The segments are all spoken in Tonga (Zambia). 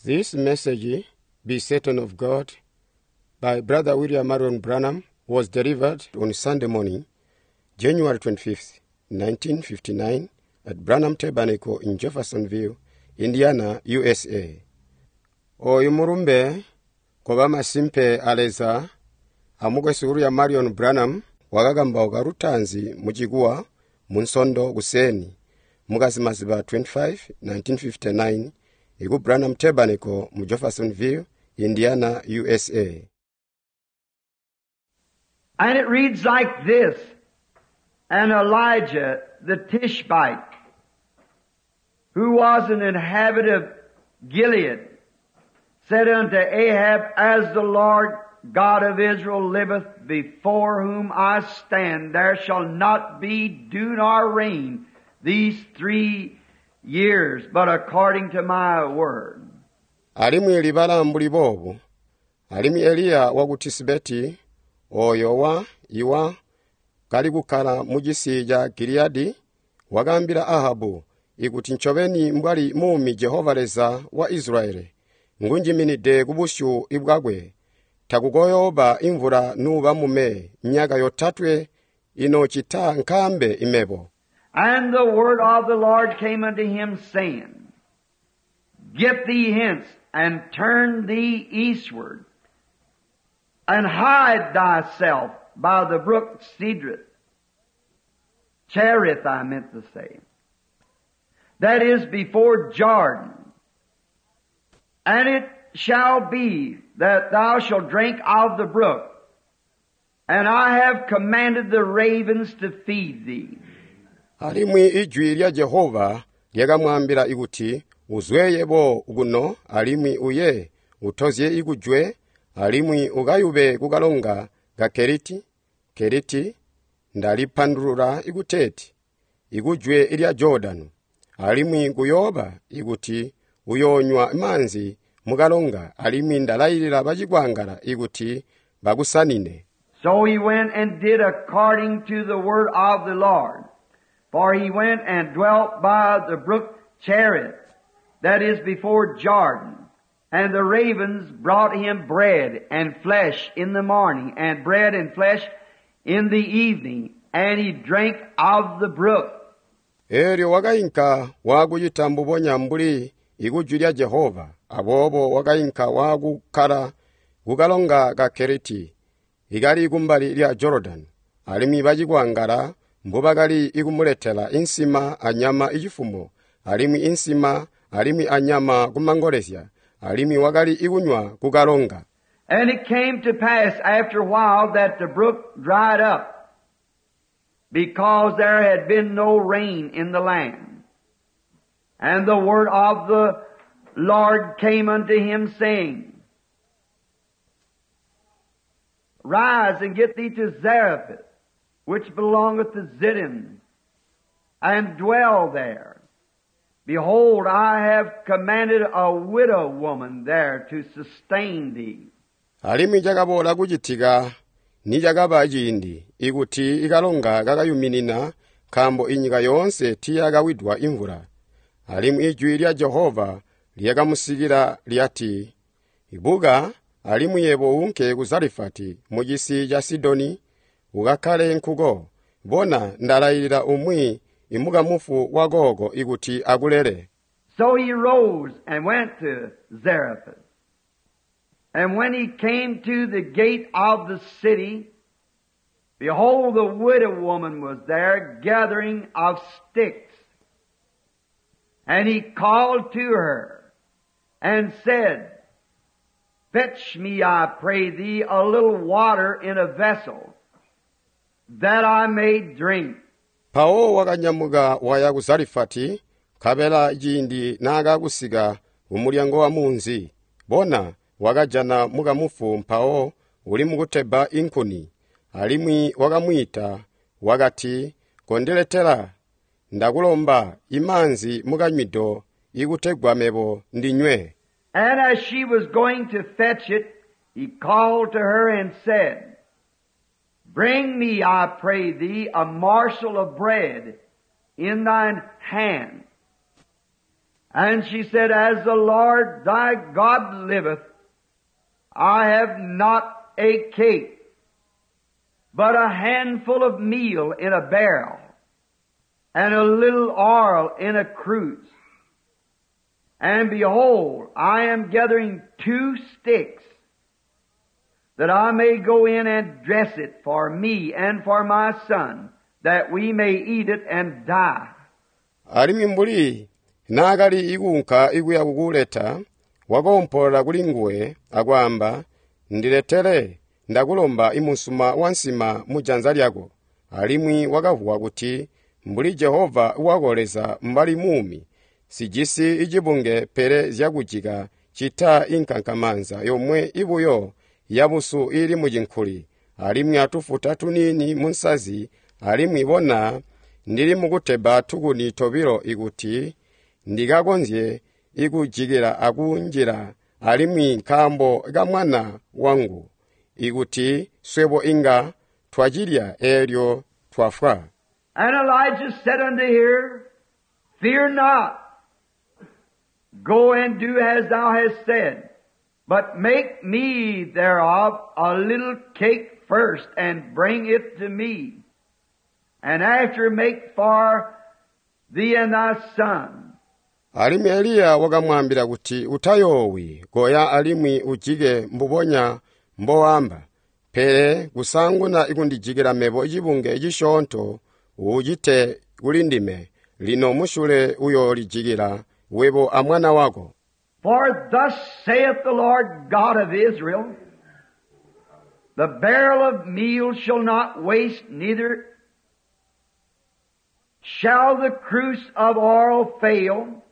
This message, Be Certain of God, by Brother William Marion Branham, was delivered on Sunday morning, January 25th, 1959, at Branham Tabernacle in Jeffersonville, Indiana, USA. Oyu mulumbe koba masimpe a Leza amukwesu William Marion Branham wakakambauka lutaanzi mu Chikuwa mu Nsondo kuseni mukazimaziba 25, 1959 iku Branham Tabernacle mu Jeffersonville, Indiana, USA. And it reads like this, And Elijah the Tishbite, who was an inhabitant of Gilead, said unto Ahab, As the Lord God of Israel liveth, before whom I stand, there shall not be dew nor rain these 3 years, but according to my word. Alimwi libala mbuli boobu, alimwi Eliya waku Tisibeti, oyo wa iwa kali kukkala mu cisi ca Giliyadi, wakaambila Ahabu ikuti ncobeni mbwali muumi Jehova Leza wa Israeli, ngunjiminide kubusyu bwakwe, takukoyooba imvula nuuba mume myaka yotatwe inocita nkambe imebo. And the word of the Lord came unto him, saying, Get thee hence, and turn thee eastward, and hide thyself by the brook Cedrith. Cherith, I meant to say. That is before Jordan. And it shall be that thou shalt drink of the brook, and I have commanded the ravens to feed thee. Alimwi ijwi lya Jehova lyakamwaambila ikuti, uzwe yebo kuno alimwi uye utozye ikujwe alimwi ukayube kukalonga ka Keriti, Keriti ndalipandulula ikuteeti ikujwe lya Jordani, alimwi kuyooba ikuti uyoonywa maanzi mukalonga alimwi ndalayilila bacikwangala ikuti bakusanine. So he went and did according to the word of the Lord. For he went and dwelt by the brook Cherith, that is before Jordan. And the ravens brought him bread and flesh in the morning, and bread and flesh in the evening, and he drank of the brook. Elyo wakainka waakucita mbubonya mbuli ikujwi lya Jehova, aboobo wakainka waakukkala kukalonga ka Keriti, ikali kumbali lya Jordan, alimwi bacikwangala mbubakali ikumuletela insima anyama icifumo, alimwi insima alimwi anyama kumangolezya, alimwi wakali ikunywa kukalonga. And it came to pass after a while that the brook dried up, because there had been no rain in the land. And the word of the Lord came unto him, saying, Rise and get thee to Zarephath, which belongeth to Zidon, and dwell there. Behold, I have commanded a widow woman there to sustain thee. Alimwi cakaboola kucitika nicakaba ciindi ikuti ikalonga kakayuminina, nkaambo inyika yoonse tiiyakawidwa imvula. Alimwi ijwi lya Jehova lyakamusikila lyati, Buka, alimwi yebo unke ku Zarefati mu cisi ca Sidoni, ukakkale nkuko. Bona, ndalayilila umwi imukamufu wa kooko ikuti akulele. So he rose and went to Zarephath. And when he came to the gate of the city, behold, the widow woman was there gathering of sticks. And he called to her and said, Fetch me, I pray thee, a little water in a vessel, that I may drink. Mpawo wakanyamuka waya ku Zarefati, nkabela ciindi naakakusika kumulyango wa munzi, bona, wakajana mukamufu mpawo uli mukutebba inkuni. Alimwi wakamwiita wakati, Kondiletela, ndakulomba imaanzi mukanywido ikutegwa mebo ndinywe. And as she was going to fetch it, he called to her and said, Bring me, I pray thee, a morsel of bread in thine hand. And she said, As the Lord thy God liveth, I have not a cake, but a handful of meal in a barrel, and a little oil in a cruse. And behold, I am gathering 2 sticks, that I may go in and dress it for me and for my son, that we may eat it and die. Alimwi mbuli naakali ikuunka ikuya kukuleta, wakoompola kuli nguwe akwaamba, Ndiletele, ndakulomba imusuma wa nsima mujanza lyako. Alimwi wakavuwa kuti, mbuli Jehova wako Leza mbali muumi, sijisi icibunge pele zyakujika cita inkankamanza yomwe ibuyo yabusu ili mucinkuli, alimwi atufuta tuniini munsazi, alimwi bona ndili mukutebba tukuni tobilo ikuti ndikakonzye ikujikila akunjila, alimwi nkaambo ka mwana wangu, ikuti swebo inga twacilya eelyo twafwa. And Elijah said unto her, Fear not, go and do as thou hast said, but make me thereof a little cake first, and bring it to me, and after make for thee and thy son. Alimwi Eliya wakamwaambila kuti, Utayoowi, koya alimwi ujike mbubonya mbowaamba, pele kusanguna ikundijikila mebo cibunge cisyoonto ucite kuli ndime, lino musyule uyoolijikila webo amwana wako. For thus saith the Lord God of Israel, the barrel of meal shall not waste, neither shall the cruse of oil fail,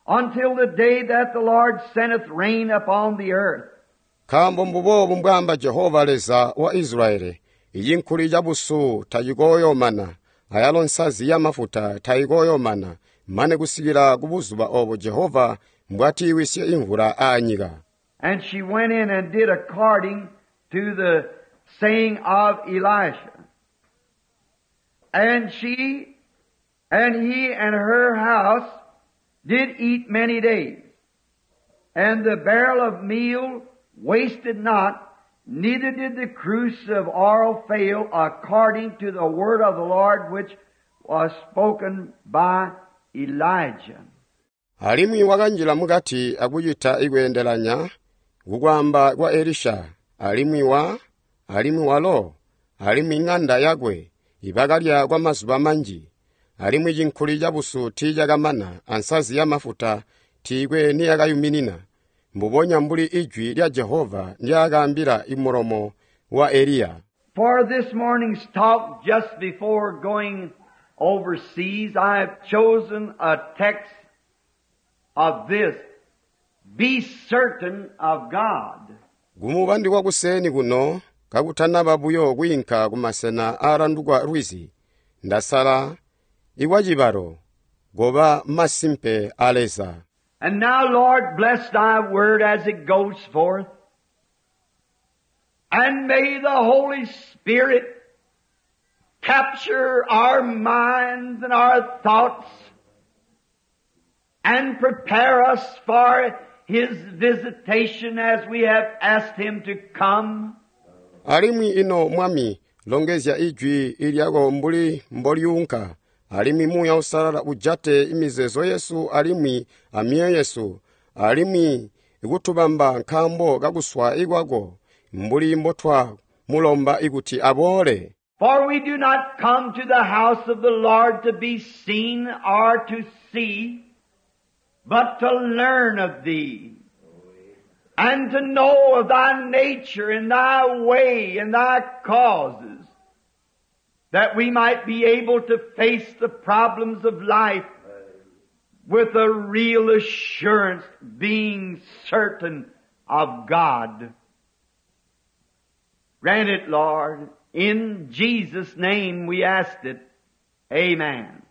until the day that the Lord sendeth rain upon the earth. Nkaambo mbuboobu mbwaamba Jehova Leza wa Israeli, icinkuli ca busu tacikooyoomana, ayalo nsazi ya mafuta tayikooyoomana, mane kusikila ku buzuba oobo Jehova mbwatiiwisye imvula aanyika. And she went in and did according to the saying of Elisha. And she and he and her house did eat many days. And the barrel of meal wasted not, neither did the cruse of oil fail, according to the word of the Lord which was spoken by Elijah. Alimwi wakanjila mukati akucita ikweendelanya kukwaamba kwa Elisha, alimwi wa, alimwi walo, alimwi ng'anda yakwe ibakalya kwa mazuba manji, alimwi cinkuli ca busu tiicakamana, ansazi ya mafuta tiikwe niyakayuminina, mbubonya mbuli ijwi lya Jehova ndyaakaambila imulomo wa Eliya. For this morning's talk, just before going overseas, I have chosen a text of this: be certain of God. Kumubandi kwakuseni kuno kakutanaba buyo kwiinka kumasena aalandukwa lwizi, ndasala ikwacibalo goba masimpe a Leza. And now, Lord, bless thy word as it goes forth. And may the Holy Spirit capture our minds and our thoughts and prepare us for His visitation as we have asked Him to come. Alimwi ino Mwami, longezya ijwi ilyako mbuli mbolyunka, alimwi Muuya Uusalala ujate imizeezo yesu alimwi amyoyo yesu, alimwi ikutubamba nkaambo kakuswa ikwako, mbuli mbotwa mulomba ikuti aboole. For we do not come to the house of the Lord to be seen or to see, but to learn of Thee, and to know of Thy nature and Thy way and Thy causes, that we might be able to face the problems of life with a real assurance, being certain of God. Grant it, Lord. In Jesus' name we asked it. Amen.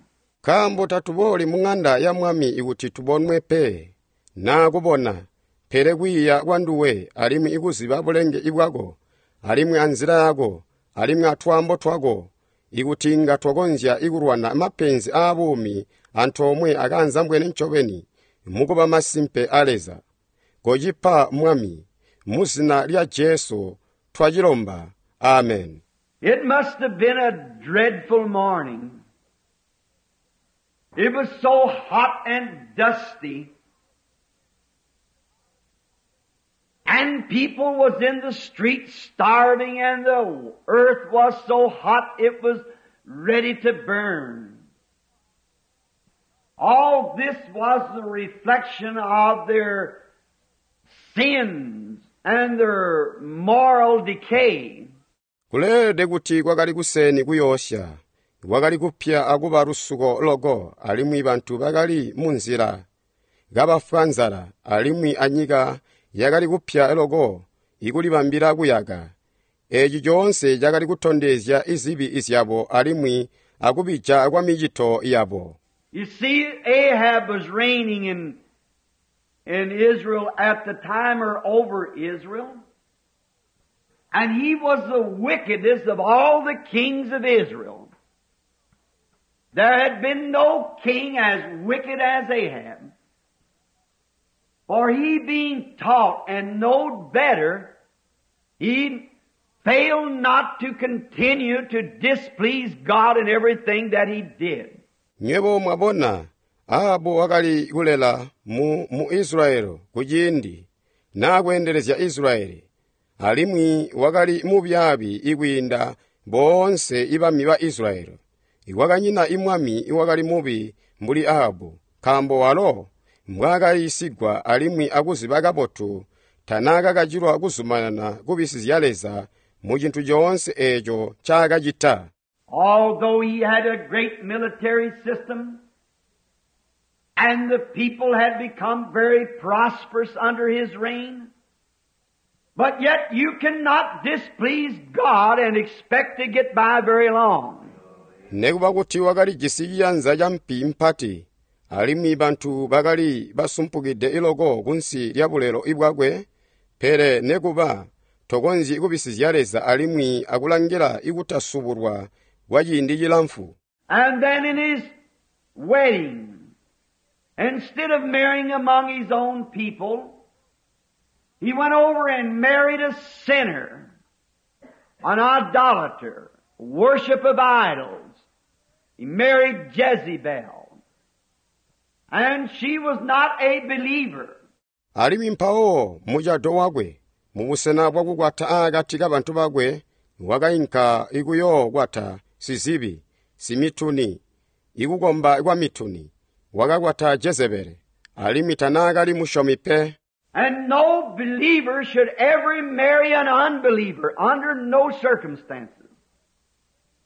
Nkaambo tatubooli mu ŋanda ya Mwami ikuti tubonwe pe, naa kubona, pele kwiiya kwa nduwe, alimwi ikuziba bulenge ibwako, alimwi anzila yako, alimwi atwaambo twako, ikuti inga twakonzya ikulwana mapenzi aabuumi antoomwe akaanzambwene ncobeni, mukuba masimpe a Leza. Kocipa Mwami, mu zina lya Jesu twacilomba. Amen. It must have been a dreadful morning. It was so hot and dusty. And people was in the streets starving, and the earth was so hot it was ready to burn. All this was the reflection of their sins and their moral decay. Kuleelede kuti kwakali kuseni kuyoosya, kwakali kupya akuba lusuko loko, alimwi bantu bakali munzila kabafwa nzala, alimwi anyika yakali kupya loko ikulibambila kuyaka. Eeci coonse cakali kutondezya izibi zyabo alimwi akubija kwa micito yabo. You see, Ahab was reigning in Israel at the time, or over Israel. And he was the wickedest of all the kings of Israel. There had been no king as wicked as Ahab. For he being taught and knowed better, he failed not to continue to displease God in everything that he did. Nywebo mwabona, Ahabu wakali kulela mu Israyeli kuciindi naakweendelezya Israyeli, alimwi wakali mubyaabi ikwiinda boonse ibami ba Israyeli. Kwakanyina imwami iwakali mubi mbuli Ahabu, nkaambo walo mbwaakayiisigwa alimwi akuziba kabotu tanaakakacilwa kuzumanana kubisizya Leza mu cintu coonse eeco ncaakacita. Although he had a great military system, and the people had become very prosperous under his reign, but yet you cannot displease God and expect to get by very long. Nekuba kuti wakalijisi ciyanza ca mpi mpati, alimwi bantu bakali basumpukide iloko kunsi lya bulelo bwakwe, pele nekuba tokonzyi kubisizya Leza alimwi akulangila ikutasubulwa kwa ciindi cilamfu. And then in his wedding, instead of marrying among his own people, he went over and married a sinner, an idolater, worship of idols. He married Jezebel. And she was not a believer. Alimwi mpawo mucado wakwe, mubusena bwakukwata aakati kabantu bakwe, wakainka ikuyookwata sizibi, simituni, ikukomba kwa mituni. Wakakwata Jezebele, alimwi tanaakali musyomi pe. And no believer should ever marry an unbeliever under no circumstances.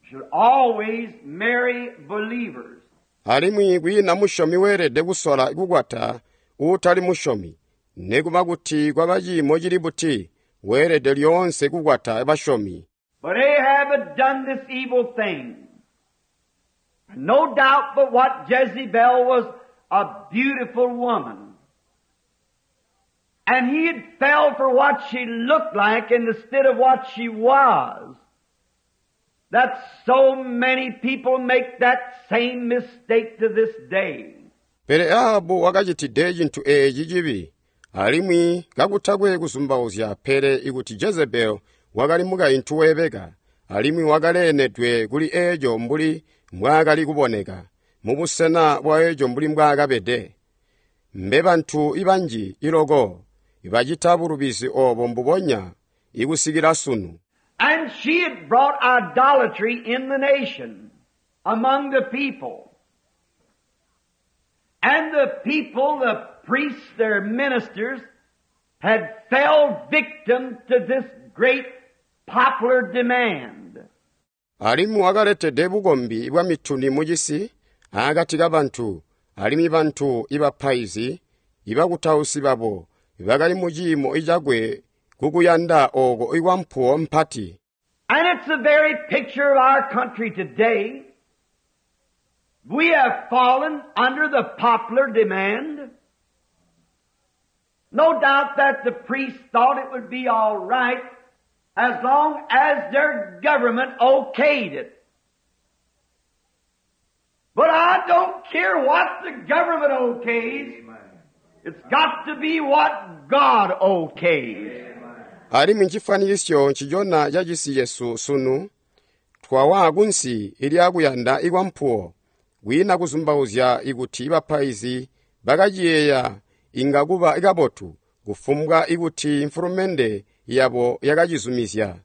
Should always marry believers. Alimwi kwiina musyomi weelede kusola kukwata uutali musyomi, nekuba kuti kwaba ciimo cili buti, weelede lyoonse kukwata basyomi. But Ahab had done this evil thing. No doubt but what Jezebel was a beautiful woman. And he had fell for what she looked like instead of what she was. That so many people make that same mistake to this day. Pele Ahabu wakacitide cintu eeci cibi, alimwi kakutakwe kuzumbauzya pele ikuti Jezebel wakali mukaintu weebeka, alimwi wakaleenedwe kuli eeco mbuli mbwaakali kuboneka, mubusena bwa eeco mbuli mbwaakabede. Mbe bantu ibanji iloko bacita bulubizi oobo mbubonya ikusikila sunu. And she had brought idolatry in the nation, among the people. And the people, the priests, their ministers, had fell victim to this great popular demand. Alimwi wakaletede bukombi bwa mituni mucisi akati kabantu, alimwi bantu ibapaizi, ibakutausi babo, bakali mu ciimo icakwe kukuyanda ooko ikwampuwo mpati. And it's the very picture of our country today. We have fallen under the popular demand. No doubt that the priests thought it would be all right as long as their government okayed it. But I don't care what the government okays. It's got to be what God okays. Alimwi ncifanikisyo ncicona ca cisi cesu sunu, twawa kunsi lyakuyanda ikwampuwo, kwiina kuzumbauzya ikuti bapaizi bakaciyeeya inga kuba kabotu kufumbwa ikuti mfulumende yabo yakacizumizya.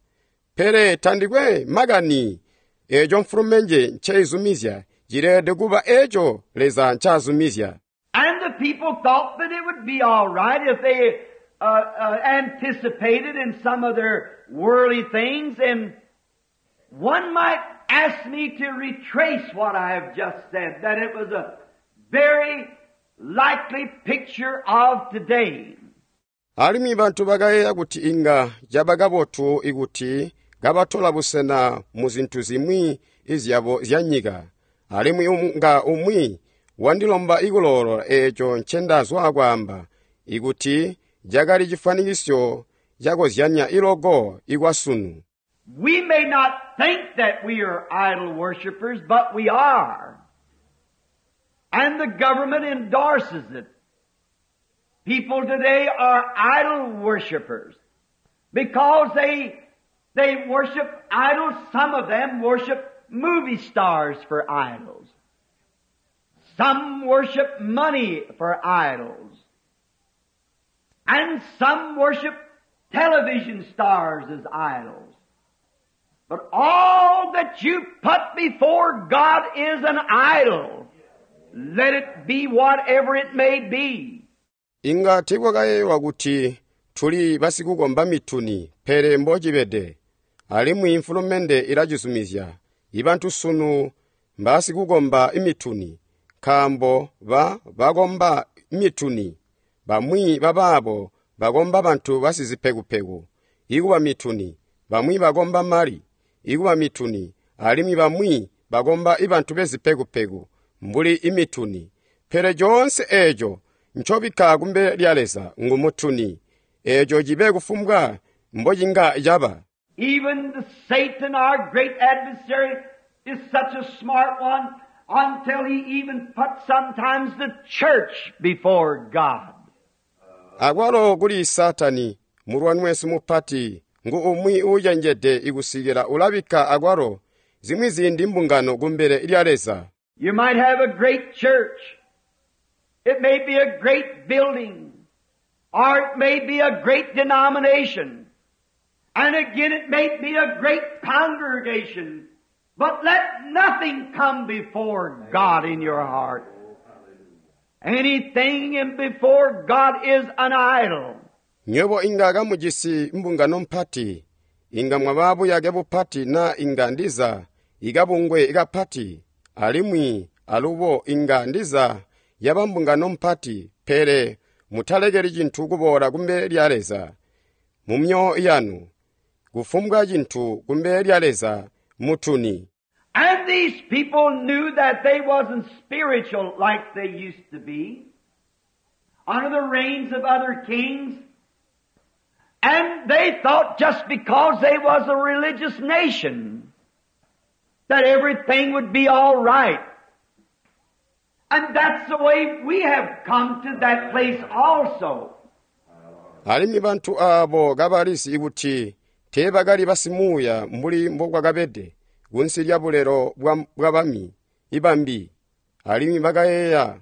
Pele tandikwe makani eeco mfulumende nceizumizya cileelede kuba eeco Leza ncazumizya. And the people thought that it would be all right if they anticipated in some of their worldly things. And one might ask me to retrace what I have just said, that it was a very likely picture of today. Alimwi bantu bakayeeya kuti inga caba kabotu ikuti kabatola busena mu zintu zimwi izyabo zyanyika. Alimwi nga umwi wandilomba ikuloolola eeco ncendazwa kwaamba, ikuti cakali cifanikisyo cakozyanya iloko ikwasunu. We may not think that we are idol worshippers, but we are. And the government endorses it. People today are idol worshippers because they worship idols. Some of them worship movie stars for idols. Some worship money for idols. And some worship television stars as idols. But all that you put before God is an idol. Let it be whatever it may be. Inga tiikwakayeeyelwa kuti tuli basikukomba mituni, pele mbocibede. Alimwi mfulumende ilacizumizya. Ibantu sunu mbasikukomba mituni, nkaambo bakomba mituni. Bamwi babaabo bakomba bantu basizipekupeku, ikuba mituni. Bamwi bakomba mali, ikuba mituni. Alimwi bamwi bakomba ibantu bezipekupeku, mbuli imituni. Pele coonse eeco ncobikka kumbele lya Leza ngumutuni. Eeco cibe kufumbwa mbocinga caba. Even the Satan, our great adversary, is such a smart one until he even puts sometimes the church before God. Akwalo kuli Satani, mulwani wesu mupati, ngu umwi uucenjede ikusikila ulabikka akwalo zimwi ziindi mbungano kumbele lya Leza. You might have a great church. It may be a great building, or it may be a great denomination. And again, it may be a great congregation. But let nothing come before God in your heart. Anything in before God is an idol. Nywebo inga kamujisi mbungano mpati, inga mwaba buyake bupati na inga ndiza ikabungwe ikapati, alimwi alubo inga ndiza yaba mbungano mpati, pele mutalekeli cintu kuboola kumbele lya Leza mu myoyo yanu, kufumbwa cintu kumbele lya Leza mutuni. And these people knew that they wasn't spiritual like they used to be under the reigns of other kings. And they thought just because they was a religious nation that everything would be all right. And that's the way we have come to that place also. Alimwi bantu aabo kabalizi kuti teebakali basimuuya mbuli mbokwakabede kunsi lya bulelo bwa bami ibambi, alimwi bakayeeya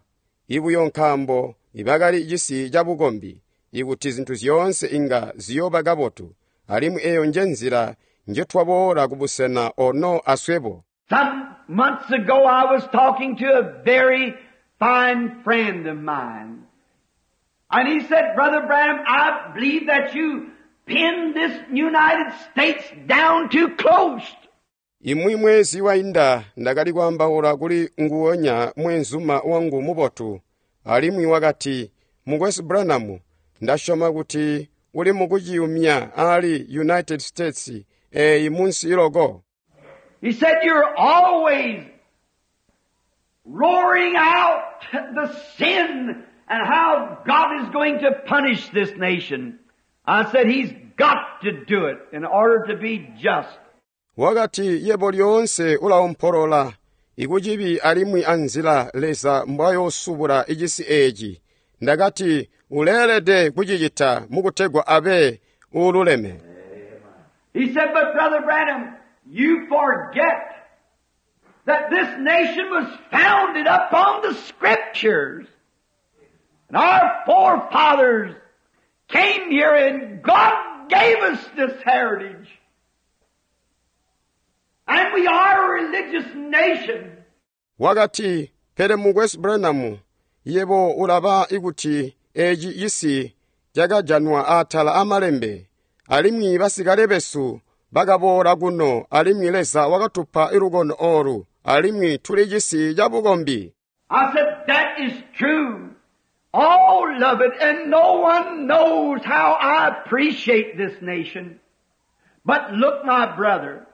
ibuyo nkaambo ibakali cisi cabukombi ikuti zintu zyoonse inga ziyooba kabotu, alimwi eeyo njenzila njetwaboola kubusena ono aswebo. Some months ago I was talking to a very fine friend of mine. And he said, Brother Branham, I believe that you pinned this United States down too close. Imwi mwezi wainda ndakali kwaambaula kuli nguwonya mwenzuma wangu mubotu, alimwi wakati, Mukwesu Branham, ndasyoma kuti uli mukuciyumya ali United States eeyi munsi iloko. He said, you're always roaring out the sin and how God is going to punish this nation. I said, he's got to do it in order to be just. Wakati yebo lyoonse ulaompolola ikucibi alimwi anzila Leza mbwayoosubula icisi eeci. Ndakati uleelede kucicita mukutegwa abe uululeme. He said, but Brother Branham, you forget that this nation was founded upon the Scriptures. And our forefathers came here and God gave us this heritage. And we are a religious nation. Wakati, pele mukwesu Branham, yebo ulaba ikuti eeci cisi cakajanwa atala amalembe, alimwi basikale besu bakaboola kuno, alimwi Leza wakatupa lukono olu, alimwi tuli cisi cabukombi. I said, that is true. All of it, and no one knows how I appreciate this nation. But look, my brother,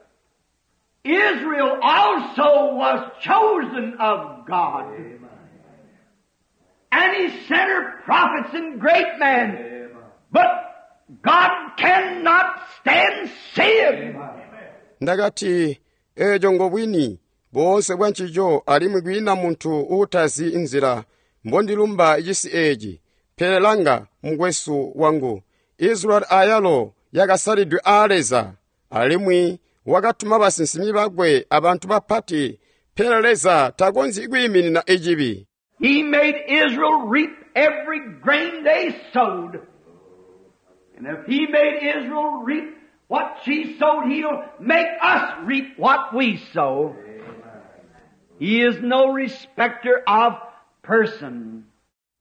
Israel also was chosen of God. And He sent her prophets and great men. But God cannot stand sin. Ndakati, eeco ngobwini, boonse bwancico alimwi kwiina muntu uutazi nzila mbondilumba cisi eeci. Pele langa, mukwesu wangu, Israeli ayalo yakasalidwe aa Leza, alimwi wakatuma basinsimi bakwe abantu bapati, pele Leza takonzyi kwiiminina icibi. He made Israel reap every grain they sowed. And if He made Israel reap what she sowed, He'll make us reap what we sow. He is no respecter of person.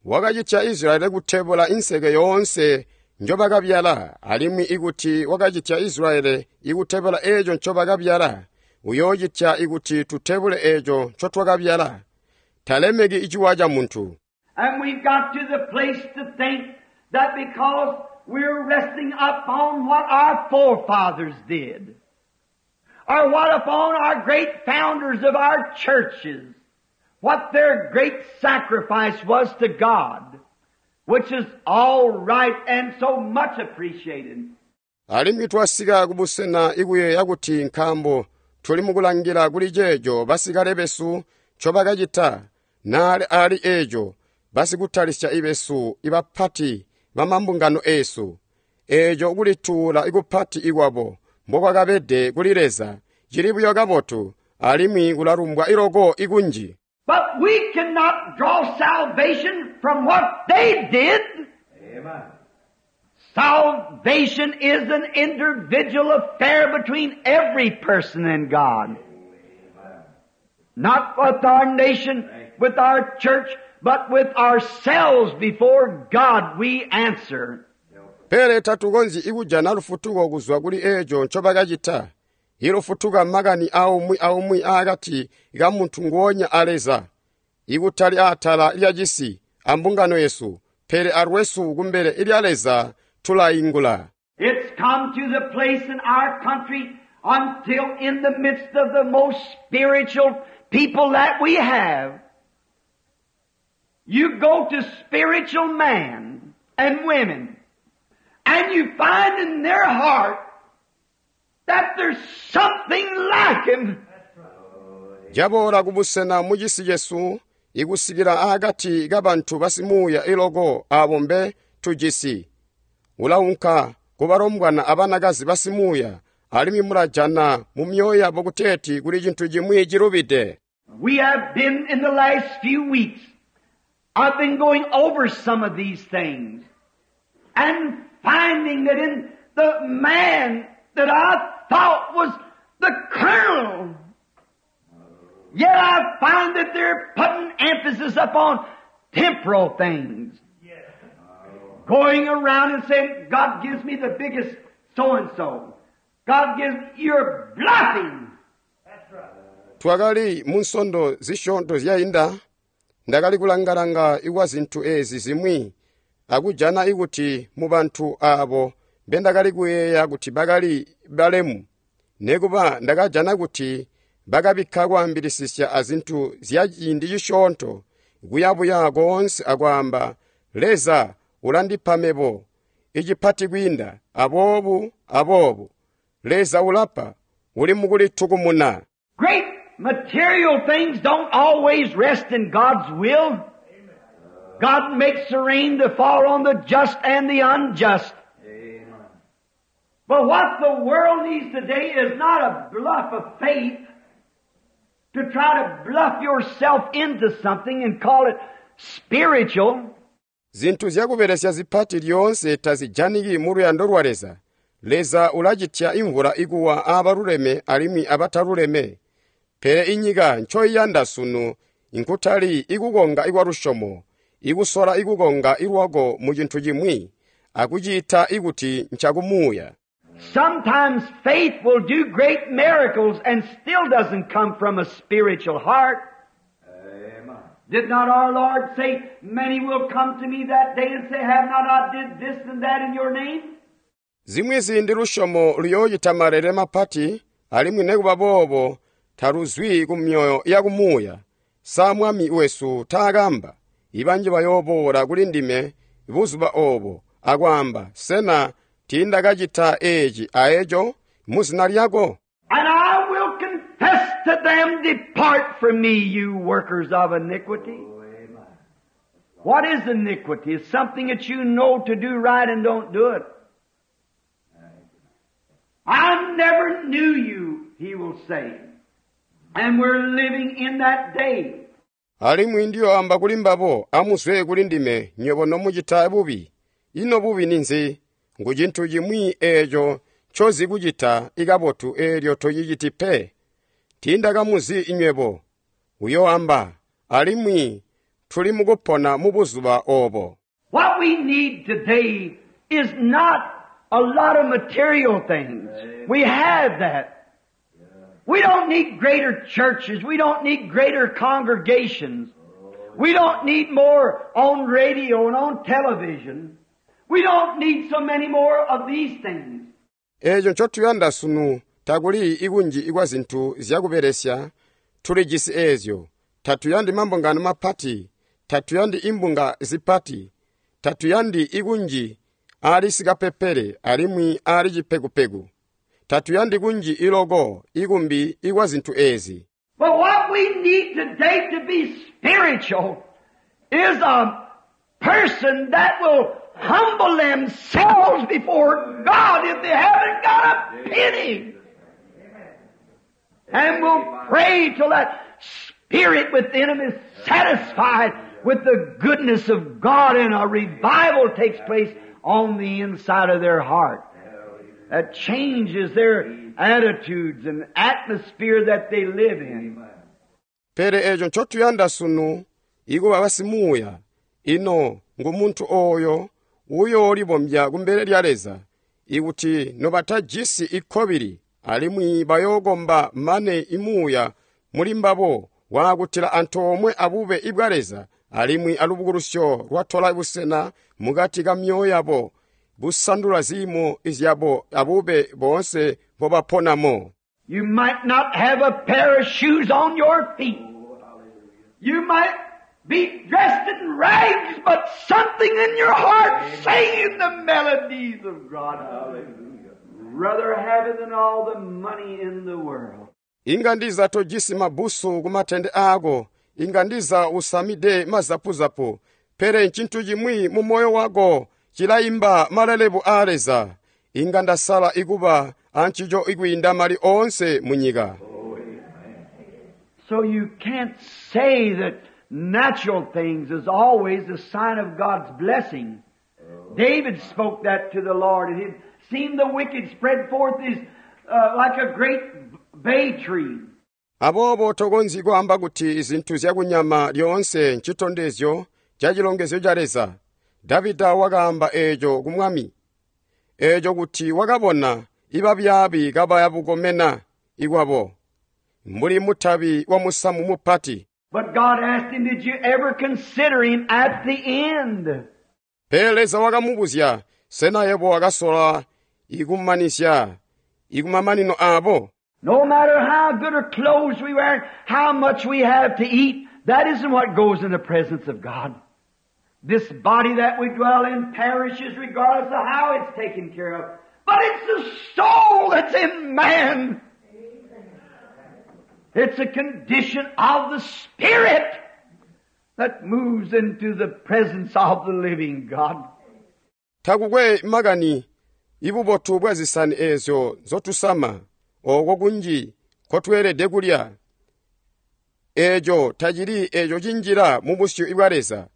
Wakacitya Israeli kutebula inseke yoonse njobakabyala, alimwi ikuti wakacitya Israeli ikutebula eeco ncobakabyala, uyoocitya ikuti tutebule eeco ncotwakabyala. Talemeki iciwa ca muntu. And we've got to the place to think that because we're resting upon what our forefathers did, or what upon our great founders of our churches, what their great sacrifice was to God, which is all right and so much appreciated. Alimwi twasika kubusena ikuyeeya kuti nkaambo tuli mukulangila kuli ceeco basikale besu ncobakacita, naali ali eeco basikutalisya ibesu ibapati bamambungano eesu, eeco kulituula ikupati ikwabo mbokwakabede kuli Leza cili buyo kabotu alimwi kulalumbwa iloko ikunji. But we cannot draw salvation from what they did. Amen. Salvation is an individual affair between every person and God. Not with our nation, with our church, but with ourselves before God we answer. Pele tatukonzyi ikujana lufutuko kuzwa kuli eeco ncobakacita. Ilufutuka makani aumwi aumwi aakati ka muntu nguonya a Leza, ikutali atala lya cisi ambungano yesu, pele alwesu kumbele lya Leza tulaingula. It's come to the place in our country until in the midst of the most spiritual people that we have, you go to spiritual men and women, and you find in their heart that there's something lacking. Jaboola kubusena mu cisi cesu ikusikila aakati kabantu basimuuya iloko aabo mbe tujisi. Ulaunka kubalombwana abanakazi basimuuya alimwi mulajana mu myoyo yabo kuteeti kuli cintu cimwi cilubide. We have been in the last few weeks, I've been going over some of these things and finding that in the man that I thought was the colonel, yet I find that they're putting emphasis upon temporal things. Going around and saying, God gives me the biggest so-and-so. God gives, you're bluffing. Twakali mu nsondo zisyoonto zyainda, ndakali kulangalanga ikwa zintu eezi zimwi akujana ikuti mu bantu aabo mbendakali kuyeeya kuti bakali balemu, nekuba ndakajana kuti bakabikka kwaambilisisya azintu zya ciindi cisyoonto kuyabuya koonse akwaamba, Leza ulandipa mebo icipati kwiinda aboobu aboobu. Leza ulapa, uli mukulitukumuna. Great material things don't always rest in God's will. God makes the rain to fall on the just and the unjust. But what the world needs today is not a bluff of faith to try to bluff yourself into something and call it spiritual. Zinthu zyakubelesya zipati lyoonse tazijaniki mu luyando lwa Leza. Leza ulacitya imvula ikuwa aabaluleme alimwi abataluleme. Pele inyika ncoiyanda sunu nkutali ikukonga ikwa lusyomo, ikusola ikukonga ilwako mu cintu cimwi, akuciita ikuti ncakumuuya. Sometimes faith will do great miracles and still doesn't come from a spiritual heart. Did not our Lord say, many will come to me that day and say, have not I did this and that in your name? Zimwi ziindi lusyomo luyoocita malele mapati, alimwi nikuba boobo taluzwi ku myoyo yakumuuya. Sa Mwami wesu taakamba, ibanji bayooboola kuli ndime buzuba oobo akwaamba, sena tiindakacita eeci aeco muzina lyako? And I will confess to them, depart from me, you workers of iniquity. What is iniquity? It's something that you know to do right and don't do it. I never knew you, he will say. And we're living in that day. Alimwi ndiyoamba kuli mbabo, amuzwe kuli ndime, nywebo nomucita bubi. Ino bubi ninzi? Ngu cintu cimwi eeco ncozi kucita ikabotu eelyo tociciti pe. Tiindakamuzi nywebo. Uyoamba, alimwi tuli mukupona mu buzuba oobo. What we need today is not a lot of material things. We have that. We don't need greater churches. We don't need greater congregations. We don't need more on radio and on television. We don't need so many more of these things. Eeco ncotuyanda sunu takuli ikunji ikwa zintu zyakubelesya, tulijisi eezyo. Tatuyandi mambungano mapati, tatuyandi imbunga zipati, tatuyandi ikunji aali sikapepele alimwi aali cipekupeku. Tatuyandi kunji iloko ikumbi ikwa zintu eezi. But what we need today to be spiritual is a person that will humble themselves before God if they haven't got a penny. And will pray till that spirit within them is satisfied with the goodness of God and a revival takes place on the inside of their heart. That changes their attitudes and atmosphere that they live in. Pele eeco ncotuyanda sunu ikuba basimuuya, ino ngu muntu ooyo uyoolibombya kumbele lya Leza, ikuti nobatajisi ikkobili alimwi bayookomba mane imuuya muli mbabo waakutila antoomwe abube ibwa Leza alimwi alubukulusyo lwatola busena mukati ka myoyo yabo, busandula ziimo zyabo abube boonse mbobaponamo. You might not have a pair of shoes on your feet. You might be dressed in rags, but something in your heart singing the melodies of God. Hallelujah. Rather have it than all the money in the world. Inga ndiza tojisi mabusu ku matende ako, inga ndiza usamide mazapuzapu, pele ncintu cimwi mu moyo wako cilayimba malelebu a Leza. Inga ndasala ikuba ancico ikwiinda mali oonse mu nyika. So you can't say that natural things is always a sign of God's blessing. David spoke that to the Lord, and he'd seen the wicked spread forth his, like a great bay tree. Aboobo tokonzyi kwaamba kuti zinthu zyakunyama lyoonse ncitondezyo ca cilongezyo ca Leza. Davida wakaamba eeco ku Mwami, eeco kuti wakabona ibabyaabi kabaya bukomena ikwabo, mbuli mutabi wa musamu mupati. But God asked him, did you ever consider him at the end? Pele Leza wakamubuzya, sena yebo wakasola ikumanisya ikumamanino abo? No matter how good our clothes we wear, how much we have to eat, that isn't what goes in the presence of God. This body that we dwell in perishes regardless of how it's taken care of. But it's the soul that's in man. It's a condition of the spirit that moves into the presence of the living God. Takukwe makani ibubotu bwa zisani eezyo nzotusama ooko kunji nkotweelede kulya. Eeco tacili eeco cinjila mubusyu bwa Leza.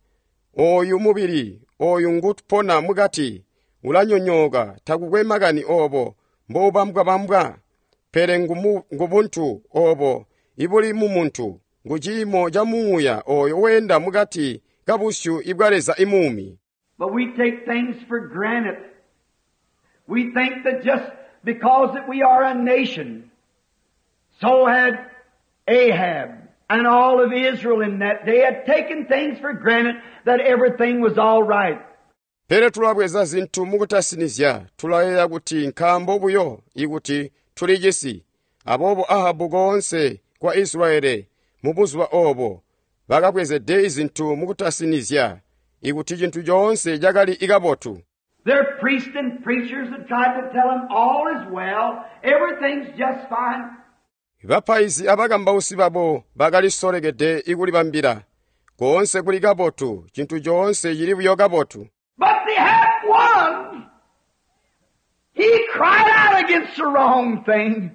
Ooyu mubili ooyu ngupona mukati ulanyonyooka takukwe makani oobo mboubambwa-bambwa, pele ngubuntu oobo ibuli mumuntu, nguciimo ca muuya ooyo weenda mukati kabusyu bwa Leza imuumi. But we take things for granted. We think that just because that we are a nation, so had Ahab and all of Israel in that day had taken things for granted that everything was all right. Pele tulabweza zintu mukutasinizya, tulayeeya kuti nkaambo buyo ikuti tuli cisi. Aboobo Ahabu koonse kwa Israeli mubuzuba oobo bakabwezede izintu mukutasinizya ikuti cintu coonse cakali ikabotu. Their priests and preachers had tried to tell them all is well, everything's just fine. Bapaizi abakambausi babo bakalisolekede ikulibambila koonse kuli kabotu, cintu coonse cili buyo kabotu. But they had one. He cried out against the wrong thing.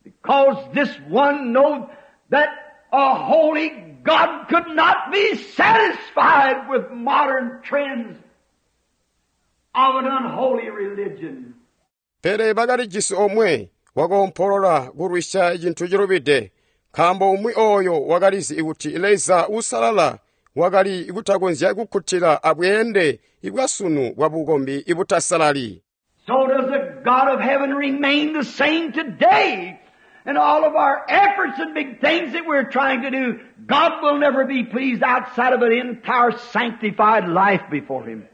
Because this one knowed that a holy God could not be satisfied with modern trends of an unholy religion. Pele bakalijisi omwe wakoompolola kulwisya cintu cilubide, nkaambo umwi ooyo wakalizi kuti Leza uusalala wakali kutakonzya kukkutila abweende bwasunu bwa bukombi ibutasalali. So does the God of heaven remain the same today. And all of our efforts and big things that we're trying to do, God will never be pleased outside of an entire sanctified life before Him.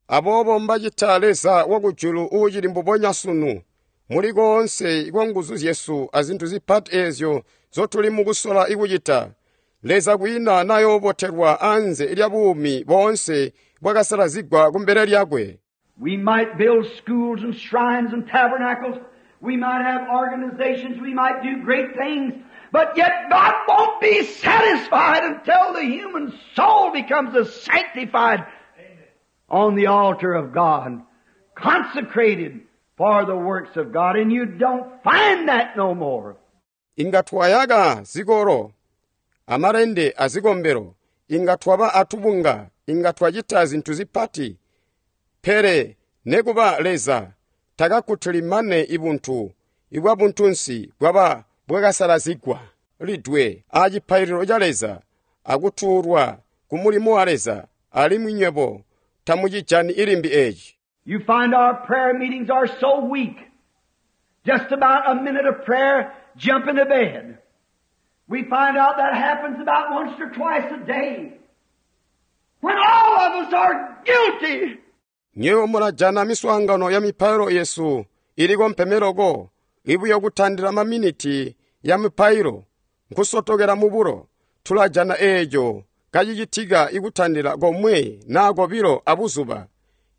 Aboobo mbacita Leza wakujulu uucili mbubonya sunu, muli koonse kwa nguzu zyesu azintu zipati eezyo nzotuli mukusola ikucita. Leza kwiina nayoobotelwa anze lya buumi boonse bwakasalazigwa kumbele lyakwe. We might build schools and shrines and tabernacles. We might have organizations. We might do great things. But yet God won't be satisfied until the human soul becomes a sanctified on the altar of God, consecrated for the works of God. And you don't find that no more. Inga twayaka zikolo, amalende azikombelo, inga twaba atubunga, inga twacita zintu zipati. Pele nekuba Leza takakkutili mane ibuntu ibwa buntunsi bwaba bwakasalazigwa lidwe acipaililo ca Leza akutuulwa ku mulimo wa Leza, alimwi nywebo tamucijani ilimbi eeci. You find our prayer meetings are so weak. Just about a minute of prayer, jump into bed. We find out that happens about once or twice a day. When all of us are guilty. Nywebo mulajana miswaangano ya mipailo yesu iliko mpemeloko ibuyo kutandila maminiti ya mipailo nkusotokela mubulo tulajana eeco kacicitika ikutandila komwe naa kobilo abuzuba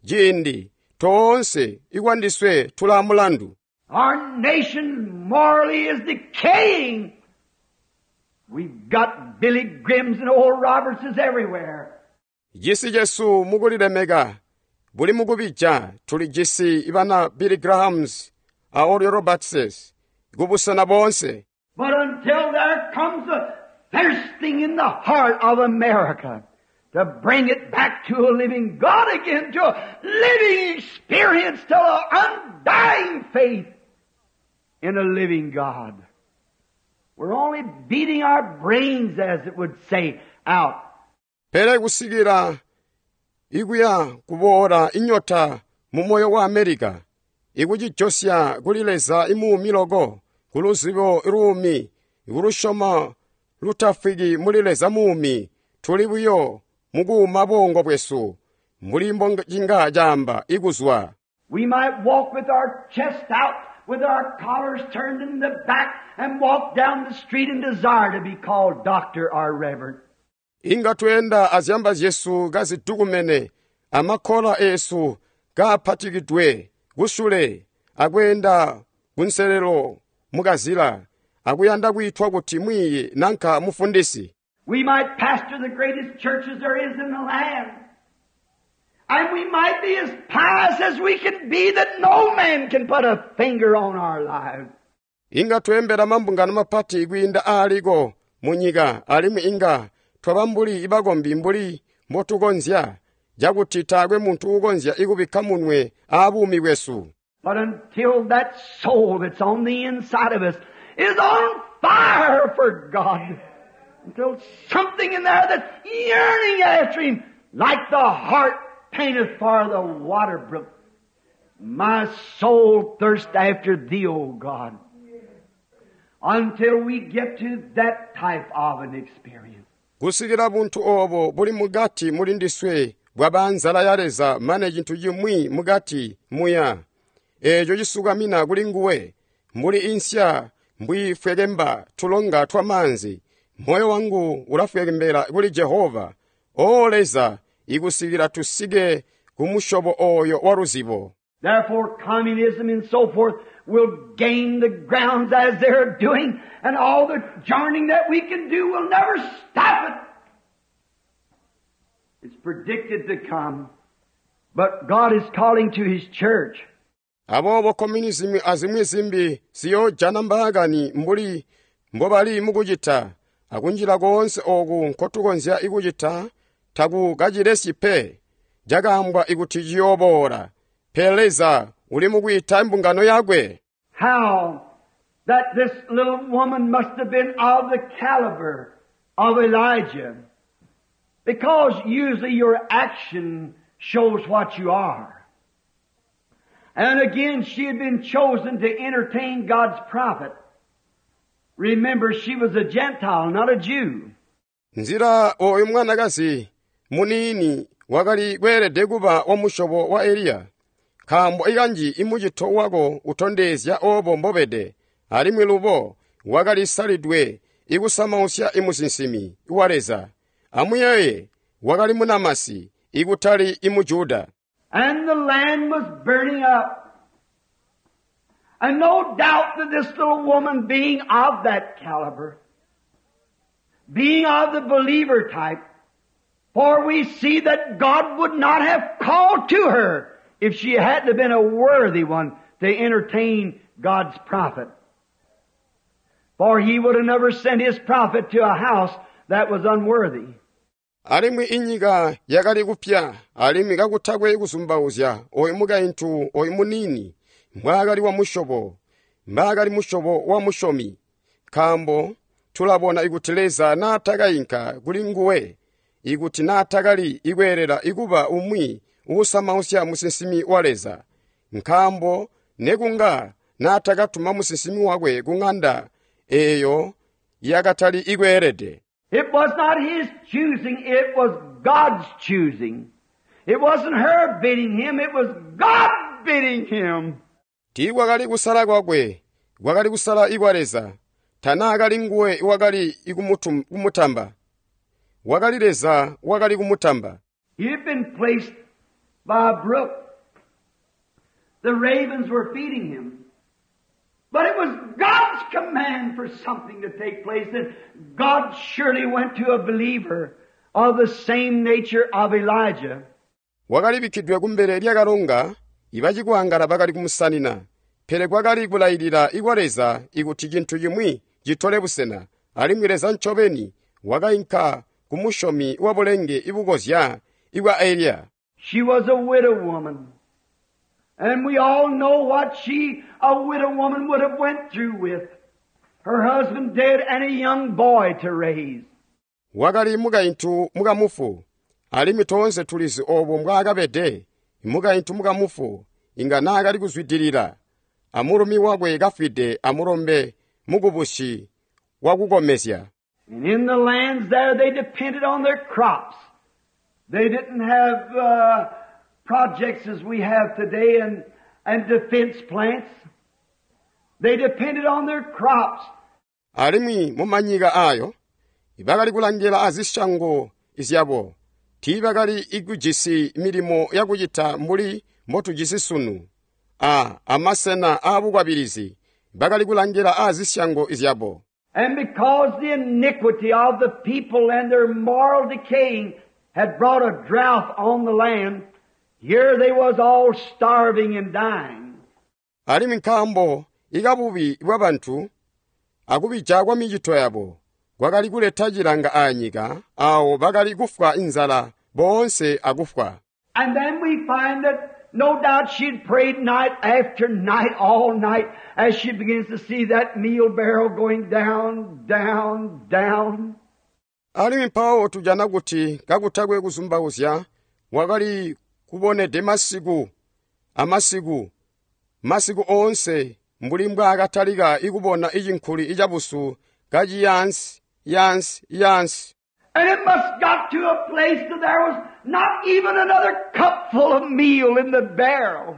ciindi toonse ikwandiswe tulaa mulandu. Our nation morally is decaying. We've got Billy Grahams and Oral Robertses everywhere. Cisi cesu mukulilemeka buli mukubija tulijisi bana Billy Grahams a Oral Robertses kubusena boonse. But until there comes a thirsting in the heart of America to bring it back to a living God again, to a living experience, to an undying faith in a living God. We're only beating our brains, as it would say, out. Pele kusikila ikuya kuboola inyota mu moyo wa Amerika, ikucijosya kuli Leza imuumi loko, kuluzibo luumi, ikulusyomo lutafwiki muli Leza muumi, tuli buyo mukuuma bongo bwesu, mbuli mbocinga caamba ikuzwa. We might walk with our chest out, with our collars turned in the back, and walk down the street and desire to be called doctor or reverend. Inga tweenda azyamba zyesu kazidukumene, amakkola esu kaaphatikidwe kusule, akweenda kunselelo mukazila, akuyanda kuyitwa kuti mwiiyi nanka mufundisi. We might pastor the greatest churches there is in the land. And we might be as pious as we can be that no man can put a finger on our lives. Inga tweembela mambungano mapati kwiinda aaliko munyika alimwi inga twaba mbuli ibakombi mbuli mbotukonzya cakuti taakwe muntu uukonzya ikubikka munwe aabuumi bwesu. But until that soul that's on the inside of us is on fire for God, until something in there that's yearning after Him, like the hart panteth for the water brook, my soul thirsts after Thee, O God. Until we get to that type of an experience. Kusikila buntu obo buli mukati muli ndiswe bwaba nzala ya Leza mane cintu cimwi mukati muya eeco cisukamina kuli nguwe mbuli insya mbwiifwekemba tulonga twa maanzi moyo wangu ulafwekembela kuli Jehova o Leza ikusikila tusike ku musyobo oyo wa luzibo. Therefore, communism and so forth will gain the grounds as they're doing, and all the joining that we can do will never stop it. It's predicted to come, but God is calling to His church. Aboobo communism azimwi zimbi ziyoojana mbaakani mbuli mbobali mukucita akunjila koonse ooku nkotukonzya ikucita takukacilesyi pe cakaambwa ikuti ciyooboola pele Leza uli mukwiita imbungano yakwe. How that this little woman must have been of the caliber of Elijah. Because usually your action shows what you are. And again, she had been chosen to entertain God's prophet. Remember, she was a Gentile, not a Jew. Nzila oyu mwanakazi muniini wakali kweelede kuba wa musyobo wa Eliya. Nkaambo ikanji imucito wako utondezya obo mbobede, alimwi lubo wakalisalidwe ikusamausya imusinsimi wa Leza. Amuyeeye wakali munamasi ikutali imujuda. And the land was burning up. And no doubt that this little woman, being of that caliber, being of the believer type, for we see that God would not have called to her if she hadn't have been a worthy one to entertain God's prophet. For he would have never sent his prophet to a house that was unworthy. Alimwi inyika yakali kupya alimwi kakutakwe kuzumbauzya oyu mukaintu oyu muniini mbwaakali wa musyobo mbaakali musyobo wa musyomi nkaambo tulabona ikuti Leza naatakayinka kuli nguwe ikuti naatakali ikweelela ikuba umwi uusamausya musinsimi wa Leza nkaambo nekunga naatakatuma musinsimi wakwe ku ŋanda eeyo yakatali ikweelede. It was not his choosing, it was God's choosing. It wasn't her bidding him, it was God bidding him. Tiikwakali kusala kwakwe, kwakali kusala ikwa Leza. Tanaakali nguwe wakali kumutamba. Wakali Leza wakali kumutamba. He had been placed by a brook. The ravens were feeding him. But it was God's command for something to take place, and God surely went to a believer of the same nature of Elijah. Wakalibikkidwe kumbele lyakalonga, ibacikwangala bakali kumusanina. Pele kwakali kulayilila ikwa Leza ikuti cintu cimwi citole busena, alimwi Leza ncobeni wakainka ku musyomi wa bulenge ibukozya ikwa Eliya. She was a widow woman. And we all know what she, a widow woman, would have went through with. Her husband dead and a young boy to raise. Wakali mukaintu mukamufu, alimwi toonse tulizi obo mbwaakabede. Mukaintu mukamufu inga naakali kuzwidilila, amulumi wakwe kafwide amulombe mukubusi wakukomezya. And in the lands there they depended on their crops. They didn't have projects as we have today and defense plants. They depended on their crops. Alimwi mumanyika ayo bakali kulangila azisyango zyabo. Tiibakali ikujisi milimo yakucita mbuli mbotujisi sunu. Amasena aabukwabilizi bakali kulangila azisyango zyabo. And because the iniquity of the people and their moral decaying had brought a drought on the land, here they was all starving and dying. Alimwi nkaambo ikabubi bwabantu akubija kwa micito yabo kwakali kuleta cilanga aanyika, awo bakali kufwa inzala boonse akufwa. And then we find that no doubt she'd prayed night after night, all night, as she begins to see that meal barrel going down, down, down. Alimwi mpawo tujana kuti kakutakwe kuzumbauzya wakali kubonede masiku amasiku, masiku oonse mbuli mbwaakatalika ikubona icinkuli icabusu kaciyansi yansi yansi. And it must got to a place that there was not even another cupful of meal in the barrel.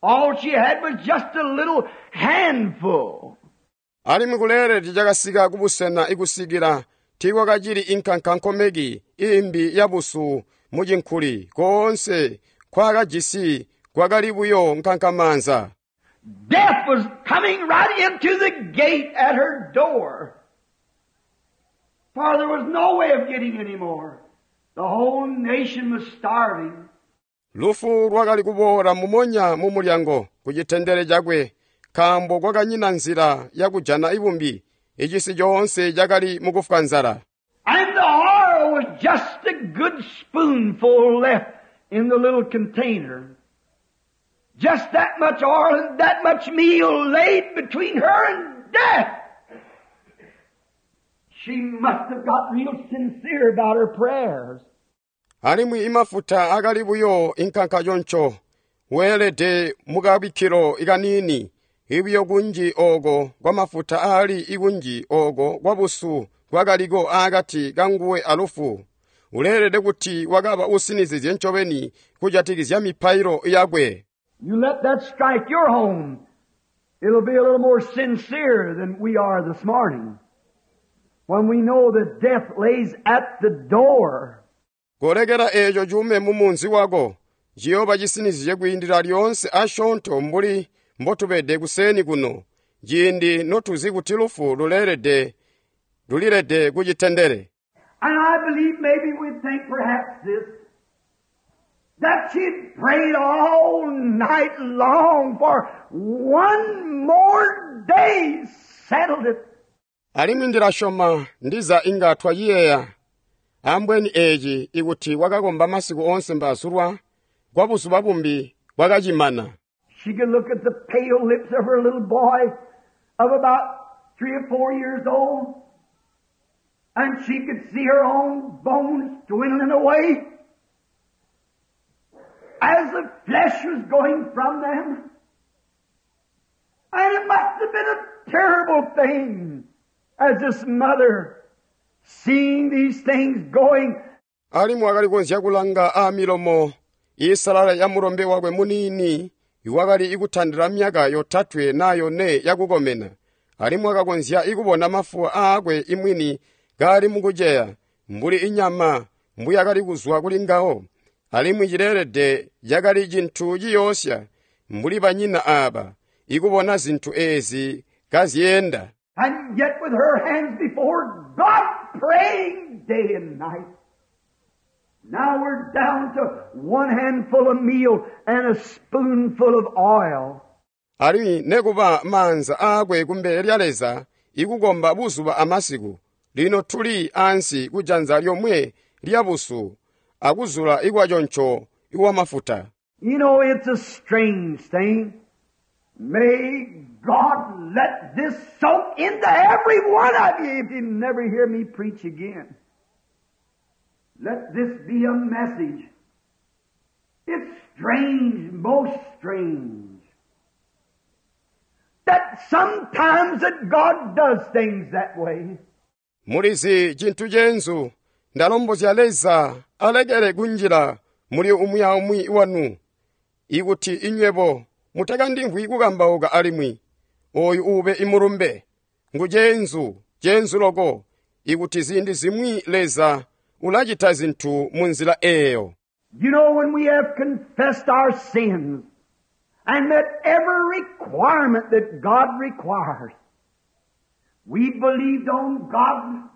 All she had was just a little handful. Alimwi kuleelede cakasika kubusena ikusikila tiikwakacili inkankankomeki imbi yabusu mucinkuli koonse kwaakajisi kwakali buyo nkankamanza. Death was coming right into the gate at her door. For there was no way of getting any more. The whole nation was starving. Lufu lwakali kuboola mumonya mu mulyango ku citendele cakwe, nkaambo kwakanyina nzila yakujana ibumbi, icisi coonse cakali mukufwa nzala. And the oil was just a good spoonful left in the little container. Just that much oil and that much meal laid between her and death. She must have got real sincere about her prayers. Alimwi imafuta akali buyo inkanka choncho, weelede mukabikkilo ikanini, ibiyo kunji oko kwa mafuta aali ikunji oko kwa busu kwakaliko aakati kanguwe alufu. Uleelede kuti wakaba usinizizye ncobeni kujatikizya mipailo yakwe. You let that strike your home, it'll be a little more sincere than we are this morning, when we know that death lays at the door. Kolekera eeco cuume mu munzi wako, ciyooba cisinizye kwiindila lyoonse asyoonto mbuli mbotubede kuseeni kuno, ciindi notuzi kuti lufu lulilede kucitendele. And I believe maybe we'd think perhaps this, that she'd prayed all night long for one more day, settled it. Alimwi ndilasyoma ndiza inga twaciyeeya ambweni eeci ikuti wakakomba masiku oonse mbazulwa kwa buzuba bumbi bwakacimana. She could look at the pale lips of her little boy of about 3 or 4 years old, and she could see her own bones dwindling away as the flesh was going from them. And it must have been a terrible thing as this mother seeing these things going. Alimwi wakali konzya kulanga aamilomo iisalala ya mulombe wakwe muniini iwakali ikutandila myaka 3 na 4 yakukomena. Alimwi wakakonzya ikubona mafuwa aakwe imwini kaali mukuceya mbuli inyama mbuyakali kuzwa kuli ngawo. Alimwi cileelede cakali cintu ciyoosya mbuli banyina aaba ikubona zintu eezi kazyeenda. And yet with her hands before God praying day and night. Now we're down to one handful of meal and a spoonful of oil. Alimwi nekuba maanza aakwe kumbele lya Leza ikukomba buzuba amasiku, lino tuli ansi kujanza lyomwe lya busu akuzula ikwaconco iwamafuta. You know, it's a strange thing. May God let this soak into every one of you if you never hear me preach again. Let this be a message. It's strange, most strange, that sometimes that God does things that way. Mulizi cintu cenzu, ndalombozya Leza alekele kunjila muli umwi aumwi wanu, ikuti inywebo mutakandimvwi kukambauka alimwi oyu ube imulumbe. Ngu cenzu, cenzu loko, ikuti ziindi zimwi Leza ulacita zintu munzila eyo. You know, when we have confessed our sins and met every requirement that God requires, We believed on God.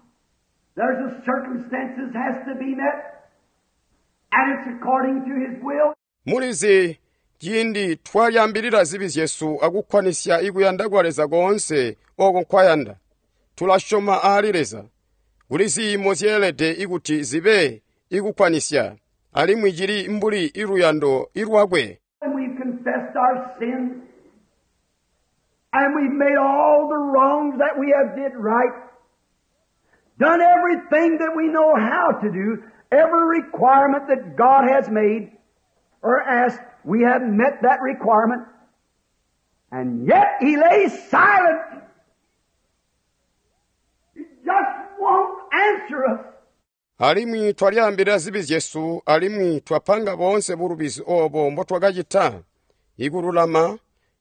There's a circumstances has to be met, and it's according to His will. Mulizi ciindi twalyambilila zibi zyesu akukkwanisya ikuyanda kwa Leza koonse oko nkwayanda, tulasyoma aali Leza. Kuli ziimo zyeelede ikuti zibe ikukkwanisya, alimwi cili mbuli iluyando ilwakwe. And we've confessed our sins, and we've made all the wrongs that we have did right, done everything that we know how to do, every requirement that God has made or asked, we have met that requirement, and yet He lays silent. He just won't answer us. Alimwi twalyambilila zibi zyesu alimwi twapanga boonse bulubizi obo mbotwakacita, ikululama,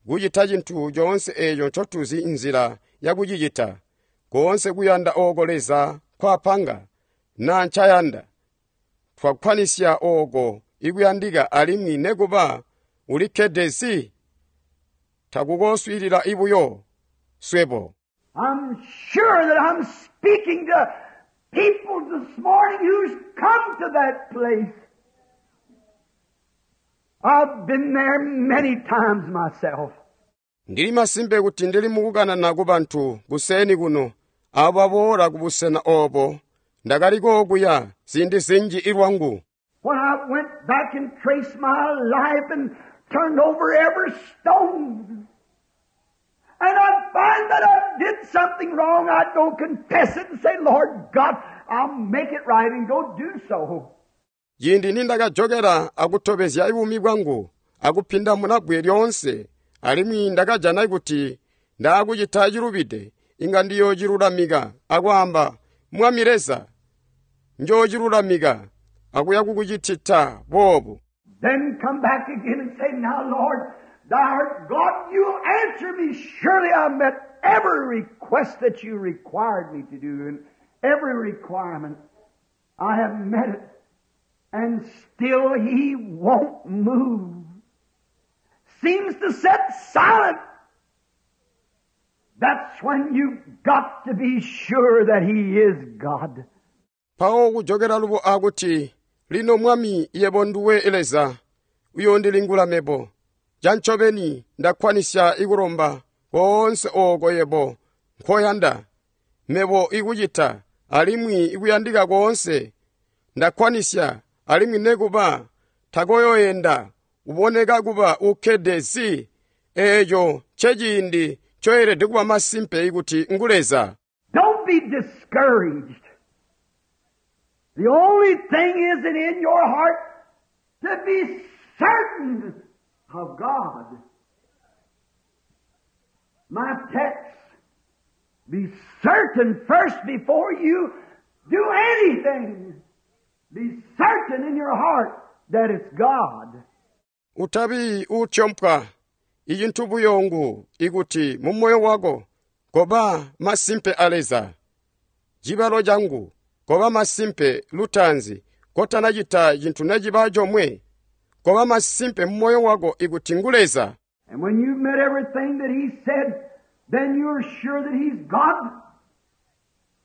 kucita cintu coonse eeco ncotuzi nzila yakucicita, koonse kuyanda ooko Leza nkwapanga na ncayanda, twakkwanisya ooko ikuyandika alimwi nekuba ulikkede zi, takukoswiilila ibuyo swebo. I'm sure that I'm speaking to people this morning who's come to that place. I've been there many times myself. Ndili masimpe kuti ndili mukukanana ku bantu kuseni kuno abo baboola ku busena obo ndakaliko okuya ziindi zinji ilwangu. When I went back and traced my life and turned over every stone, and I'd find that I did something wrong, I'd go confess it and say, Lord God, I'll make it right and go do so. Ciindi nindakajokera akutobezya buumi bwangu akupinda munabwe lyoonse, alimwi ndakajana kuti ndaakucita cilubide, inga ndiyoocilulamika akwaamba, Mwami Leza, njoocilulamika akuya kukucitita boobu. Then come back again and say, Now, Lord, thou art God, you'll answer me. Surely I met every request that you required me to do, and every requirement. I have met it. And still He won't move. Seems to sit silent. That's when you've got to be sure that He is God. Mpawo kujokera lubo akuti, lino Mwami yebo nduwe Leza, uyoondilingula mebo. Cancobeni ndakkwanisya ikulomba koonse ooko yebo nkoyanda mebo ikucita alimwi ikuyandika koonse ndakkwanisya alimwi nekuba takoyoyenda uboneka kuba ukkede zi, eeco nceciindi ncoyelede kuba masimpe ikuti ngu Leza. Don't be discouraged. The only thing is that in your heart to be certain of God. My text, be certain first before you do anything. Be certain in your heart that it's God. Utabi utyompwa icintu buyo ngu ikuti mu moyo wako koba masimpe a Leza. Cibalo cangu koba masimpe lutaanzi kotanacita cintu neciba comwe, koba masimpe mu moyo wako ikuti ngu Leza. And when you've met everything that He said, then you're sure that He's God.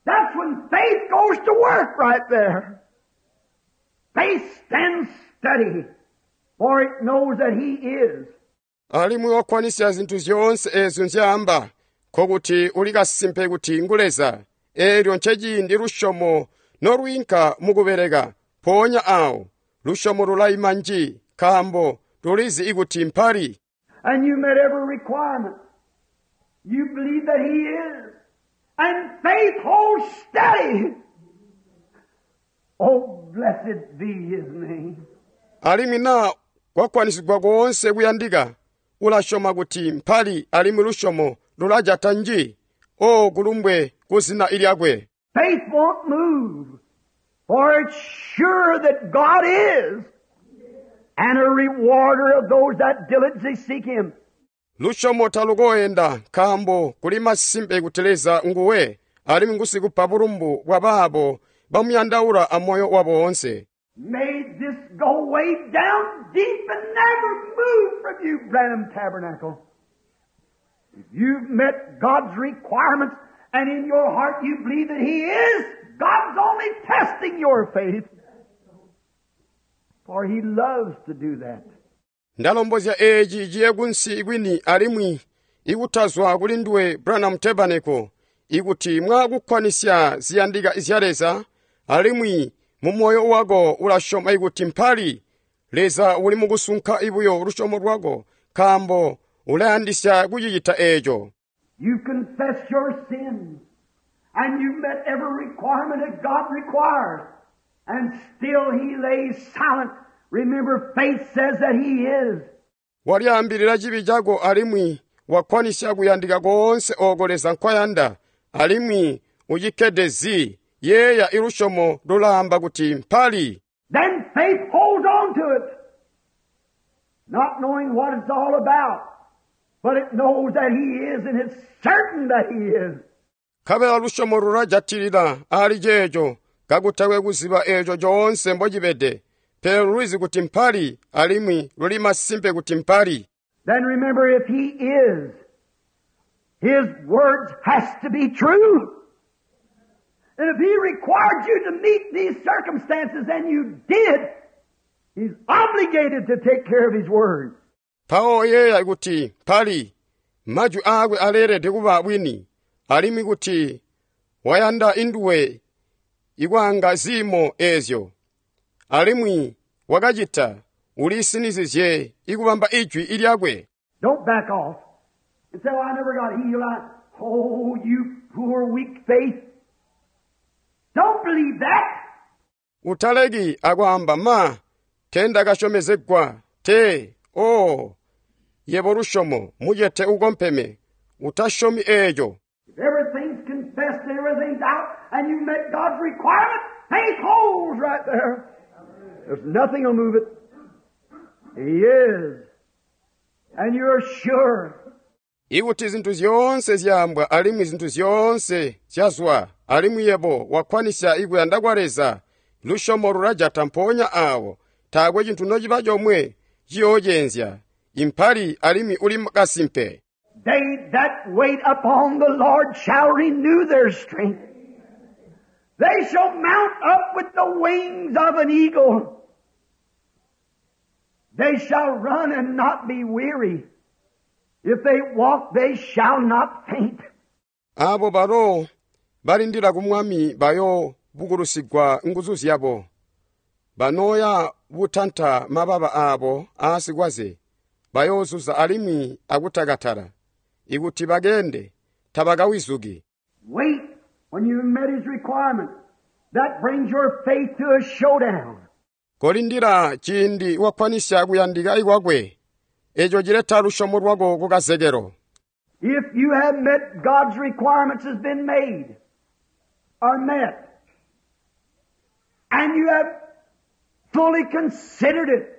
That's when faith goes to work right there. Faith stands steady, for it knows that He is. Alimwi wakkwanisya zintu zyoonse eezyo nzyaamba, nkokuti uli kasimpe kuti ngu Leza. Eelyo nceciindi lusyomo nolwiinka mukubeleka, mpoonya awo lusyomo lulayima nji, nkaambo lulizi ikuti mpali. And you met every requirement. You believe that He is. And faith holds steady. Oh, blessed be His name. Alimwi na kwakwanisigwa koonse kuyandika, ulasyoma kuti mpali alimwi lusyomo lulajata nji, o kulumbwe ku zina ilyakwe. Faith won't move, for it's sure that God is, and a rewarder of those that diligently seek Him. Lusyomo talukoyenda nkaambo kuli masimpe kuti Leza nguwe alimwi ngusikupa bulumbu bwa baabo bamuyandaula amoyo wabo woonse. May this go way down deep and never move from you, Branham Tabernacle. If you've met God's requirements and in your heart you believe that He is, God's only testing your faith. For He loves to do that. Ndalombozya eeci ciye kunsi kwini alimwi ikutazwa kuli nduwe Branham Tabernacle ikuti mwakukkwanisya ziyandika zya Leza alimwi mu moyo wako ulasyoma ikuti mpali Leza uli mukusunka ibuyo lusyomo lwako nkaambo ulayandisya kucicita eeco. You confess your sins, and you've met every requirement that God requires, and still He lays silent. Remember, faith says that He is. Walyaambilira cibi cako alimwi wakkwanisya kuyandika koonse ooko Leza nkwayanda alimwi ucikkede zi yeeya ilusyomo lulaamba kuti mpali. Then faith holds on to it, not knowing what it's all about, but it knows that He is, and it's certain that He is. Nkabela lusyomo lulajatilila ali ceeco kakutakwe kuziba eeco coonse mbocibede, pele lulizi kuti mpali alimwi luli masimpe kuti mpali. Then remember, if He is, His words has to be true. And if He required you to meet these circumstances and you did, He's obligated to take care of His word. Mpawo yeeya kuti mpali majwi aakwe aleelede kuba bwini alimwi kuti wayanda induwe ikwaanga ziimo eezyo alimwi wakacita ulisinizizye ikubamba ijwi ilyakwe. Don't back off and say, well, I never got healed. Oh, you poor weak faith. Don't believe that. Utaleki akwaamba ma tendakasyomezegwa te oo yebo lusyomo mucete ukompeme utasyomi eeco. If everything's confessed and everything's out and you met God's requirement, faith holds right there. There's nothing will move it. He is. And you're sure. Ikuti zinthu zyoonse zyaambwa alimwi zinthu zyoonse zyazwa alimwi yebo wakkwanisya ikuyanda kwa Leza lusyomo lulajata mpoonya awo taakwe cinthu nociba comwe ciyoocenzya impali alimwi uli kasimpe. They that wait upon the Lord shall renew their strength. They shall mount up with the wings of an eagle. They shall run and not be weary. If they walk, they shall not faint. Abo balo balindila ku Mwami bayo bukulusigwa nguzu zyabo. Banoya butanta mababa abo aasikwaze. Bayozuza alimwi akutakatala. Ikuti bagende tabakawizuki. Wait when you met His requirement. That brings your faith to a showdown. Kolindila ciindi wakkwanisya kuyandika ikwakwe. Eco cileta lusyomo lwako ku kazekelo. If you have met God's requirements has been made or met, and you have fully considered it,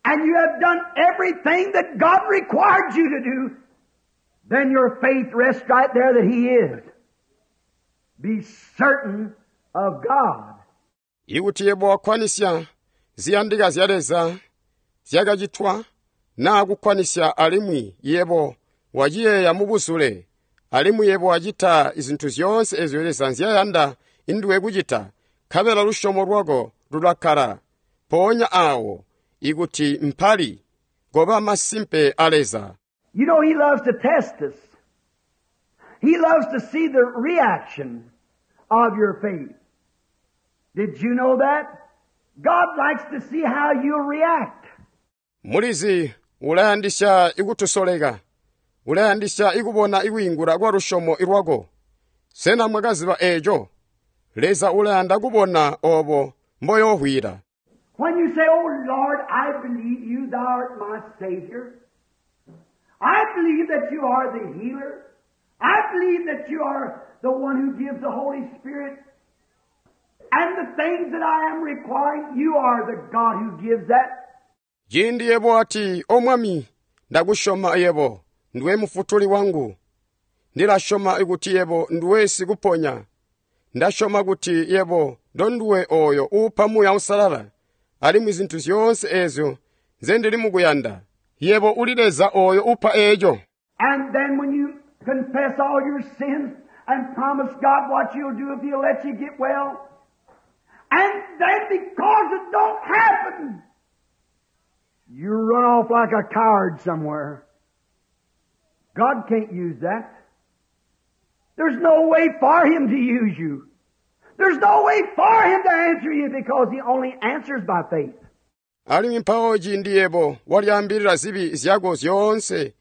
and you have done everything that God required you to do, then your faith rests right there that He is. Be certain of God. Ikuti yebo wakkwanisya ziyandika zya Leza zyakacitwa naa kukkwanisya alimwi yebo waciyeeya mubuzule alimwi yebo wacita zinthu zyoonse ezyo Leza nzyayanda induwe kucita nkabela lusyomo lwako lulakkala mpoonya awo ikuti mpali koba masimpe a Leza. You know, He loves to test us. He loves to see the reaction of your faith. Did you know that? God likes to see how you react. Mulizi ulayandisya ikutusoleka. Ulayandisya ikubona ikwiingula kwa lusyomo lwako. Sena mwakaziba eeco? Leza ulayanda kubona obo mboyohwila. When you say, Oh Lord, I believe you, thou art my Savior. I believe that you are the healer. I believe that you are the one who gives the Holy Spirit. And the things that I am requiring, you are the God who gives that. Ciindi yebo ati, O Mwami, ndakusyoma yebo, ndiwe mufutuli wangu. Ndilasyoma kuti yebo ndiwe sikuponya. Ndasyoma kuti yebo ndonduwe oyo uupa Muuya Uusalala, alimwi zinthu zyoonse eezyo nze ndili mukuyanda. Yebo uli Leza oyo upa eeco. And then when you Confess all your sins and promise God what you'll do if He'll let you get well. And then because it don't happen, you run off like a coward somewhere. God can't use that. There's no way for Him to use you. There's no way for Him to answer you because He only answers by faith. Alimwi mpawo ciindi yebo walyaambilila zibi zyako zyoonse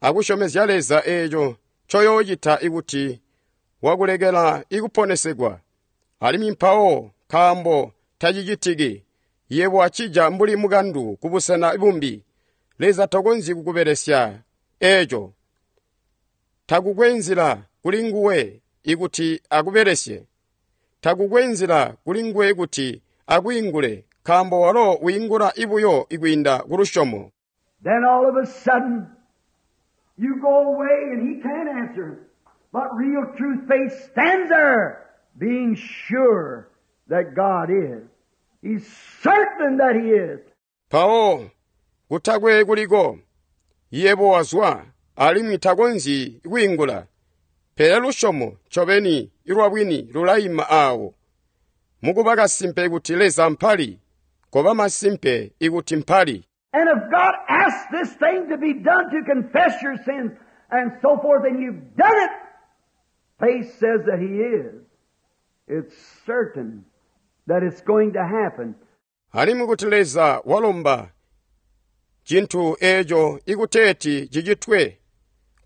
akusyomezya Leza eeco ncoyoocita ikuti wakulekela ikuponesegwa, alimwi mpawo nkaambo tacicitiki, yebo wacija mbuli mukandu kubusena bumbi, Leza takonzyi kukubelesya eeco. Takukwe nzila kuli nguwe ikuti akubelesye. Takukwe nzila kuli nguwe kuti akwiingule, nkaambo walo wiingula ibuyo ikwiinda ku lusyomo. Then all of a sudden, you go away and He can't answer. But real true faith stands there, being sure that God is. He's certain that He is. Mpawo kutakwe kuliko, yebo wazwa alimwi takonzyi kwiingula. Pele lusyomo ncobeni lwabwini lulaima aawo. Mukuba kasimpe kuti Leza mpali, koba masimpe ikuti mpali. And if God asks this thing to be done to confess your sins and so forth, and you've done it, faith says that He is. It's certain that it's going to happen. Alimwi kuti Leza walomba cintu eeco ikuteeti cicitwe,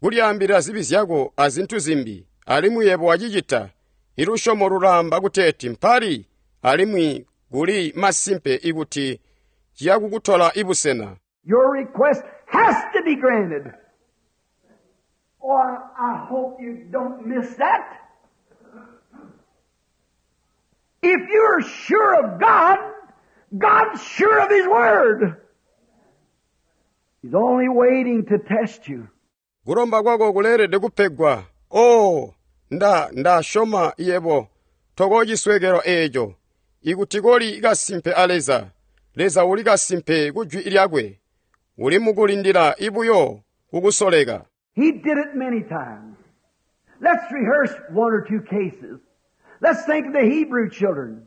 kulyaambilila zibi zyako azintu zimbi, alimwi yebo wacicita, ilusyomo lulaamba kuteeti mpali, alimwi kuli masimpe ikuti ciyakukutola ibusena. Your request has to be granted. Oh, I hope you don't miss that. If you're sure of God, God's sure of His Word. He's only waiting to test you. Kulomba kwako kuleelede kupegwa. Oh, ndasyoma yebo tokoocisweekelwa eeco. Ikuti koli kasimpe a Leza, Leza uli kasimpe ku jwi lyakwe. Uli mukulindila ibuyo kukusoleka. He did it many times. Let's rehearse one or two cases. Let's think of the Hebrew children.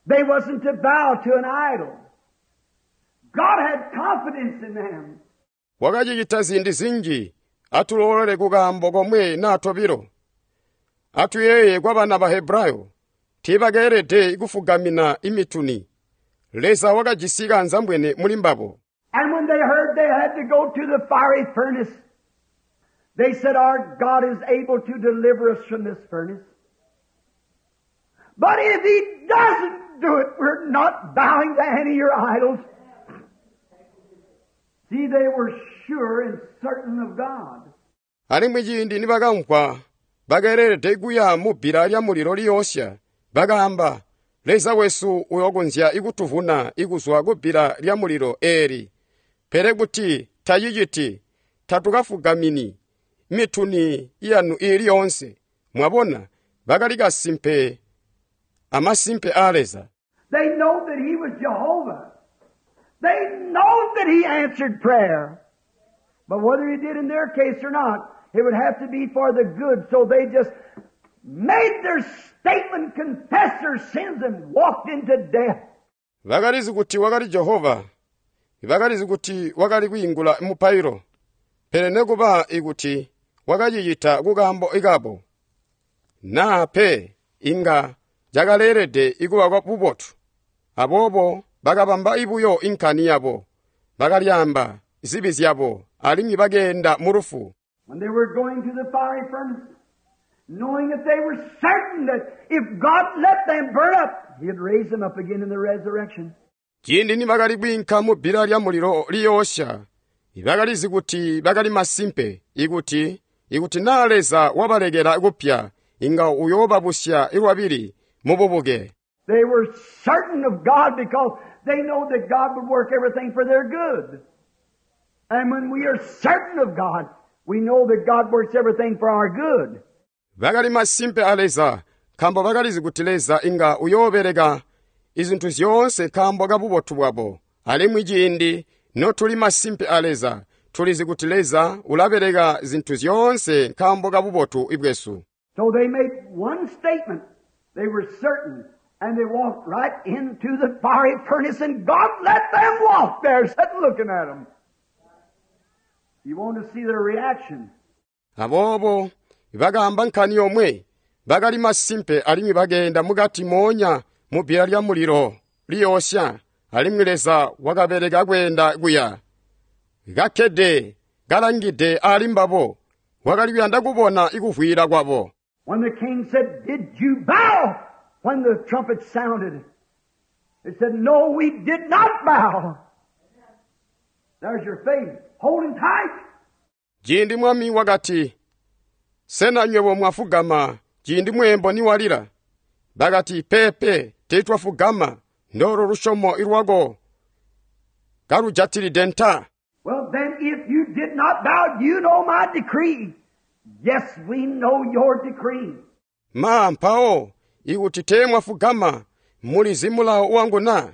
They wasn't to bow to an idol. God had confidence in them. Wakacicita ziindi zinji, atulolole kukaambo komwe naa tobilo. Atuyeeye kwa bana ba Hebrayo, tiibakeelede kufugamina imituni. Leza wakajisi kaanzambwene muli mbabo. And when they heard they had to go to the fiery furnace, they said, Our God is able to deliver us from this furnace. But if He doesn't do it, we're not bowing to any of your idols. See, they were sure and certain of God. Alimwi ciindi nibakamvwa bakeelede kuya mu bbila lya mulilo liyoosya, bakaamba, Leza wesu uyokonzya ikutuvuna ikuzwa ku bbila lya mulilo eeli. Pele kuti taciciti, tatukafugamini mituni yanu iili yoonse. Mwabona, bakali kasimpe amasimpe a Leza. They know that He was Jehovah. They know that He answered prayer. But whether He did in their case or not, it would have to be for the good. So they just made their statement, confessed their sins, and walked into death. Bakalizi kuti wakali Jehova. Bakalizi kuti wakali kwiingula mupailo. Pele nekuba ikuti wakacicita kukaambo ikabo. Naa pe inga cakaleelede ikuba kwa bubotu. Aboobo bakabamba ibuyo inkani yabo. Bakalyaamba zibi zyabo alimwi bakeenda mu lufu. When they were going to the fiery furnace, knowing that they were certain that if God let them burn up, He'd raise them up again in the resurrection. Ciindi nibakali kwiinka mu bbila lya mulilo liyoosya, bakalizi kuti bakali masimpe ikuti naa Leza wabalekela kupya, inga uyoobabusya lwabili mu bubuke. They were certain of God because they know that God would work everything for their good. And when we are certain of God, we know that God works everything for our good. Bakali masimpe a Leza, nkaambo bakalizi kuti Leza inga uyoobeleka izintu zyoonse nkaambo ka bubotu bwabo. Alimwi ciindi notuli masimpe a Leza, Tulizi kuti Leza ulabeleka zintu zyoonse nkaambo ka bubotu bwesu. So they made one statement. They were certain, and they walked right into the fiery furnace, and God let them walk there, sitting looking at them. You want to see their reaction. Aboobo bakaamba nkani yomwe, bakali masimpe alimwi bakeenda mukati moonya mu bbila lya mulilo liyoosya, alimwi Leza wakabeleka kweenda kuya. Kakkede kalangide ali mbabo, wakali kuyanda kubona ikuvwiila kwabo. When the king said, Did you bow? When the trumpet sounded, they said, No, we did not bow. There's your faith. Holding tight. Ciindi mwami wakati, Sena nywebo mwafugama ciindi mweembo niwalila? Bakati, Peepe, teetwafugama, ndolo lusyomo lwako kalujatilide nta. Well, then, if you did not bow, you know my decree. Yes, we know your decree. Ma mpawo ikuti teemwafugama, mulizi mulawo wangu na?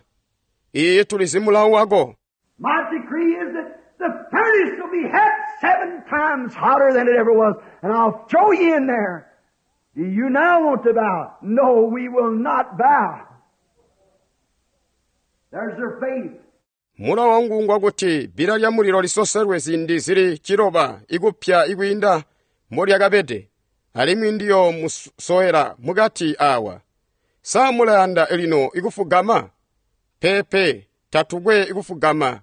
Iye tulizi mulawo wako. My decree is that the furnace will be had 7 times hotter than it ever was, and I'll throw you in there. Do you now want to bow? No, we will not bow. There's their faith. Mulawo wangu ngwakuti bbila lya mulilo lisoselwe ziindi zili 9 ikupya ikwiinda molyakabede, alimwi ndiyo musowera mukati awa. Sa mulayanda lino ikufugama? Peepe, tatukwe ikufugama.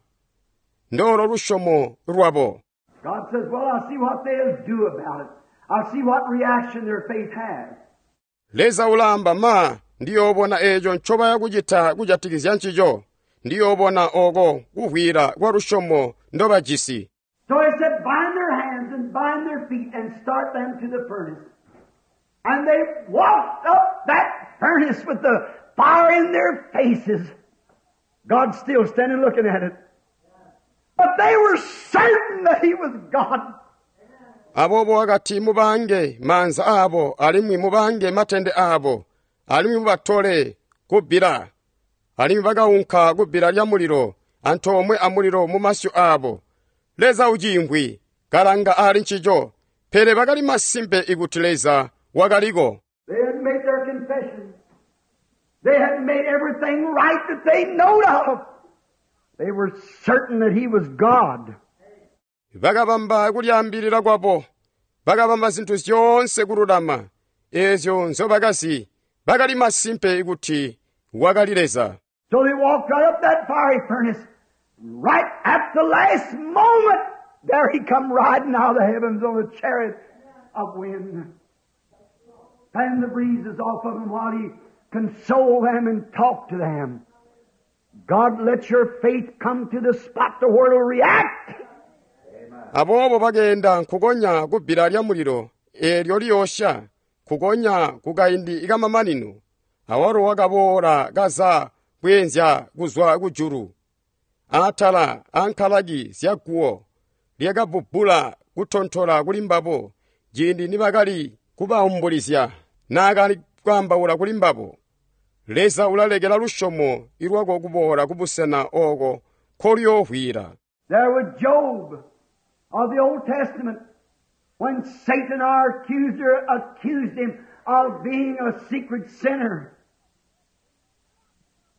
Ndolo lusyomo lwabo. God says, well, I'll see what they'll do about it. I'll see what reaction their faith has. Leza ulaamba ma ndiyoobona eeco ncobaya kucita kujatikizya ncico. Ndiyoobona oko kuvwiila kwa lusyomo ndobajisi. So he said, bind their hands and bind their feet and start them to the furnace. And they walked up that furnace with the fire in their faces. God's still standing looking at it. But they were certain that he was God. Aboobo wakati mubange maanza aabo alimwi mubange matende aabo alimwi mubatole kubbila. Alimwi bakaunka kubbila lya mulilo antoomwe amulilo mu masyu aabo. Leza uciimvwi kalanga ali ncico, pele bakali masimpe ikuti Leza wakaliko. They had made their confession. They had made everything right that they knowed of. They were certain that he was God. Bakabamba kulyaambilira kwabo, bakabamba zinthu zyoonse kululama, eezyo nzobakazi, bakali masimpe kuti wakali Leza. So they walked right up that fiery furnace. Right at the last moment, there he come riding out of the heavens on a chariot of wind. Fanned the breezes off of him while he consoled them and talked to them. God let your faith come to the spot to where it'll react. Aboobo bagenda nkukonya kubbila lya mulilo eelyo liyosha, kukonya kukaindi kamamanino. Awalo wakaboola kaza bweenzya kuzwa kujulu. Atala ankalaki zyaguwo lyakabbubbula kutontola kuli mbabo ciindi nibakali kubaumbulizya naakali kwaambaula kuli mbabo. Leza ulalekela lusyomo lwako kuboola kubusena ooko nkoluyoohwila. There was Job of the Old Testament when Satan, our accuser, accused him of being a secret sinner.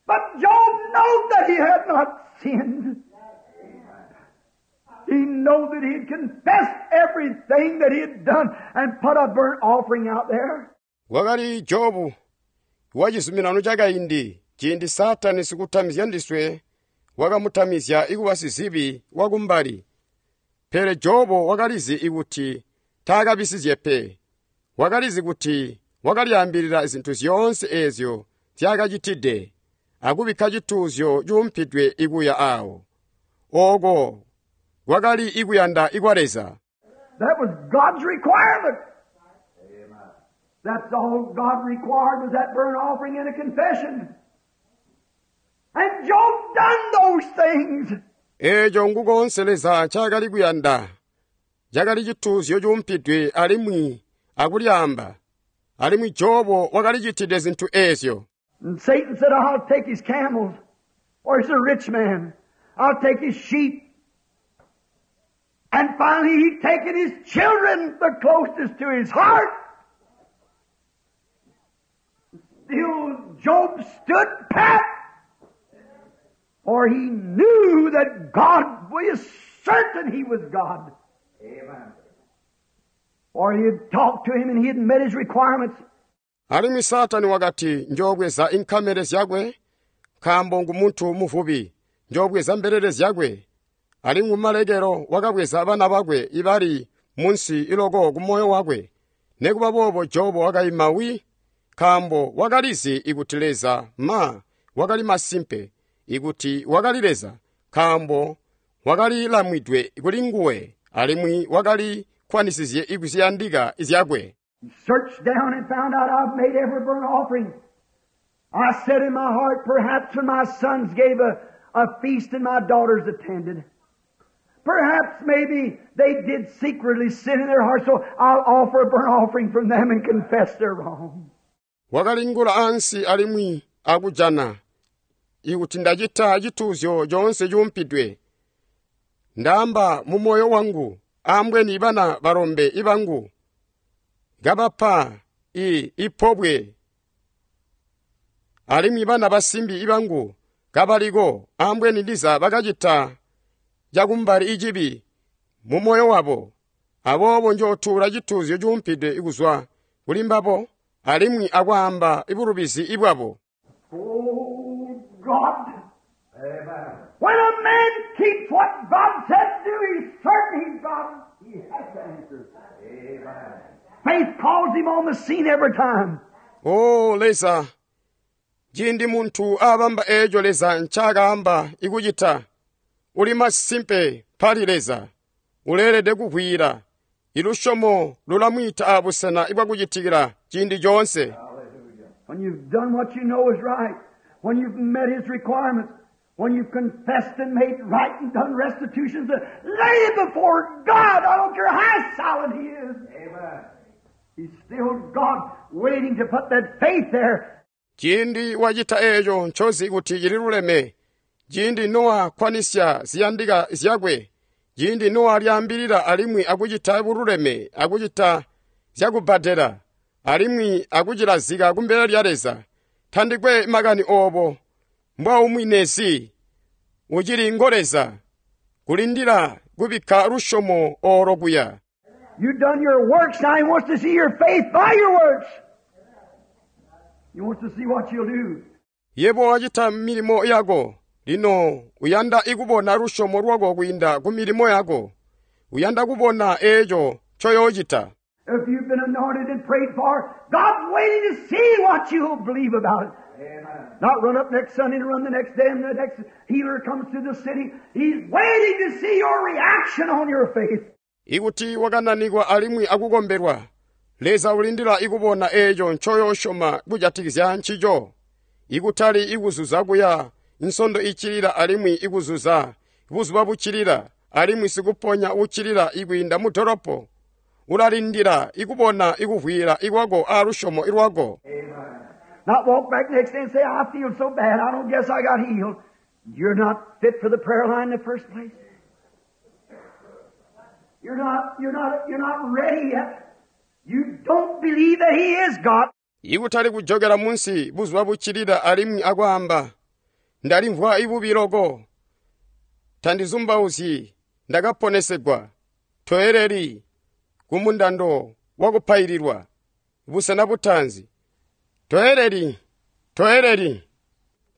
But Job knew that he had not sinned. He knew that he had confessed everything that he had done and put a burnt offering out there. Wakali Jobu wa chizuminano chakaindi ciindi Satani sikutamizya ndiswe wakamutamizya ikuba sizibi wakumbali. Pele Jobu wakalizi ikuti taakabisizye pe. Wakalizi kuti wakalyaambilira zinthu zyoonse eezyo zyakacitide akubikka cituuzyo cuumpidwe ikuya awo. Oko kwakali ikuyanda ikwa Leza. That was God's requirement. That's all God required was that burnt offering and a confession. And Job done those things. Eeco ngukonse Leza ncaakali kuyanda. Cakali cituuzyo cuumpidwe alimwi akulyaamba. Alimwi Jobo wakalicitide zinthu eezyo. And Satan said, I'll take his camels. Or he's a rich man. I'll take his sheep. And finally he taken his children, the closest to his heart. Still Job stood pat, for he knew that God was certain he was God. Amen. For he had talked to him and he had met his requirements. Alimwi Saatani wakati, njoobweza inkamele zyakwe, nkaambo ngumuntu muvubi, njoobweza mbelele zyakwe. Alimwi kumalekelo wakabweza bana bakwe ibali munsi iloko kumoyo wakwe. Nekuba boobo Jobo wakaima wi, nkaambo wakalizi ikuti Leza ma wakali masimpe, ikuti wakali Leza, nkaambo wakali lamwidwe kuli nguwe, alimwi wakali kkwanisizye ikuziyandika zyakwe. He searched down and found out I've made every burnt offering. I said in my heart, perhaps when my sons gave a feast and my daughters attended, perhaps maybe they did secretly sin in their heart, so I'll offer a burnt offering from them and confess their wrong. Wakalingula ansi alimwi akujana ikuti ndacita cituuzyo coonse cuumpidwe. Ndaamba mu moyo wangu, ambweni bana balombe ibangu kabapa ipobwe, alimwi bana basimbi ibangu kabaliko, ambweni ndiza bakacita cakumbali icibi mu moyo wabo. Aboobo njootuula cituuzyo cuumpidwe kuzwa kuli mbabo, alimwi akwaamba ibulubizi ibwabo. Oh, God. Amen. When a man keeps what God said do, he's certain he's God. He has to answer. Amen. Faith calls him on the scene every time. O Leza, ciindi muntu abamba eeco Leza ncaakaamba ikucita, uli masimpe pali Leza, uleelede kuvwiila. Ilusyomo lulamwiita abusena ibwakucitikila ciindi coonse. When you've done what you know is right, when you've met His requirements, when you've confessed and made right and done restitutions, lay it before God. I don't care how solid He is. Amen. He's still God waiting to put that faith there. Ciindi wacita eeco ncozi kuti cililuleme, ciindi nowakwanisya ziyandika zyakwe, ciindi nowalyaambilila alimwi akucita bululeme, akucita zyakubbadela, alimwi akucilazika kumbele lya Leza, tandikwe makani oobo mbwaumwinezi, ucili ngo Leza, kulindila kubikka lusyomo oolo kuya. You've done your works, now He wants to see your faith by your works. He wants to see what you'll do. Yebo wacita milimo yako, lino uyanda ikubona lusyomo lwako kwiinda ku milimo yako. Uyanda kubona eeco ncoyoocita. If you've been anointed and prayed for, God's waiting to see what you'll believe about it. Amen. Not run up next Sunday and run the next day and the next healer comes to the city. He's waiting to see your reaction on your faith. Ikuti wakananikwa alimwi akukombelwa, Leza ulindila ikubona eeco ncoyoosyoma kujatikizya ncico. Ikutali ikuzuza kuya nsondo icilila alimwi ikuzuza buzuba bucilila alimwi sikuponya ucilila ikwiinda mu dolopo. Ulalindila ikubona ikuvwiila ikwako aalusyomo ilwako. Not walk back next day and say, I feel so bad, I don't guess I got healed. You're not fit for the prayer line in the first place. You're not ready yet. You don't believe that He is God. Ikutali kujokela munsi buzuba bucilila alimwi akwaamba, ndalimvwa ibubi loko, tandizumbauzyi, ndakaponesegwa, toeleli kumundando wakupaililwa, busena butaanzi. Toeleli, toeleli,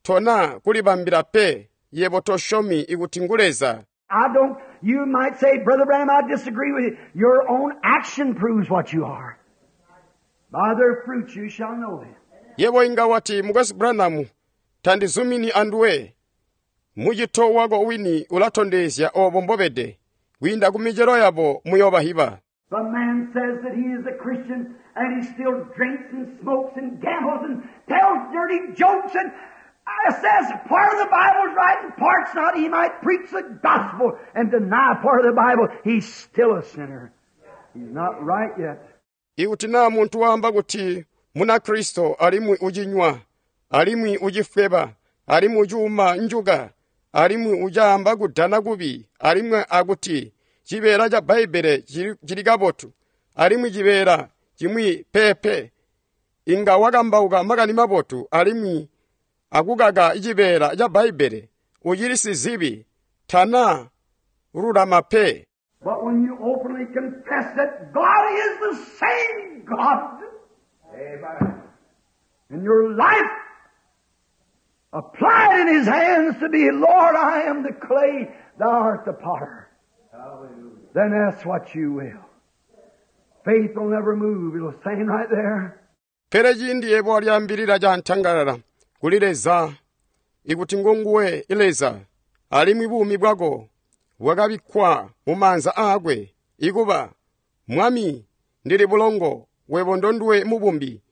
tona kulibambila pe, yebo tosyomi ikuti ngu Leza. I don't, you might say, Brother Branham, I disagree with you. Your own action proves what you are. By their fruits you shall know them. Yebo inga wati Mukwesu Branham, tandizumini anduwe. Mucito wako wini ulatondezya obo mbobede. Kwiinda ku micelo yabo muyobahiba. The man says that he is a Christian and he still drinks and smokes and gambles and tells dirty jokes and says part of the Bible's right and part's not. He might preach the gospel and deny part of the Bible. He's still a sinner. He's not right yet. Ikuti naa muntu waamba kuti muna Kristo alimwi ucinywa, alimwi ucifweba, alimwi ucuuma njuka, alimwi ucaamba kudana kubi, alimwi akuti Cibeela ca Bbaibbele cili kabotu, alimwi cibeela cimwi peepe. Inga wakambauka makani mabotu alimwi akukaka cibeela ca Bbaibbele, ucili sizibi, tana lulama pe. But when you openly confess that God is the same God, Amen. and your life applied in His hands to be, Lord, I am the clay, Thou art the potter. Hallelujah. Then that's what you will. Faith will never move. It'll stand right there. Pele ciindi yebo walyaambilila cantangalala kuli Leza ikuti ngonguwe Leza, alimwi buumi bwako bwakabikkwa mu maanza aakwe, ikuba Mwami, ndili bulongo, webo ndonduwe mubumbi.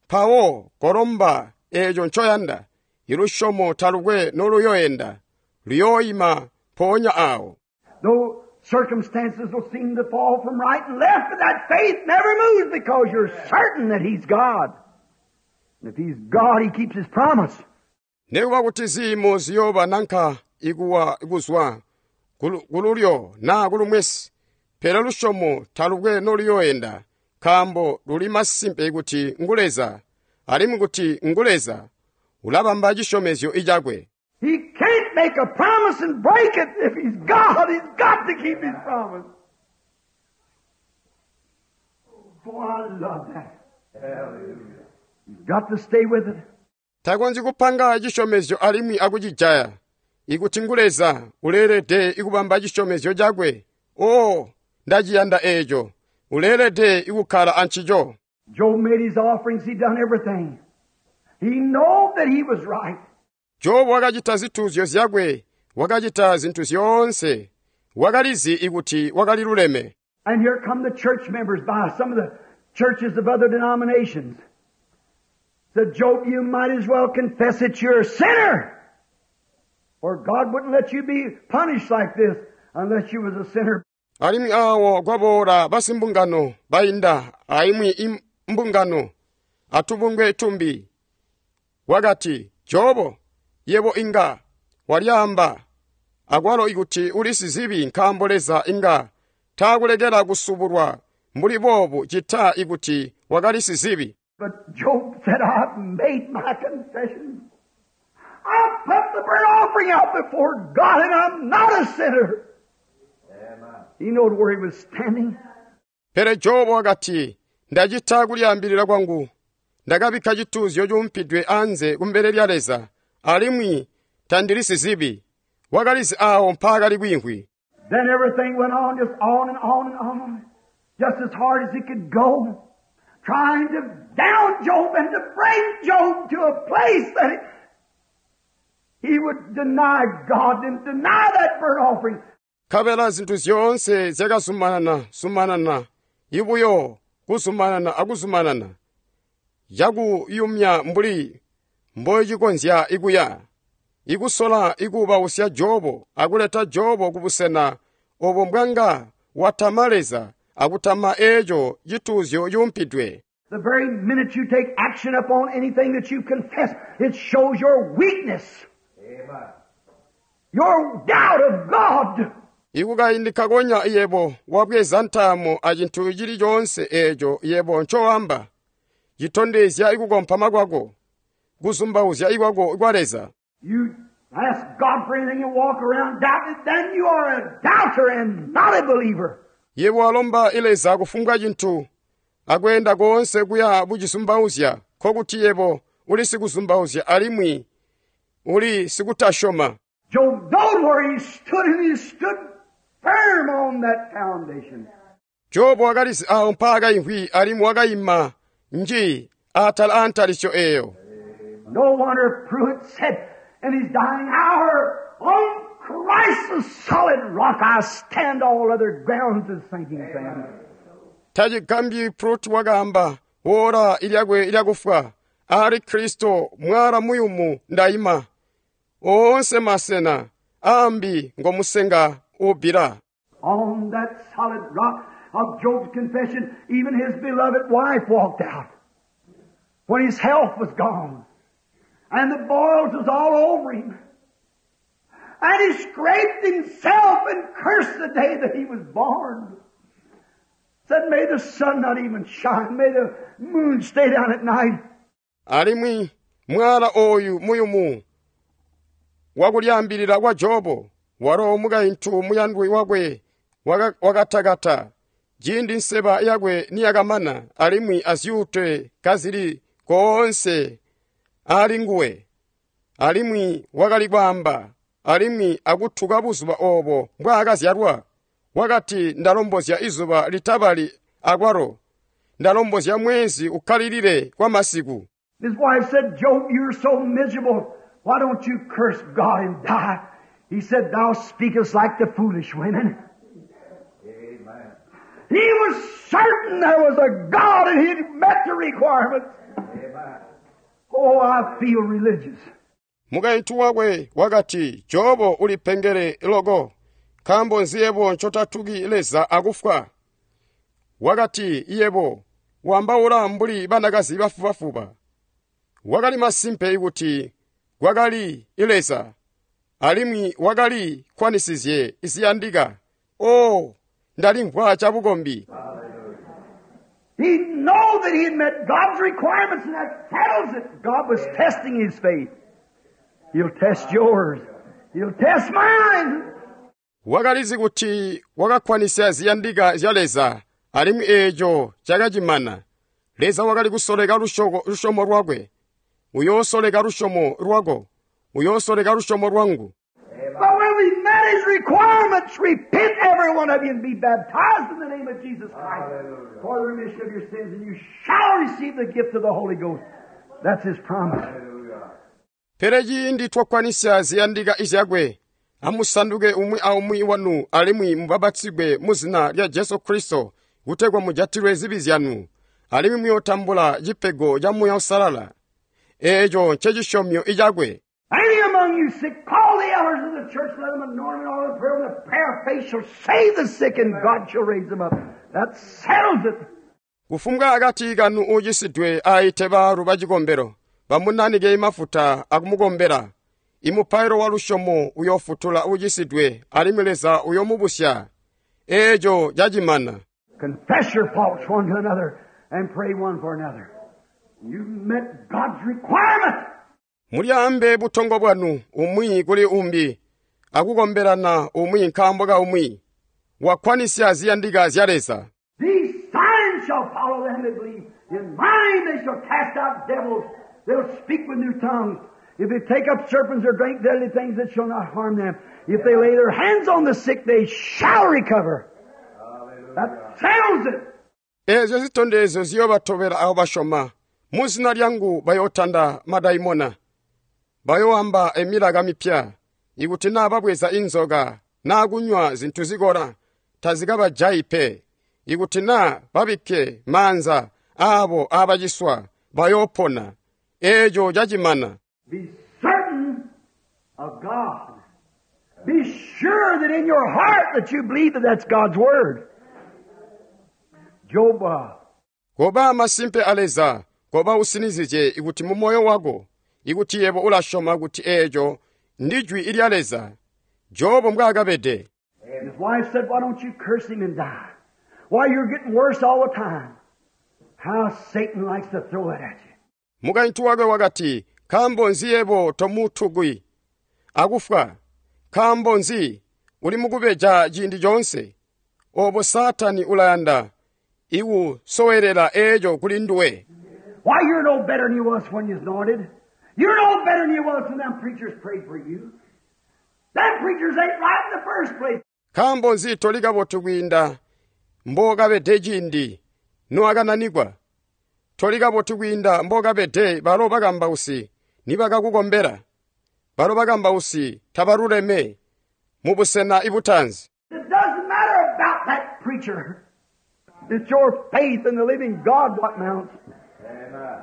Mpawo kolomba eeco ncoyanda, ilusyomo talukwe noluyoyenda, luyooyima mpoonya awo. Though circumstances will seem to fall from right and left, but that faith never moves because you're certain that He's God. And if He's God, He keeps His promise. Nekuba kuti ziimo ziyooba nanka ikuwa kuzwa kululyo naa kulumwesi, pele lusyomo talukwe noluyoyenda, nkaambo luli masimpe kuti ngu Leza, alimwi kuti ngu Leza ulabamba cisyomezyo cakwe. He can't make a promise and break it. If He's God, He's got to keep His promise. Boy, I love that. Hallelujah. You've got to stay with it. Takonzyi kupanga cisyomezyo alimwi akucijaya. Ikuti ngu Leza, uleelede ikubamba cisyomezyo cakwe. Oo, ndaciyanda eeco. Uleelede ikukkala ancico. Job made his offerings. He done everything. He knew that he was right. Jobu wakacita zituuzyo zyakwe, wakacita zintu zyoonse. Wakalizi ikuti wakaliluleme. And here come the church members by some of the churches of other denominations. Said, Job, you might as well confess that you're a sinner. For God wouldn't let you be punished like this unless you was a sinner. Alimwi awo kwaboola basimbungano bainda aimwi mbungano atubungwe tumbi. Wakati, Jobo, yebo inga walyaamba akwalo ikuti uli sizibi nkaambo Leza inga taakulekela kusubulwa mbuli boobu cita ikuti wakali sizibi. But Job said, I've made my confession. I put the burnt offering out before God and I'm not a sinner. Amen. He knowed where he was standing. Pele Jobu wakati, ndacita kulyaambilila kwangu. Ndakabikka cituuzyo cuumpidwe anze kumbele lya Leza, alimwi tandili sizibi. Wakalizi awo mpaakali kwiimvwi. Then everything went on, just on and on and on, just as hard as it could go, trying to down Job and to bring Job to a place that he would deny God and deny that burnt offering. Nkabela zintu zyoonse zyakazumanana zumanana, ibuyo kuzumanana akuzumanana, cakuyumya mbuli mbocikonzya ikuya, ikusola ikuubausya Jobo akuleta Jobo kubusena obo mbwanga watama Leza akutama eeco cituuzyo cuumpidwe. The very minute you take action upon anything that you confess, it shows your weakness, Amen. your doubt of God. Ikukaindi kakonya yebo wabweza ntaamo acintu cili coonse eeco yebo ncoamba, citondezya ikukompama kwako, kuzumbauzya ikwako kwa Leza. You ask God for anything and walk around doubting it, then you are a doubter and not a believer. Yebo walomba Leza kufumbwa cintu, akweenda koonse kuya bucizumbauzya, nkokuti yebo uli sikuzumbauzya alimwi uli sikutasyoma. Job knowed where he stood, and he stood firm on that foundation. Jobu wakalizi awo mpaakaimvwi alimwi wakayima nji atala antalisyo eeyo. No wonder Pruitt said in his dying hour, on Christ the solid rock I stand, all other grounds is sinking sand. Tacigambyi Pruitt wakaamba woola ilyakwe lyakufwa, ali Kristo mwala muyumu ndayima, oonse masena ambi ngomusenga ubbila. On that solid rock of Job's confession, even his beloved wife walked out when his health was gone and the boils was all over him. And he scraped himself and cursed the day that he was born. Said, may the sun not even shine. May the moon stay down at night. Alimwi mwala oyu muyumu wakulyambilira kwa Jobo walo mukaintu muyandwi wakwe wakatakata ciindi nseba yakwe niyakamana alimwi azyuute kazili koonse ali nguwe alimwi wakali kwaamba alimwi akuthuka buzuba obo mbwaakazyalwa wakati ndalombozya izuba litabali akwalo ndalombozya mwezi ukkalilile kwa masiku. His wife said, Job, you're so miserable. Why don't you curse God and die? He said, thou speakest like the foolish women. Amen. He was certain there was a God and he'd met the requirements. Amen. Oh, I feel religious. Mukaintu wakwe wakati Jobo ulipengele loko nkaambo nzi yebo ncotatuki Leza akufwa. Wakati yebo wambaula mbuli banakazi bafubafuba. Wakali masimpe kuti kwakali Leza alimwi wakali kwanisizye ziyandika. Oh, ndalimvwa chabukombi. He knew that he had met God's requirements and that settles it. God was testing his faith. He'll test yours. He'll test mine. Wakalizi kuti wakakwanisya ziyandika zya Leza alimwi eeco cakacimana. Leza wakali kusoleka lusyomo lwakwe. Uyoosoleka lusyomo lwako. Uyoosoleka lusyomo lwangu. But when we met his requirements, repent every one of you and be baptized in the name of Jesus Christ for the remission of your sins, and you shall receive the gift of the Holy Ghost. That's his promise. Hallelujah. Pele ciindi twakwanisya ziyandika izyakwe, amusanduke umwi aumwi wanu alimwi mubapatizigwe mu zina lya Jesu Kristo kutegwa mujatilwe zibi zyanu, alimwi muyootambula cipego ca Muuya Uusalala. Eeco ncecisyomyo icakwe. Any among you sick, call the elders of the church, let them anoint and all the prayer, and the prayer of faith shall save the sick, and God shall raise them up. That settles it. Kufumbwa akati kanu ucisidwe aite baalu bacikombelo bamunanike mafuta akumukombela. Imupailo wa lusyomo uyoofutula ucisidwe alimwi Leza uyomubusya. Eeco cacimana. Confess your faults one to another and pray one for another. You met God's requirement. Mulyaambe butongo bwanu umwi kuli umbi akukombelana umwi nkaambo ka umwi. Wakwanisya ziyandika zya Leza. These signs shall follow them that believe. In my name they shall cast out devils. They'll speak with new tongues. If they take up serpents or drink deadly things, it shall not harm them. If they lay their hands on the sick, they shall recover. That settles it. Eezyo zitondezyo ziyoobatobela abo basyoma. Mu zina lyangu bayootanda madaimona. Bayoamba emilaka mipya. Ikuti naa babweza inzoka naa kunywa zintu zikola, tazikabajayi pe. Ikuti naa babikke maanza aabo abaciswa, bayoopona. Eeco cacimana. Be certain of God. Be sure that in your heart that you believe that that's God's Word. Job, Koba masimpe a Leza, koba usinizye ikuti mu moyo wako, ikuti yebo ulasyoma kuti eeco ndi jwi lya Leza. Jobo mbwaakabede. His wife said, why don't you curse him and die? Why, you're getting worse all the time. How Satan likes to throw it at you. Mukaintu wakwe wakati, nkaambo nzi yebo tomutukwi akufwa? Nkaambo nzi uli mukubeja ciindi coonse? Obo Saatani ulayanda ikusowelela eeco kuli nduwe. Why, you're no better than you was when you was anointed. You're no better than you was when them preachers prayed for you. Them preachers ain't right in the first place. Nkaambo nzi toli kabotu kwiinda mbookabede ciindi noakananikwa? Toli kabotu kwiinda mbookabede balo bakambausi nibakakukombela. Balo bakambausi tabaluleme mu busena ibutanzi. It doesn't matter about that preacher. It's your faith in the living God what mounts. Amen.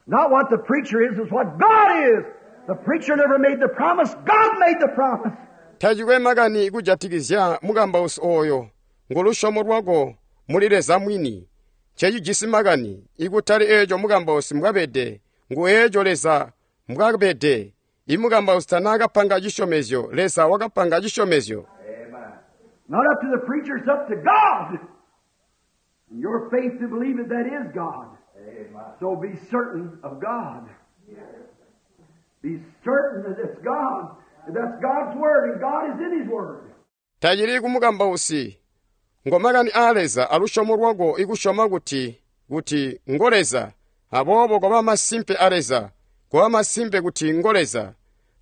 Not what the preacher is, it's what God is. The preacher never made the promise. God made the promise. Tacikwe makani kujatikizya mukambausi oyo ngulusyomo lwako muli Leza mwini. Ncecijisi makani ikutali eeco mukambausi mbwabede, ngu eeco Leza mbwabede. Imukambausi tanaakapanga cisyomezyo, Leza wakapanga cisyomezyo. Amen. Not up to the preacher, it's up to God. And your faith to believe it, that is God. Amen. So be certain of God. Be certain that it's God. That that's God's Word and God is in His Word. Tacili kumukambausi ngomakani aa Leza alusyomo lwako ikusyoma kuti ngo Leza, aboobo koba masimpe a Leza, koba masimpe kuti ngo Leza,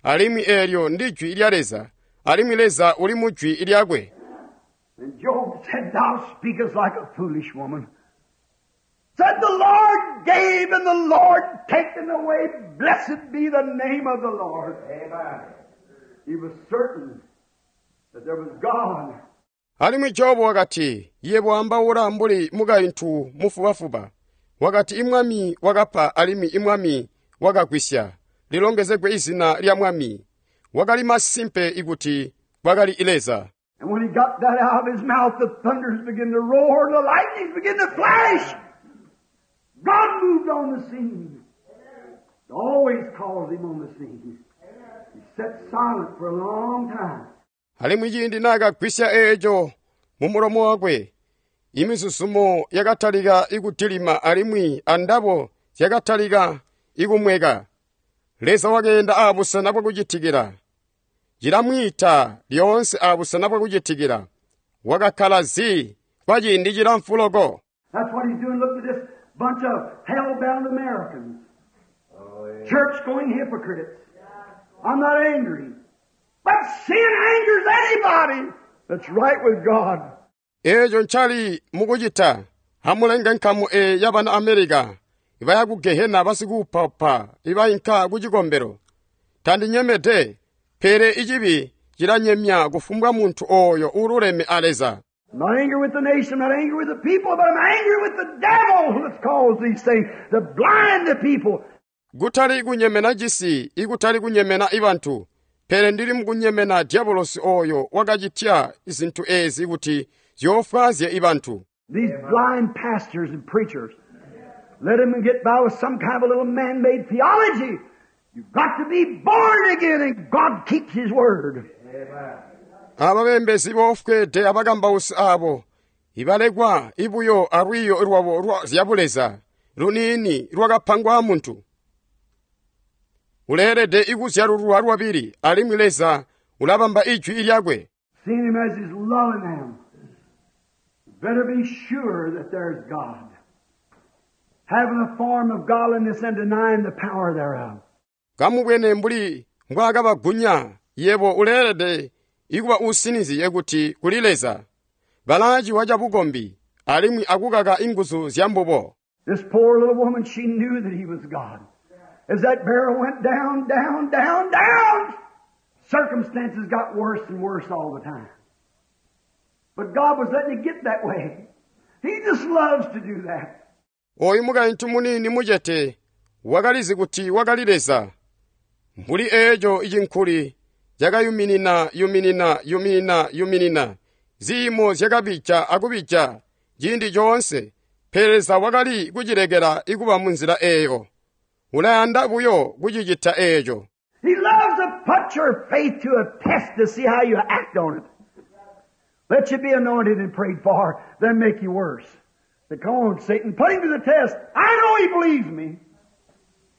alimwi eelyo ndi jwi lya Leza, alimwi Leza uli mu jwi lyakwe. And Job said, Thou speakest like a foolish woman. Said the Lord gave and the Lord taken away. Blessed be the name of the Lord. Amen. He was certain that there was God. Alimwi Jobu wakati, yebo ambaula mbuli mukaintu mufubafuba. Wakati imwami wakapa alimwi imwami wakagwisya. Lilongezegwe izina lya mwami. Wakali masimpe ikuti kwakali Leza. And when he got that out of his mouth, the thunders began to roar and the lightnings began to flash. God moved on the scene. It always calls him on the scene. He sat silent for a long time. Alimwi ciindi naakagwisya eeco mu mulomo wakwe, imizuzumo yakatalika ikudilima alimwi andabo zyakatalika ikumweka. Leza wakeenda aabusena bwakucitikila. Cilamwiita lyoonse aabusena bwakucitikila. Wakakkala zi kwa ciindi cilamfu loko. That's what he's doing. Look at this bunch of hell-bound Americans. Oh, yeah. Church-going hypocrites. I'm not angry. But sin angers anybody that's right with God. Eeco ncali mukucita amulenga nkamu e yabana Amerika ibaya ku Gehena basikuupaupa ibainka ku cikombelo. Tandinyemede, pele icibi cilanyemya kufumbwa muntu ooyo uululeme a Leza. I'm not angry with the nation, I'm not angry with the people, but I'm angry with the devil that's caused these things to blind the people. Kutali kunyemena cisi, ikutali kunyemena ibantu, pele ndili mukunyemena diabolosi ooyo wakacitya zintu eezi kuti zyoofwaazye ibantu. These blind pastors and preachers, let them get by with some kind of a little man-made theology. You've got to be born again, and God keeps His word. Amen. Ababembezi boofweede abakambausi abo ibalekwa ibuyo alwiiyo lwabo lwa zyabuleza luniini lwakapangwa muntu. Uleelede ikuzyalululwa lwabili alimwi Leza ulabamba ijwi lyakwe. Seeing Him as He's loving them, better be sure that there's God. Having a form of godliness and denying the power thereof. Kamubwene mbuli mbwaakabagunya yebo uleelede ikuba usinizye kuti kuli Leza. Balaaciwa cabukombi alimwi akukaka inguzu zya mbubo. This poor little woman, she knew that He was God. As that barrel went down, down, down, down, circumstances got worse and worse all the time. But God was letting it get that way. He just loves to do that. Oyu mukaintu muniini mucete wakalizi kuti wakali Leza. Mbuli eeco icinkuli cakayuminina yuminina yuminina yuminina ziimo zyakabija akubija ciindi coonse, pele Leza wakali kucilekela ikuba munzila eeyo. Ulayanda buyo kucicita eeco. He loves to put your faith to a test to see how you act on it. Let you be anointed and prayed for, then make you worse. Say, come on, Satan, put him to the test. I know he believes me.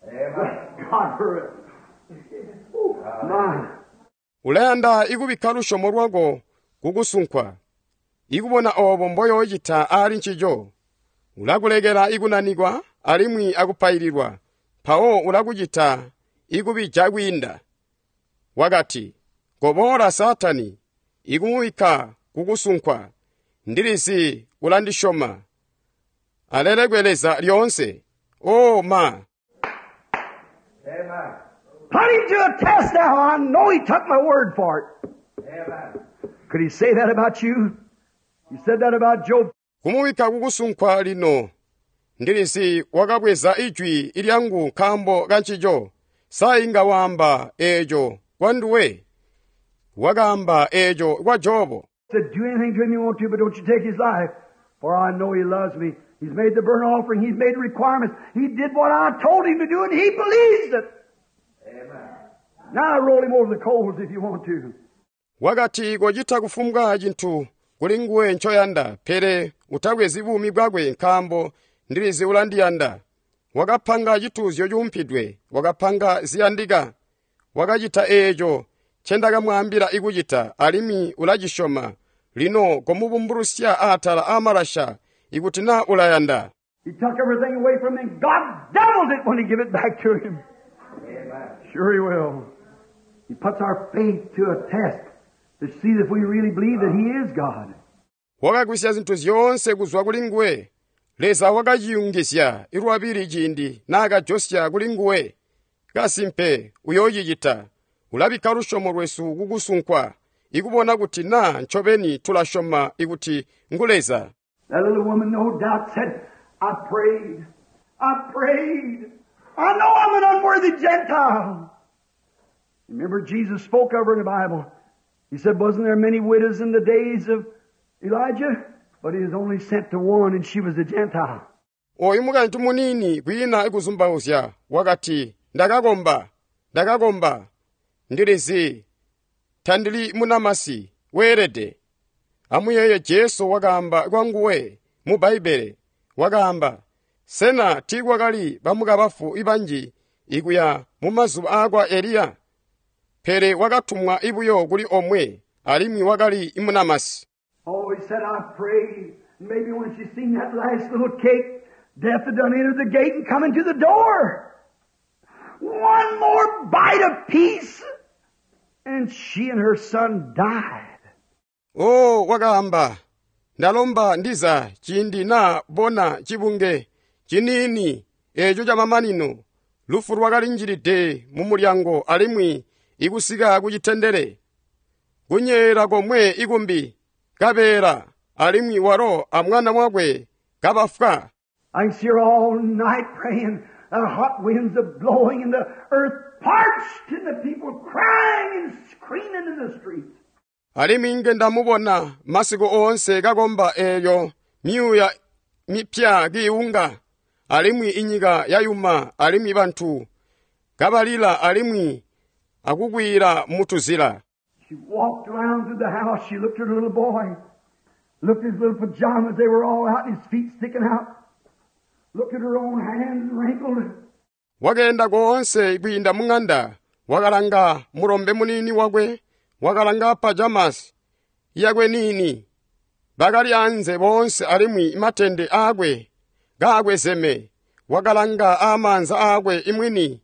Amen. God for it. Ooh, my. Ulayanda ikubikka lusyomo lwako kukusunkwa, ikubona oobo mboyoocita aali ncico. Ulakulekela ikunanikwa alimwi akupaililwa, mpawo ulakucita ikubija kwiinda. Wakati, koboola Saatani, ikumubikka kukusunkwa, ndilizi ulandisyoma. Alelekwe Leza lyoonse. O ma! Amen. Put him to a test now. I know he took my word for it. Amen. Could he say that about you? He said that about Job. Kumubikka kukusunkwa lino, ndilizi wakabweza ijwi lyangu nkaambo ka ncico. Sa inga waamba eeco kwa nduwe? Wakaamba eeco kwa Jobo. Said, do anything to him you want to, but don't you take his life. For I know he loves me. He's made the burnt offering. He's made requirements. He did what I told him to do, and he believes it. Amen. Now roll him over the coals if you want to. Wakati kocita kufumbwa cintu kuli nguwe ncoyanda, pele utabwezi buumi bwakwe nkaambo ndilizi ulandiyanda. Wakapanga cituuzyo cuumpidwe, wakapanga ziyandika. Wakacita eeco ncendakamwaambila ikucita, alimwi ulacisyoma. Lino komubumbulusya atala aamalasha ikuti naa ulayanda. He took everything away from him. God doubled it when he gave it back to him. Amen. Sure he will. He puts our faith to a test to see if we really believe that he is God. Wakagwisya zintu zyoonse kuzwa kuli nguwe. Leza wakaciyungizya lwabili ciindi naakajosya kuli nguwe. Kasimpe uyoocicita. Ulabikka lusyomo lwesu kukusunkwa, ikubona kuti naa ncobeni tulasyoma ikuti ngu Leza. That little woman no doubt said, I prayed. I prayed. I know I'm an unworthy Gentile. Remember Jesus spoke of her in the Bible. He said, wasn't there many widows in the days of Elijah? But he was only sent to one, and she was a Gentile. Oyu mukaintu muniini kwiina ikuzumbauzya wakati, ndakakomba, ndakakomba, ndilizi, tandili munamasi, weelede. Amuyeeye Jesu wakaamba kwanguwe mu Bbaibbele, wakaamba, sena tiikwakali bamukabafu ibanji ikuya mu mazuba aakwa Eliya? Pele wakatumwa ibuyo kuli omwe, alimwi wakali imunamasi. Oh, he said, I prayed. Maybe when she seen that last little cake, death had done entered the gate and come into the door. One more bite of peace, and she and her son died. Oh, wakaamba, ndalomba ndiza ciindi naa bona cibunge ciniini eeco camamanino, lufu lwakalinjilide mu mulyango alimwi ikusika kucitendele. Kunyeela komwe ikumbi, kabeela, alimwi walo amwana wakwe kabafwa. I can see her all night praying, the hot winds are blowing and the earth parched and the people crying and screaming in the streets. Alimwi nge ndamubona masiku oonse kakomba eelyo myuuya mipya kiiwunga, alimwi inyika yayuma, alimwi bantu kabalila alimwi akukwiila mutuzila. She walked around through the house. She looked at her little boy, looked at his little pajamas. They were all out and his feet sticking out. Looked at her own hands wrinkled. Wakeenda koonse kwiinda mung'anda, wakalanga mulombe muniini wakwe, wakalanga pajamas yakwe niini. Bakali anze boonse alimwi matende aakwe kaakwezeme, wakalanga amaanza aakwe imwini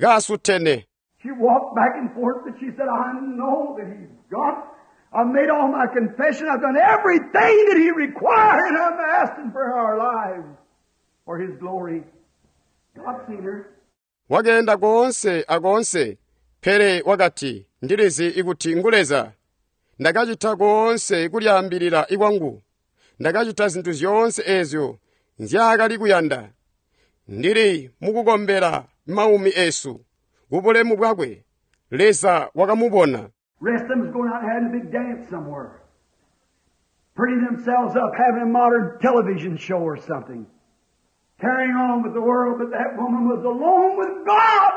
kaasutene. She walked back and forth, but she said, I know that he's God. I've made all my confession. I've done everything that he required, and I'm asking for our lives for his glory. God seen her. Wakeenda koonse akoonse, pele wakati, ndilizi ikuti ngu Leza. Ndakacita koonse kulyaambilila ikwangu. Ndakacita zintu zyoonse eezyo nzyaakali kuyanda. Ndili mukukombela maumi esu kubulemu bwakwe. Leza wakamubona. Rest of them was going out and having a big dance somewhere. Pretty themselves up, having a modern television show or something. Carrying on with the world, but that woman was alone with God.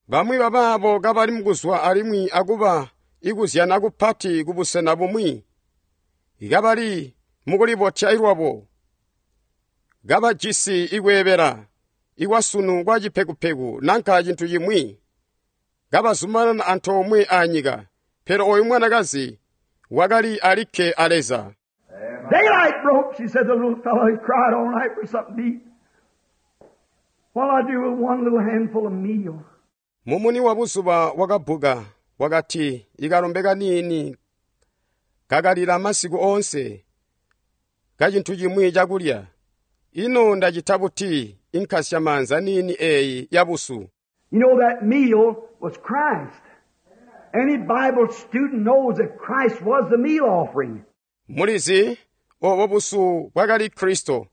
Bamwi babaabo kabali mukuzwa alimwi akuba ikuzyana kupati kubusena bumwi, kabali mukulibotya ilwabo, kabajisi ikweebela ikwasunu kwa cipekupeku nanka cintu cimwi, kabazumanana antoomwe anyika, pele oyu mwanakazi wakali alikke a Leza. Daylight broke, she said, the little fellow, he cried all night for something to eat. What'll I do with one little handful of meal? Mumuni wa buzuba wakabbuka, wakati ikalombe kaniini kakalila masiku oonse kacintu cimwi cakulya. Ino ndacita buti inkasya maanza niini eeyi ya busu? You know that meal was Christ. Any Bible student knows that Christ was the meal offering. Mulizi obo busu bwakali Kristo.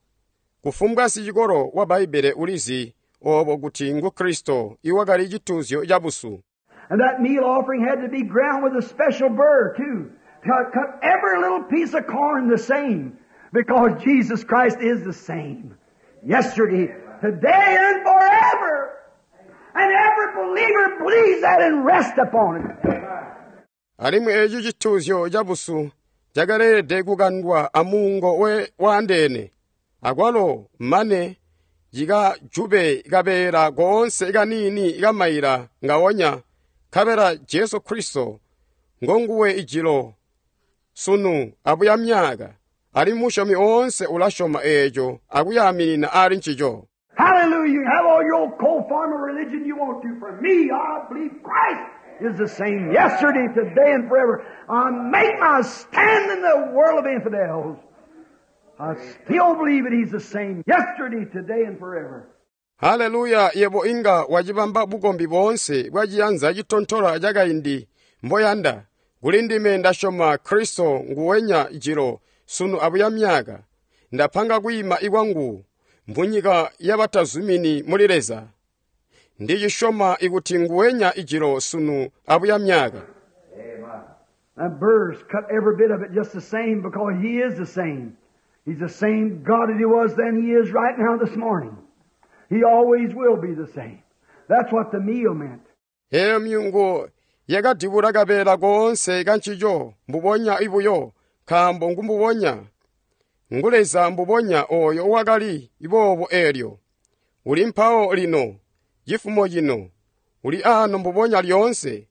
Kufumbwa sicikolo wa Bbaibbele ulizi obo kuti ngu Kristo iwakali cituuzyo ca busu. And that meal offering had to be ground with a special burr too. To cut every little piece of corn the same. Because Jesus Christ is the same. Yesterday, today, and forever. And every believer believes that and rests upon it. Alimwi eeci cituuzyo cabusu cakaleelede kukandwa amuungo waandeene akwalo mane cikajube kabeela koonse kaniini kamaila ngawonya nkabela Jesu Kristo ngonguwe ijilo sunu abuya myaka alimwi musyomi oonse ulasyoma eeco akuyaaminina ali ncico. Hallelujah. You have all your old cold form of religion you want to. For me, I believe Christ is the same yesterday, today, and forever. I make my stand in the world of infidels. I still believe that He's the same yesterday, today, and forever. Haleluya yebo inga wacibamba bukombi boonse bwaciyanza citontola cakaindi mboyanda kuli ndime ndasyoma Kristo nguwenya jilo sunu abuya myaka ndapanga kwiima ikwangu mbunyika yabatazumini muli Leza ndicisyoma ikuti nguwenya ijilo sunu abuya myaka. And burrs cut every bit of it just the same because He is the same. He's the same God that He was then He is right now this morning. He always will be the same. That's what the meal meant. Eyo myungu yakadibula kabeela koonse kancico mbubonya ibuyo nkaambo ngumbubonya ngu Leza mbubonya oyo wakali boobo eelyo uli mpawo lino cifumo cino uli ano mbubonya lyoonse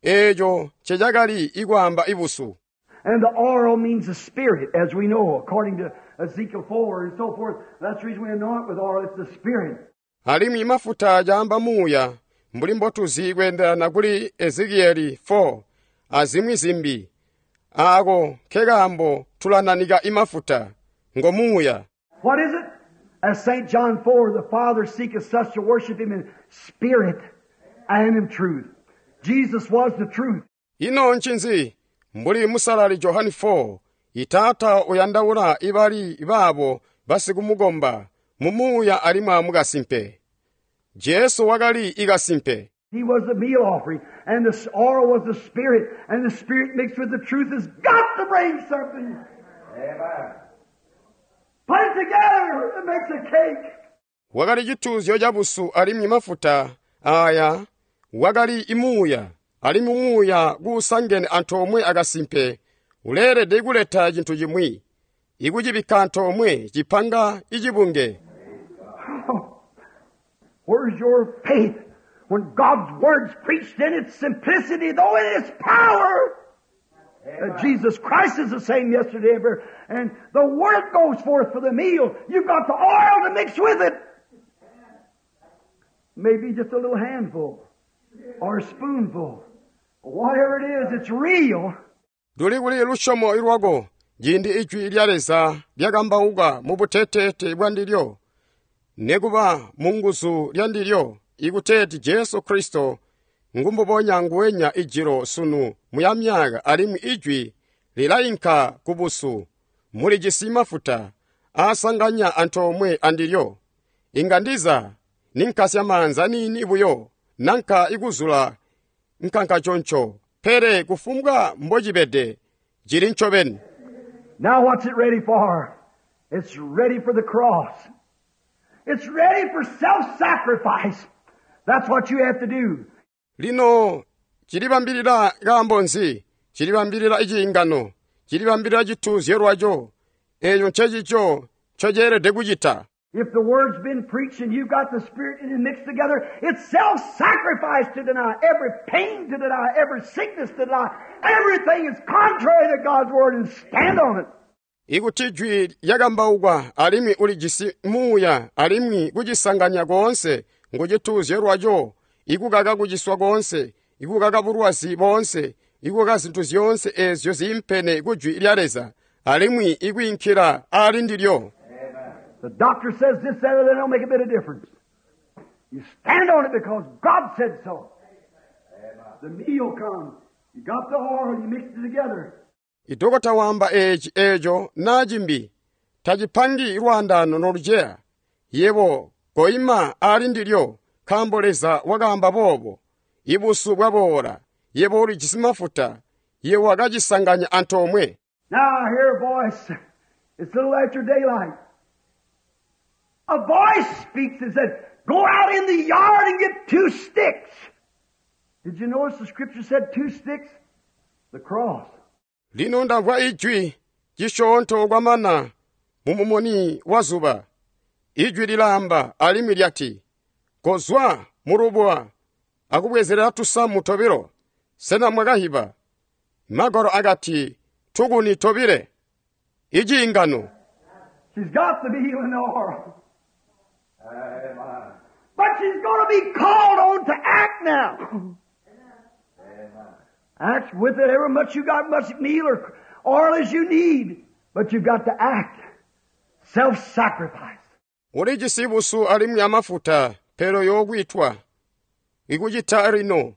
eeco ncecakali ikwaamba ibusu. And the oil means the Spirit, as we know, according to Ezekiel 4 and so forth. That's the reason we anoint with oil. It's the Spirit. Alimwi mafuta caamba muuya mbuli mbotuzi kweendelana kuli Ezekieli 4 azimwi zimbi aako nkekaambo tulananika imafuta ngo muuya. What is it? As St. John 4, the Father seeketh such to worship Him in spirit and in truth. Jesus was the truth. Ino ncinzi mbuli musalali Johani 4 itaata uyandaula ibali baabo basikumukomba mu muuya alimwi amukasimpe. Jesu wakali ikasimpe. He was the meal offering, and the oil was the Spirit, and the Spirit mixed with the truth has got to bring something. Amen. Put it together, it makes a cake. Wakali cituuzyo cabusu alimwi mafuta aya wakali imuuya alimwi muuya kuusangene antoomwe akasimpe uleelede kuleta cintu cimwi ikucibikka antoomwe cipanga icibunge. Where's your faith when God's word's preached in its simplicity, though in its power? That Jesus Christ is the same yesterday and forever. And the word goes forth for the meal. You've got the oil to mix with it. Maybe just a little handful or a spoonful. Whatever it is, it's real. Luli kuli lusyomo ilwako ciindi ijwi lya Leza lyakambauka mu buteteete bwa ndilyo nekuba mu nguzu lya ndilyo ikuteeti Jesu Kristo ngumbubonya nguwenya ijilo sunu muya myaka alimwi ijwi lilainka kubusu mulijisi mafuta aasanganya antoomwe andilyo inga ndiza ninkasya maanza niini buyo nanka ikuzula nkankaconco pele kufumbwa mbocibede cili ncobeni. Now what's it ready for? It's ready for the cross. It's ready for self-sacrifice. That's what you have to do. Lino cilibambilila kaambo nzi? Cilibambilila iciingano, cilibambilila cituuzyo lwaco. Eeco ncecico ncoceelede kucita. If the word's been preached and you've got the Spirit in it mixed together, it's self-sacrifice to deny every pain, to deny every sickness, to deny everything is contrary to God's word and stand on it. Ikuti jwi lyakambaukwa alimwi ulijisi muuya alimwi kucisanganya koonse ngucituuzyo lwaco, ikukaka kuciswa koonse, ikukaka bulwazi boonse, ikukaka zintu zyoonse eezyo ziimpene kujwi lya Leza, alimwi ikwiinkila ali ndilyo. The doctor says this, that, or that don't make a bit of difference. You stand on it because God said so. The meal comes. You got the oil, you mix it together. Idokota wamba eeci eeco naacimbi tacipangi lwaandaano noluceya yebo koima ali ndilyo nkaambo Leza wakaamba boobo ibusu bwaboola yebo ulijisi mafuta yebo wakacisanganya antoomwe. Now I hear a voice. It's a little after daylight. A voice speaks and said, Go out in the yard and get 2 sticks. Did you notice the scripture said 2 sticks? The cross. Lino ndamvwa ijwi cisyoonto kwamana mumumuni wa zuba. Ijwi lilaamba alimwi lyati, kozwa mulubuwa akubwezerera tusamu tobilo. Sena mwakahiba? Magwalo akati tukuni tobile. Iciingano. She's got the meal and the oil. Amen. But she's going to be called on to act now. Amen. Act with it every much you got, much meal or oil as you need. But you've got to act. Self-sacrifice. Ulijisi busu alimwi amafuta pero yokwitwa. Ikucita lino.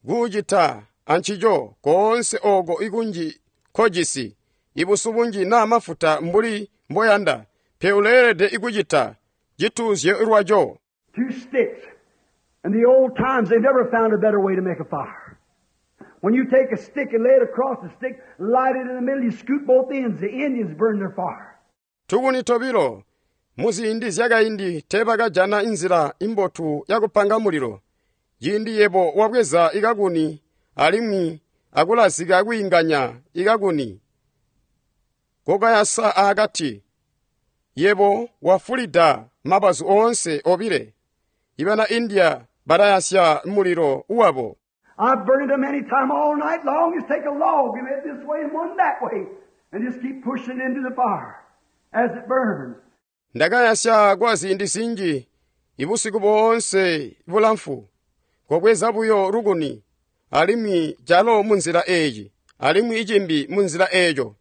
Kucita ancico koonse oko ikunji kojisi. Ibusu bunji na mafuta mbuli mboyanda. Pe uleelede ikucita cituuzyo lwaco. 2 sticks. In the old times, they never found a better way to make a fire. When you take a stick and lay it across the stick, light it in the middle, you scoot both ends. The Indians burn their fire. Tukuni tobilo. Muziindi zyakaindi teebakajana inzila imbotu yakupanga mulilo. Ciindi yebo wabweza ikakuni alimwi akulazika kwiinganya ikakuni. Kokayasa akati. Yebo wafulida mabazu oonse obile. Ibana India barayasya mulilo uwabo. I burned them any time all night long. Just take a log and it this way and one that way. And just keep pushing it into the fire as it burns. Ndakayasya kwa ziindi zinji ibusiku boonse bulamfu. Kobweza buyo lukuni alimwi calo munzila eyi alimwi icimbi munzila eyo.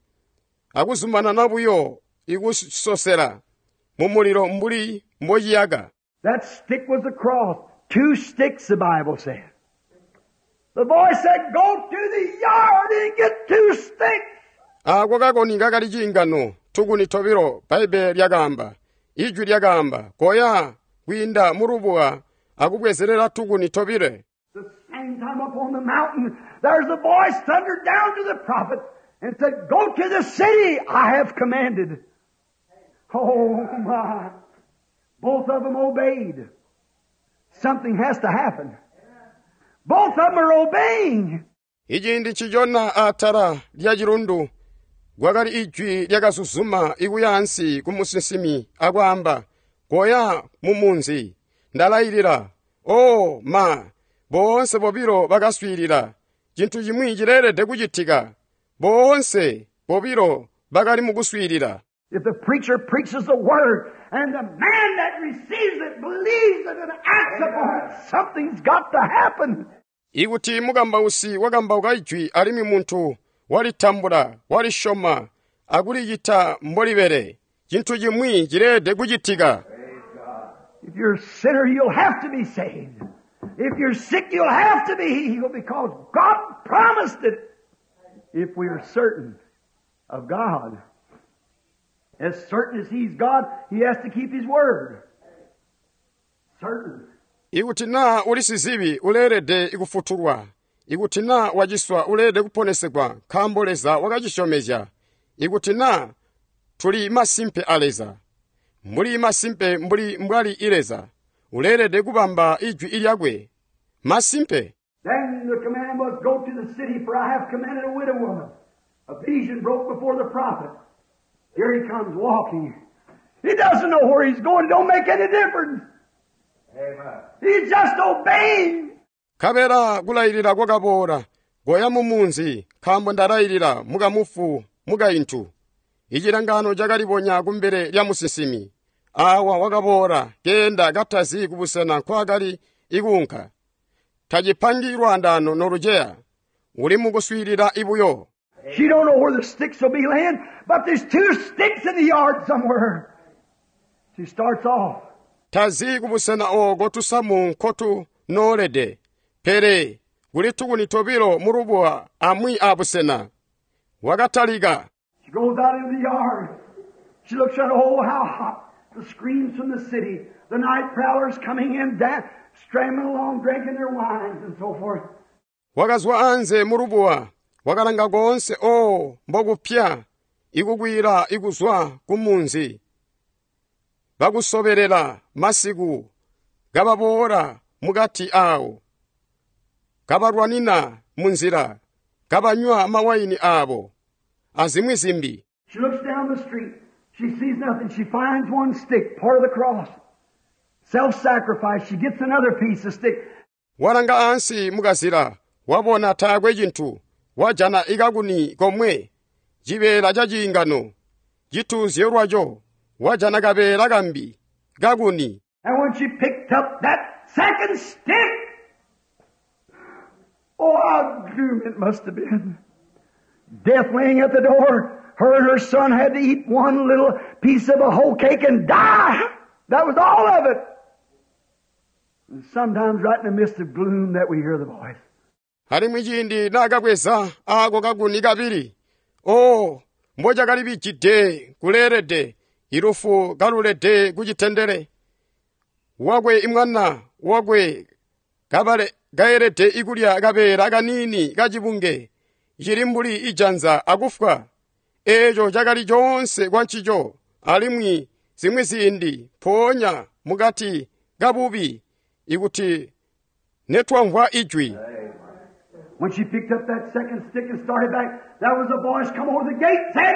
Akuzumanana buyo ikusosela mu mulilo mbuli mbociyaka. That stick was the cross. 2 sticks, the Bible said. The boy said, go to the yard and get 2 sticks. Ako kakoni kakali ciingano, tukuni tobilo, Baibe lyakaamba. Ijwi lyakaamba, koya kwiinda mulubuwa akubwezerera tukuni tobile. The same time up on the mountain, there's a voice thundered down to the prophet and said, go to the city I have commanded. Oh my. Both of them obeyed. Something has to happen. Both of them are obeying. Iciindi ncicona atala lya cilundu kwakali ijwi lyakazuzuma ikuya ansi ku musinsimi akwaamba, koya mu munzi, ndalayilila. Oh ma, boonse bobilo bakaswiilila. Cintu cimwi cileelede kucitika. Boonse bobilo bakali mu kuswiilila. If the preacher preaches the word and the man that receives it believes it and acts upon it, something's got to happen. Ikuti mukambausi wakambauka ijwi alimwi muntu walitambula, walishoma, akulicita mbolibele, cintu cimwi cileelede kucitika. If you're a sinner, you'll have to be saved. If you're sick, you'll have to be healed because God promised it. If we are certain of God. As certain as He's God, He has to keep His word. Certain. Ikuti na uli sizibi uleelede ikufutulwa. Ikuti na waciswa uleelede kuponesegwa nkaambo Leza wakacisyomezya. Ikuti na tuli masimpe a Leza. Mbuli masimpe mbuli mbwali i Leza. Uleelede kubamba ijwi ilyakwe. Masimpe. Then the command was, go to the city, for I have commanded a widow woman. A vision broke before the prophet. Here he comes walking. He doesn't know where he's going. It don't make any difference. Amen. He's just obeying. Kabela kulayilira kwakaboola, goya mu munzi, nkaambo ndalayilira mukamufu mukaintu. Icilangano cakalibonya kumbele lya musinsimi. Awa wakaboola, keenda katazi kubusena nkwakali ikuunka. Tacipangi lwaandaano noluceya. Uli mukuswiilila ibuyo. She don't know where the sticks will be laying, but there's 2 sticks in the yard somewhere. She starts off. Tazi kubusena oko tusamu nkotu noolede. Pele kuli tukuni tobilo mulubuwa amwi abusena. Wakatalika. She goes out into the yard. She looks at, oh, how hot. The screams from the city. The night prowlers coming in, stramming along, drinking their wines and so forth. Wakazwa anze mulubuwa. Wakalanga konse, oh, mbokupya. Ikukwira ikuzwa kumunzi. Bakusoberera masiku. kababoola mukati awo, kabalwanina munzila, kabanywa mawayini abo, azimwi zimbi. She looks down the street. She sees nothing. She finds one stick, part of the cross. Self-sacrifice. She gets another piece of stick. Walanga ansi mukazila, wabona taakwe cintu, wajana ikakuni komwe, cibeela ca ciingano, cituuzyo lwaco, wajana kabeela kambi, kakuni. And when she picked up that second stick, oh, how gloom it must have been. Death laying at the door. Her and her son had to eat one little piece of a whole cake and die. That was all of it. And sometimes right in the midst of gloom that we hear the voice. Alimwi ciindi naakabweza aako kakuni kabili, oh, mbocakalibijide kuleelede, ilufu kalulede kucitendele. Wakwe imwana wakwe kabale kaelede ikulya kabeela kaniini kacibunge, cili mbuli ijanza akufwa. Eeco cakali coonse kwa ncico, alimwi zimwi ziindi mpoonya mukati kabubi ikuti netwamvwa ijwi. When she picked up that second stick and started back, there was a voice come over the gate said,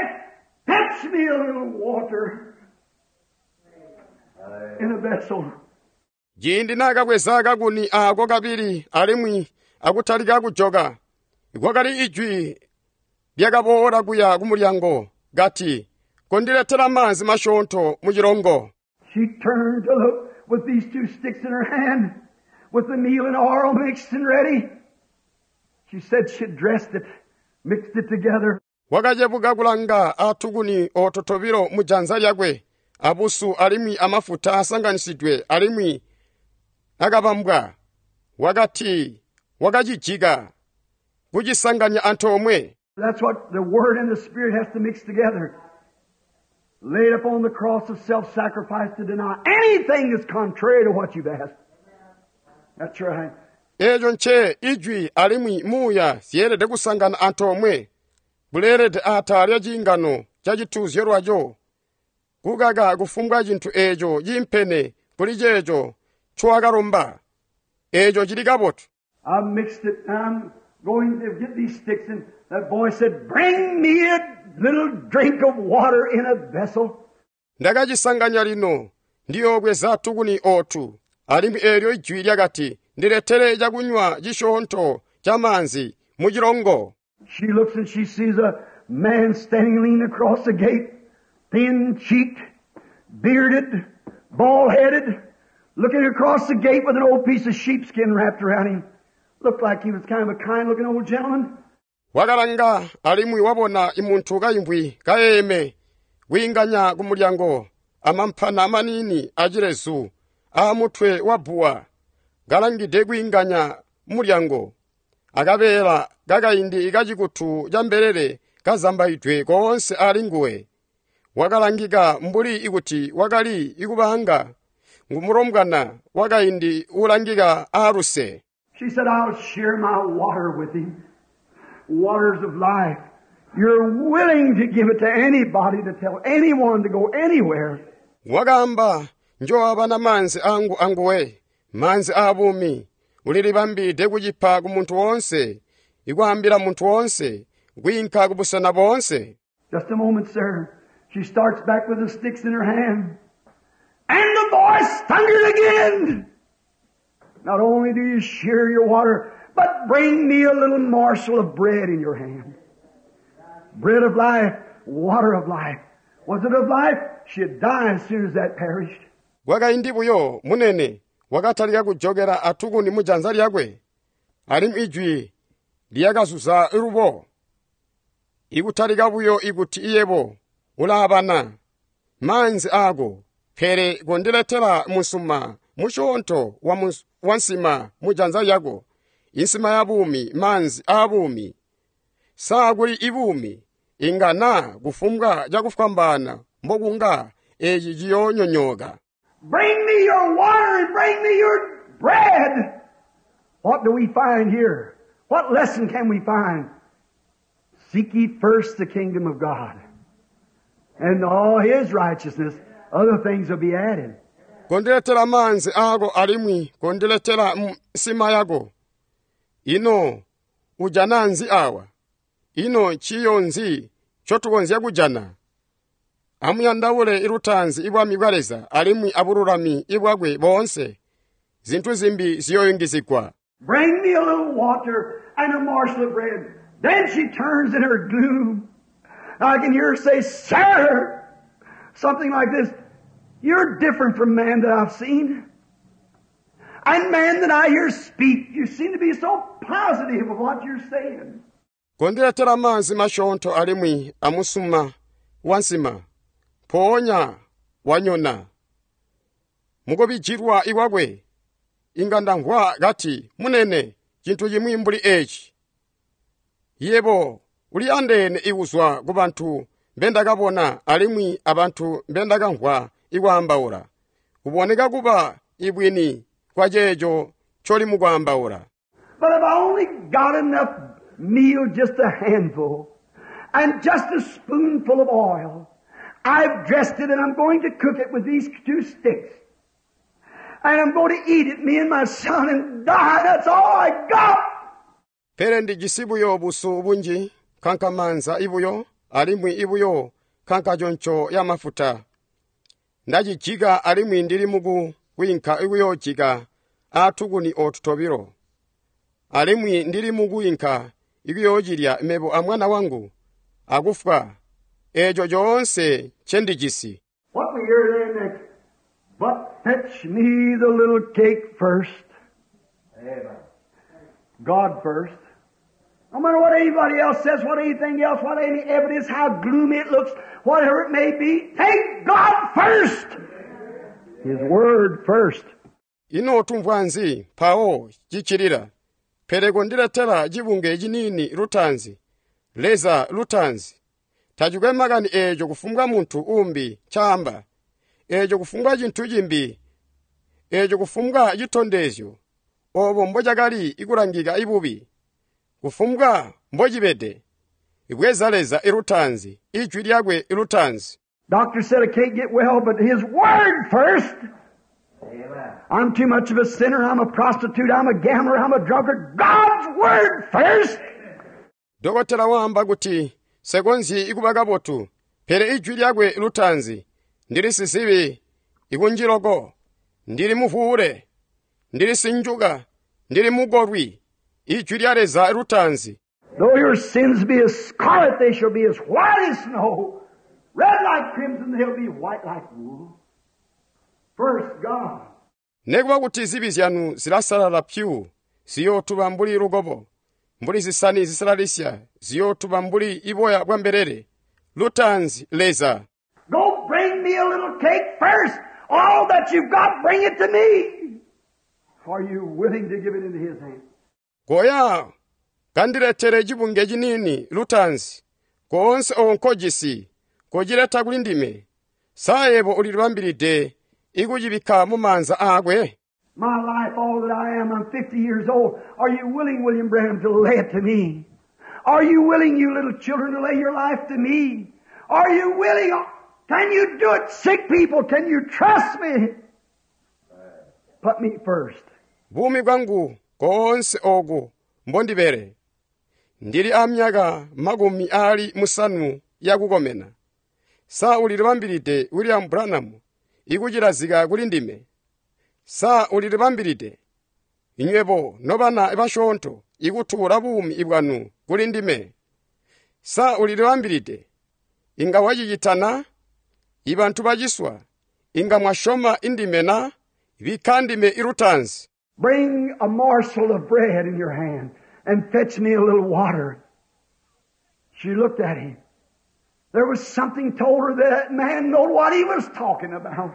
Fetch me a little water in a vessel. Ciindi naakabweza kakuni aako kabili alimwi akutalika kujoka, kwakali ijwi lyakaboola kuya kumulyango kati, kondiletera maanzi masyoonto mu cilongo. She turned to look with these two sticks in her hand, with the meal and oil mixed and ready. She said she dressed it, mixed it together. Wakacebuka kulanga atukuni oto tobilo mu janza lyakwe, abusu alimwi amafuta asanganisidwe alimwi akabambwa. Wakati wakacijika kucisanganya antoomwe. That's what the Word and the Spirit has to mix together. Laid upon the cross of self-sacrifice to deny anything that's contrary to what you've asked. That's right. Eeco nce ijwi alimwi muuya zyeelede kusangana antoomwe, buleelede atala lya ciingano ca cituuzyo lwaco, kukaka kufumbwa cintu eeco ciimpene kuli ceeco ncowakalomba. Eeco cili kabotu. I mixed it and I'm going to get these sticks, and that boy said, Bring me a little drink of water in a vessel. Ndakacisanganya lino, ndiyoobweza tukuni otu. Alimwi eelyo ijwi lyakati, ndiletere cakunywa cisyoonto ca maanzi mu cilongo. She looks and she sees a man standing leaning across the gate, thin-cheeked, bearded, bald-headed, looking across the gate with an old piece of sheepskin wrapped around him. Looked like he was kind of a kind-looking old gentleman. Wakalanga alimwi wabona imuntu kaimbwi kayeeme kwiinganya ku mulyango amamphana amanini acilezu aamutwe wa bbuwa kalangide kwiinganya mulyango akabeela kakaindi kacikutu ca mbelele kazambaidwe koonse ali nguwe. Wakalangika mbuli ikuti wakali ikubanga ngumulombwana wakaindi ulangika aaluse. She said, I'll share my water with him. Waters of life. You're willing to give it to anybody, to tell anyone to go anywhere. Wakaamba, njoabana maanzi angu anguwe, maanzi aabumi, ulilibambide kucipa ku muntu woonse, ikwaambila muntu woonse, kwiinka ku busena boonse. Just a moment, sir. She starts back with the sticks in her hand. And the voice thundered again. Not only do you share your water, but bring me a little morsel of bread in your hand. Bread of life, water of life. Was it of life? She'd die as soon as that perished. Kwakaindi buyo munene wakatalika kujokera atukuni mu janza lyakwe, alimwi ijwi lyakazuza lubo. Ikutalika buyo ikuti iyebo ulaabana maanzi aako, pele kondiletera musuma musyoonto wa nsima mu janza lyako, insima ya buumi, maanzi aabuumi. Saa kuli ibuumi inga naa kufumbwa cakufwambaana mbokunga eeci ciyoonyonyooka. Bring me your water and bring me your bread. What do we find here? What lesson can we find? Seek ye first the kingdom of God and all His righteousness. Other things will be added. Kondiletela maanzi aako alimwi kondiletela nsima yako. Ino ujana nzi awa? Ino ciyo nzi ncotukonzya kujana? Amuyandaule lutaanzi ibwami bwa Leza alimwi abululami ibwakwe boonse. Zintu zimbi ziyoyungizigwa. Bring me a little water and a morsel of bread. Then she turns in her gloom. I can hear her say, Sir, something like this. You're different from man that I've seen. And man that I hear speak, you seem to be so positive of what you're saying. Kondiletela maanzi masyoonto alimwi amusuma wansima. Mpoonya wanyona. Mukubijilwa ikwakwe, inga ndamvwa kati, munene, cintu cimwi mbuli eci. Yebo, uli andeene ikuzwa ku bantu mbendakabona alimwi abantu mbendakamvwa ikwaambaula. Kuboneka kuba ibwini kwa ceeco ncoli mukwaambaula. But if I only got enough meal, just a handful, and just a spoonful of oil, I've dressed it and I'm going to cook it with these 2 sticks. And I'm going to eat it, me and my son, and die. That's all I got. Pele ndijisi buyo busu bunji, kankamanza ibuyo, alimwi ibuyo, kankaconco ya mafuta. Ndacijika alimwi ndili muku kwiinka ikuyojika aatukuni ootu tobilo. Alimwi ndili mukuyinka ikuyoocilya mebo amwana wangu akufwa eeco coonse ncendijisi. What we hear there next? But fetch me the little cake first. Amen. God first. No matter what anybody else says, what anything else, what any evidence, how gloomy it looks, whatever it may be, take God first. His Word first. Ino tumvwa nzi mpawo cicilila. Pele kondiletela cibunge ciniini lutaanzi, Leza lutaanzi. Tacikwe makani eeco kufumbwa muntu umbi ncaamba, eeco kufumbwa cintu cimbi, eeco kufumbwa citondezyo, obo mbocakali ikulangika ibubi, kufumbwa mbocibede. Ibweza Leza ilutaanzi, ijwi lyakwe ilutaanzi. Doctor said I can't get well, but His Word first. Amen. I'm too much of a sinner, I'm a prostitute, I'm a gambler, I'm a drunkard. God's Word first. Dokotela waamba kuti sekonzyi ikuba kabotu, pele ijwi lyakwe lutaanzi, ndili sizibi ikunjiloko, ndili muvuule, ndili sinjuka, ndili mukolwi, ijwi lya Leza lutaanzi. Though your sins be as scarlet, they shall be as white as snow. Red like crimson, they'll be white like wool. First, God. Nekuba kuti zibi zyanu zilasalala pyu, ziyootuba mbuli lukobo, mbuli zisani zisalalisya, ziyootuba mbuli iboya bwa mbelele. Lutaanzi Leza. Go bring me a little cake first. All that you've got, bring it to me. Are you willing to give it into His hand? Goya kandiletere cibunge ciniini lutaanzi, koonse oko nkojisi, kocileta kuli ndime. Sa yebo ulilibambilide ikucibikka mu maanza aakwe? My life, all that I am, I'm 50 years old. Are you willing, William Branham, to lay it to me? Are you willing, you little children, to lay your life to me? Are you willing? Can you do it, sick people? Can you trust me? Put me first. Buumi bwangu koonse oku mbondibele. Ndili a myaka 50 yakukomena. Sa ulilibambilide William Branham ikucilazika kuli ndime. Sa ulilibambilide inywebo nobana basyoonto ikutuula buumi bwanu kuli ndime. Sa ulilibambilide inga wacicitana ibantu baciswa inga mwasyoma indime na bikka ndime ilutaanzi. Bring a morsel of bread in your hand and fetch me a little water. She looked at him. There was something told her that that man knew what he was talking about.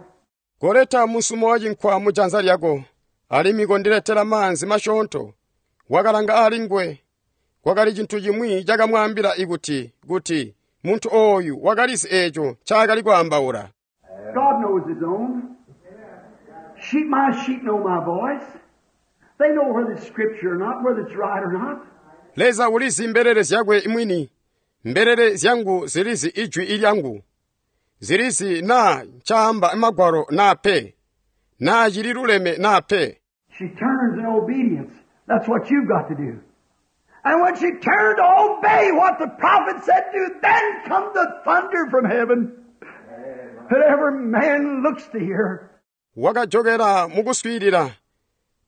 Koleta musumo wa cinkwa mu janza lyako, alimwi kondiletela maanzi masyoonto. Wakalanga ali ngwe. Kwakali cintu cimwi cakamwaambila ikuti, kuti muntu ooyu wakalizi eeco ncaakali kwaambaula. God knows His own. Sheep, my sheep know my voice. They know whether it's scripture or not, whether it's right or not. Leza ulizi mbelele zyakwe mwini. Mbelele zyangu zilizi ijwi ilyangu. Zilizi na ncaamba magwalo na pe. Naa cililuleme naa pe. She turns in obedience. That's what you've got to do. And when she turned to obey what the prophet said to, then come the thunder from heaven that every man looks to hear. Wakajokela mukuswiilila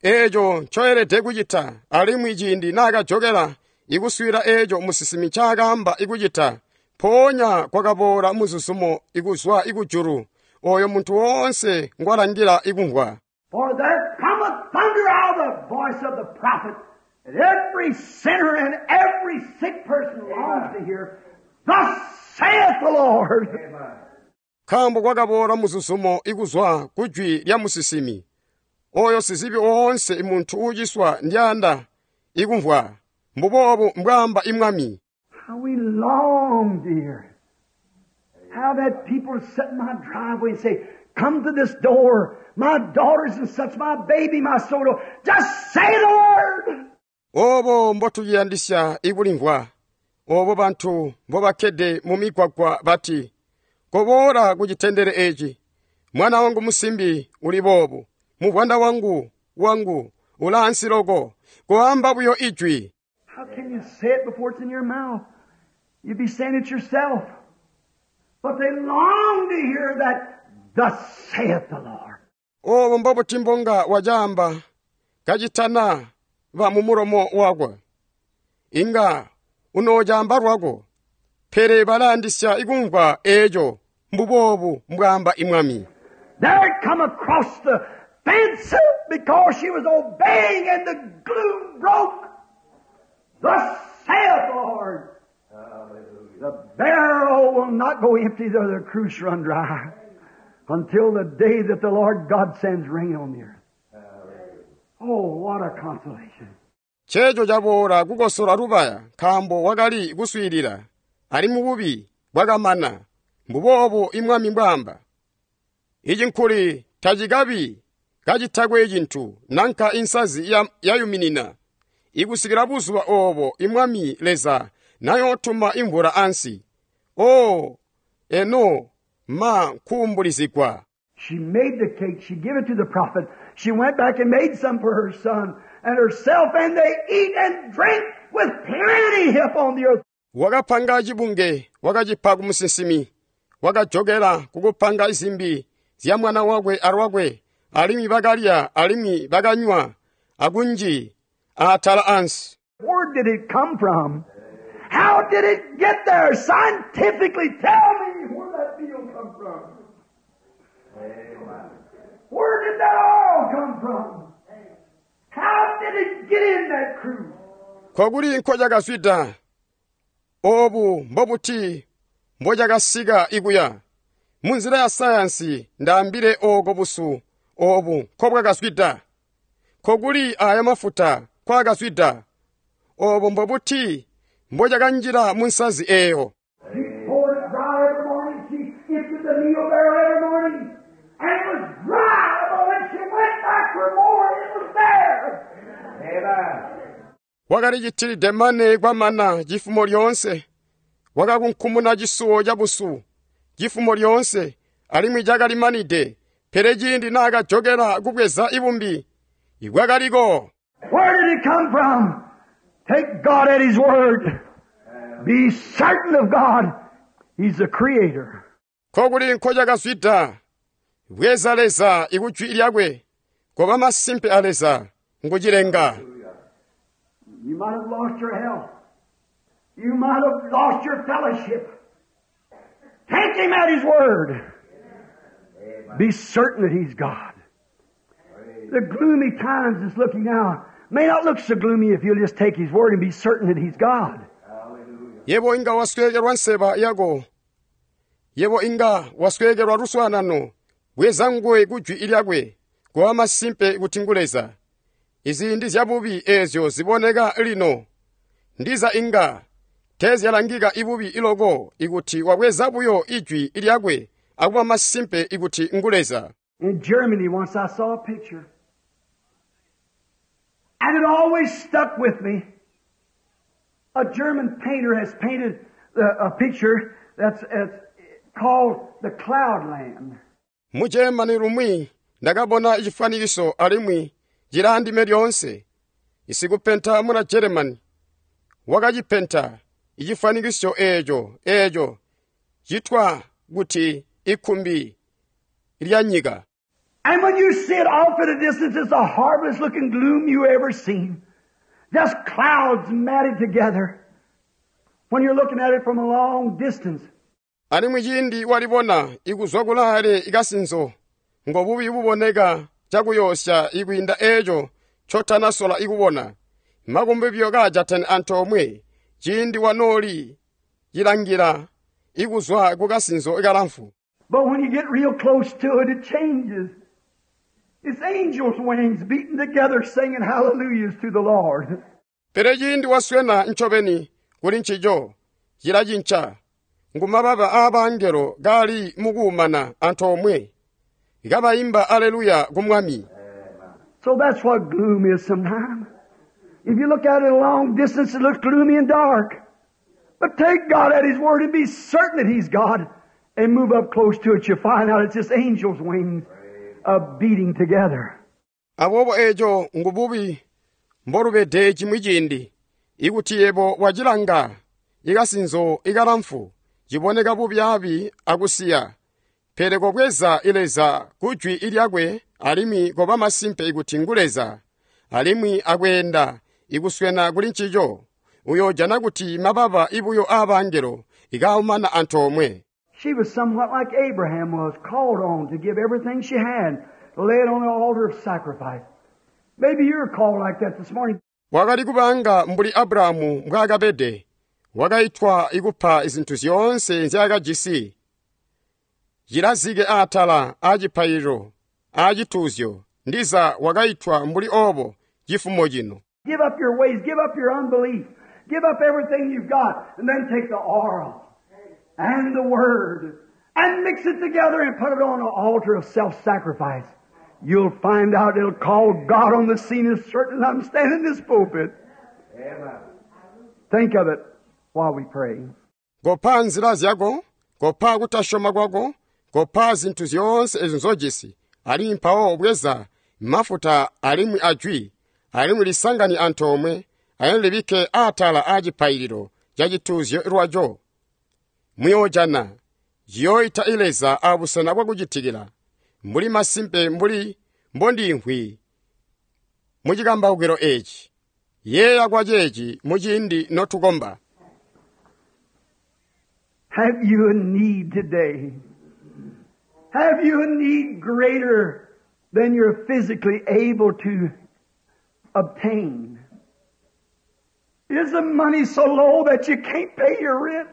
eeco ncoelede kucita, alimwi ciindi naakajokela ikuswiila eeco musinsimi ncaakaamba ikucita, mpoonya kwakaboola muzuzumo ikuzwa ikujulu, ooyo muntu woonse ngwalangila ikumvwa. For there cometh thunder out of the voice of the prophet, and every sinner and every sick person longs to hear, Thus saith the Lord. Nkaambo kwakaboola muzuzumo ikuzwa kujwi lya musinsimi, ooyo sizibi oonse muntu uuciswa ndyanda ikumvwa, mbuboobu mbwaamba imwami. How we long to hear it. How that people sit in my driveway and say, Come to this door, my daughters and such, my baby, my soul. Just say the word. Obo mbotuyandisya ikulimvwa, obo bantu mbobakkede mu migwagwa bati, Koboola ku citendele eeci, mwana wangu musimbi uli boobu, muvwanda wangu wangu ulaansi loko, koamba buyo ijwi. How can you say it before it's in your mouth? You'd be saying it yourself. But they long to hear that, Thus saith the Lord. Obo mbobuti mbonga wacaamba kacitana ba mu mulomo wakwe. Inga unoocamba lwako, pele balayandisya ikumvwa eeco mbuboobu mbwaamba imwami. There it come across the fence because she was obeying and the gloom broke. Thus saith the Lord. The barrel will not go empty though the cruse run dry until the day that the Lord God sends rain on the earth. Oh, what a consolation. Cheeco caboola kukosola lubaya nkaambo wakali kuswiilila, ali mububi bwakamana, mbuboobu imwami mbwaamba. Ici nkuli tacikabi kacitakwe cintu nanka insazi yayuminina, ikusikila buzuba oobo imwami Leza nayootuma imvula ansi. Oo, eno ma nkuumbulizigwa. She made the cake. She gave it to the prophet. She went back and made some for her son and herself, and they eat and drink with plenty upon the earth. Wakapanga cibunge, wakacipa ku musinsimi, wakajokela kukupanga izimbi zya mwana wakwe alwakwe, alimwi bakalya alimwi bakanywa akunji atala ansi. Where did it come from? How did it get there? Scientifically, tell me where that meal come from. Where did that oil come from? How did it get in that cruse? Kokuli nkocakazwida, obu mbobuti mbocakasika ikuya. Munzila ya sayansi ndaambile ooko busu obu nkobwakazwida. Kokuli aya mafuta kwakazwida, obo mbobuti mbocakanjila mu nsazi eeyo. She poured it dry every morning. She emptied the meal barrel every morning. And it was dry, but when she went back for more, it was there. Amen. Wakalichitilide mane kwamana cifumo lyoonse, wakakunkumuna cisuwo ca busu cifumo lyoonse, alimwi cakalimanide, pele ciindi naakajokela kubweza ibumbi, ibwakaliko. Where did it come from? Take God at His word. Be certain of God. He's the Creator. Kokuli nkocakazwida, bweza Leza ikujwi lyakwe, koba masimpe a Leza ngucilenga. You might have lost your health. You might have lost your fellowship. Take Him at His word. Be certain that He's God. The gloomy times that's looking now may not look so gloomy if you'll just take His word and be certain that He's God. Yebo inga wasweekelwa nseba yako, yebo inga wasweekelwa luswaanano, bweza nguwe kujwi lyakwe, koba masimpe kuti ngu Leza. Iziindi zyabubi eezyo ziboneka lino, ndiza inga teezyalangika ibubi iloko ikuti wabweza buyo ijwi lyakwe akuba masimpe ikuti ngu Leza. In Germany once I saw a picture. And it always stuck with me. A German painter has painted a picture that's called the Cloudland. Mu Germany lumwi Ndakabona cifwanikiso alimwi cilaandime lyoonse. Isikupenta muna Germany wakacipenta icifwanikiso eeco citwa kuti ikkumbi lya nyika. And when you see it off at a distance, it's the horriblest looking gloom you ever seen. Just clouds matted together. When you're looking at it from a long distance. Alimwi ciindi walibona ikuzwa kulaale ikasinzo ngobubi buboneka cakuyoosya ikwiinda eeco ncotanasola ikubona. Makumbi buyo kaajatene antoomwe ciindi wanooli cilangila ikuzwa kukasinzo ikalamfu. But when you get real close to it, it changes. It's angels' wings beating together, singing hallelujahs to the Lord. Pele ciindi waswena ncobeni kuli ncico cilacinca ngumababa aabangelo kaali mukuumana antoomwe kabaimba aleluya ku Mwami. So that's what gloom is sometimes. If you look at it a long distance, it looks gloomy and dark. But take God at His word and be certain that He's God and move up close to it. You'll find out it's just angels' wings beating together. Aboobo eeco ngububi mbolubede cimwi ciindi ikuti yebo wacilanga ikasinzo ikalamfu ciboneka bubyaabi akusiya. Pele kobweza Leza kujwi lyakwe alimwi koba masimpe ikuti ngu Leza alimwi akweenda ikuswena kuli ncico uyoojana kuti mababa ibuyo aabangelo ikaumana antoomwe. She was somewhat like Abraham was, called on to give everything she had, to lay it on the altar of sacrifice. Maybe you're called like that this morning. Wakali kubanga mbuli Abrahamu mbwaakabede, wakaitwa ikupa zintu zyoonse nzyaakajisi. Cilazike atala aacipaililo aacituuzyo, ndiza wakaitwa mbuli oobo cifumo cino. Give up your ways, give up your unbelief, give up everything you've got, and then take the oil and the Word and mix it together and put it on an altar of self-sacrifice. You'll find out it'll call God on the scene as certain as I'm standing in this pulpit. Amen. Think of it while we pray. Kopa nzila zyako, kopa kutasyoma kwako, kopa zintu zyoonse ezo nzojisi, alimwi mpawo bweza mafuta alimwi ajwi, alimwi lisangani antoomwe, alimwi libikke atala aacipaililo ca cituuzyo lwaco. Muyoojana ciyooita Leza abusena bwakucitikila, mbuli masimpe mbuli mbondiimvwi mucikambaukilo eeci. Yeeya kwa ceeci muciindi notukomba. Have you a need today? Have you a need greater than you're physically able to obtain? Is the money so low that you can't pay your rent?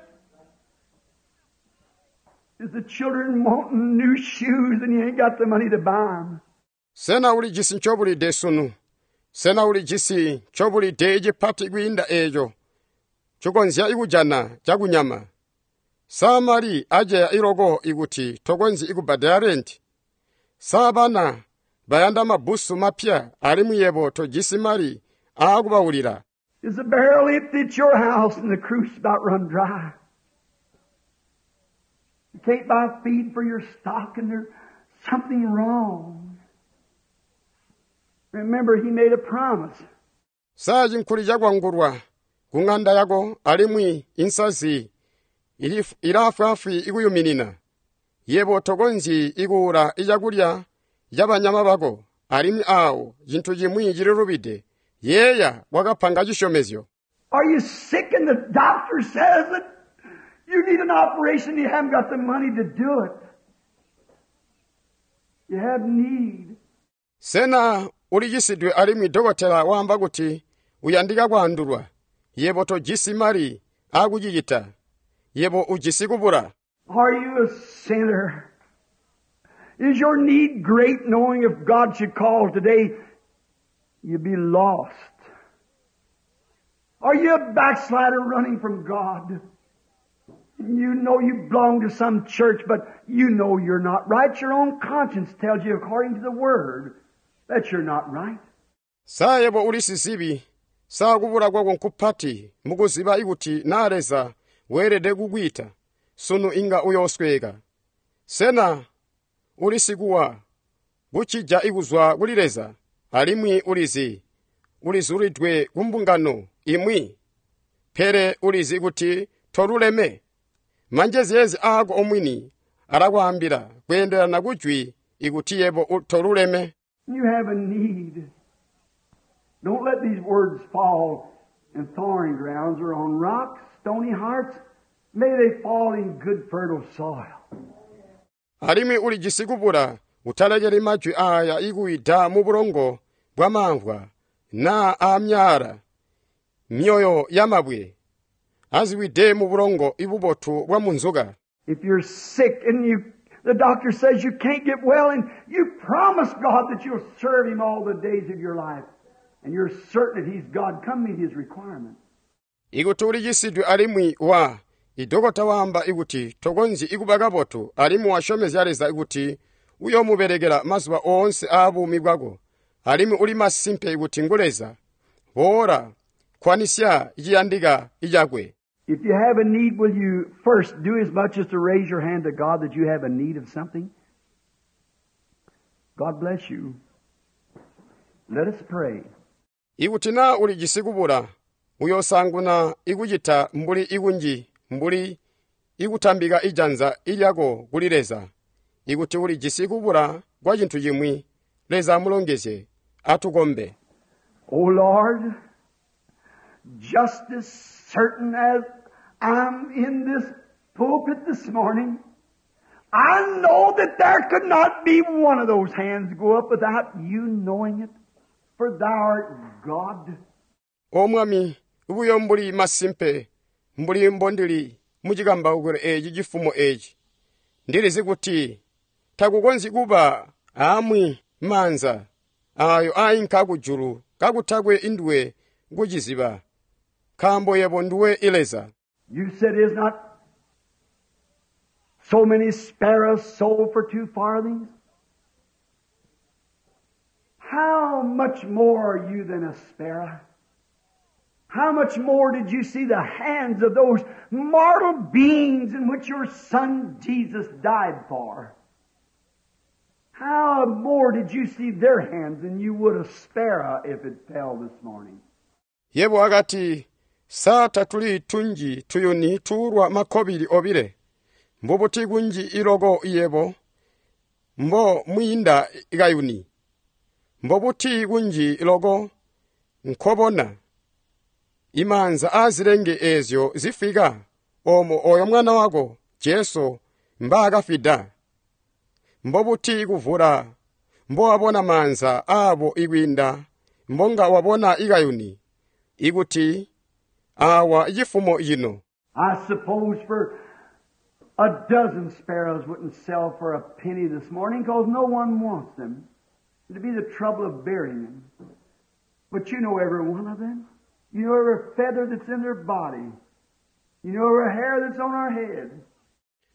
Is the children wanting new shoes and you ain't got the money to buy them? Sena ulijisi ncobulide sunu? Sena ulijisi ncobulide icipati kwiinda eeco cukonzya ikujana cakunyama? Sa mali aceya iloko ikuti tokonzyi ikubbadela renti? Sa bana bayanda mabbusu mapya alimwi yebo tojisi mali aakubaulila? Is the barrel empty at your house and the cruse about run dry? You can't buy feed for your stock and there's something wrong. Remember, he made a promise. Sa cinkhuli cakwangulwa ku ŋanda yako alimwi insazi ilaafwaafwi ikuyuminina. Yebo tokonzyi ikuula icakulya cabanyama bako alimwi aawo cintu cimwi cililubide. Yeeya wakapanga cisyomezyo. Are you sick and the doctor says that you need an operation and you haven't got the money to do it? You have need. Sena ulicisidwe alimwi dokotela waamba kuti uyandika kwaandulwa. Yebo tojisi mali aakucicita. Yebo ujisi kubula. Are you a sinner? Is your need great, knowing if God should call today, you'd be lost? Are you a backslider running from God? You know you belong to some church, but you know you're not right. Your own conscience tells you, according to the Word, that you're not right. Sa yebo uli sizibi, sa kubula kwako nkupati mukuziba ikuti na Leza weelede kukwiita, sunu inga uyoosweka. Sena uli sikuwa? kucija ikuzwa kuli Leza, alimwi ulizi, ulizulidwe ku mbungano imwi, pele ulizi kuti toluleme. Manjezeezi aako omwini alakwaambila kweendelana kujwi ikuti yebo toluleme. You have a need. Don't let these words fall in thorny grounds or on rocks, stony hearts. May they fall in good fertile soil. Alimwi ulijisi kubula, utalekeli majwi aaya ikuwida mu bulongo bwa mamvwa naa aamyaala, myoyo ya mabwe, aziwide mu bulongo ibubotu bwa munzuka. If you're sick and the doctor says you can't get well, and you promise God that you'll serve Him all the days of your life, and you're certain that He's God, come meet His requirement. Ikuti ulichisidwe alimwi wa idokota waamba ikuti tokonzyi ikuba kabotu, alimwi wasyomezya Leza ikuti uyoomubelekela mazuba oonse aabuumi bwako, alimwi uli masimpe ikuti ngu Leza, boola, kwanisya iciyandika icakwe. If you have a need, will you first do as much as to raise your hand to God that you have a need of something? God bless you. Let us pray. Ikuti naa ulijisi kubula, uyoosanguna ikucita mbuli ikunji mbuli ikutambika ijanza ilyako kuli Leza. Ikuti ulijisi kubula kwa cintu cimwi, Leza amulongezye, atukombe. O Lord, just as certain as I'm in this pulpit this morning, I know that there could not be one of those hands go up without you knowing it, for thou art God. O Mwami, buyo mbuli masimpe, mbuli mbondili mucikambaukilo eeci cifumo eeci, ndilizi kuti takukonzyi kuba aamwi maanza aayo aainka kujulu kakutakwe induwe kuciziba, nkaambo yebo nduwe Leza. You said, is not so many sparrows sold for 2 farthings? How much more are you than a sparrow? How much more did you see the hands of those mortal beings in which your Son Jesus died for? How more did you see their hands than you would a sparrow if it fell this morning? Yebo akati, sa tatuli tunji tuyuni tuulwa makkobili obile, mbubuti kunji iloko yebo, mbo mwiinda kayuni, mbobuti kunji iloko nkobona, imaanza aazilenge eezyo zifika, omo oyo mwana wako, Jesu, mbaakafida. Mbobuti kuvula, mbowabona maanza aabo ikwiinda, mbonga wabona ikayuni, ikuti awa cifumo cino. I suppose for a dozen sparrows wouldn't sell for a penny this morning because no one wants them. It'd be the trouble of burying them. But you know every one of them. You know every feather that's in their body. You know every hair that's on our head.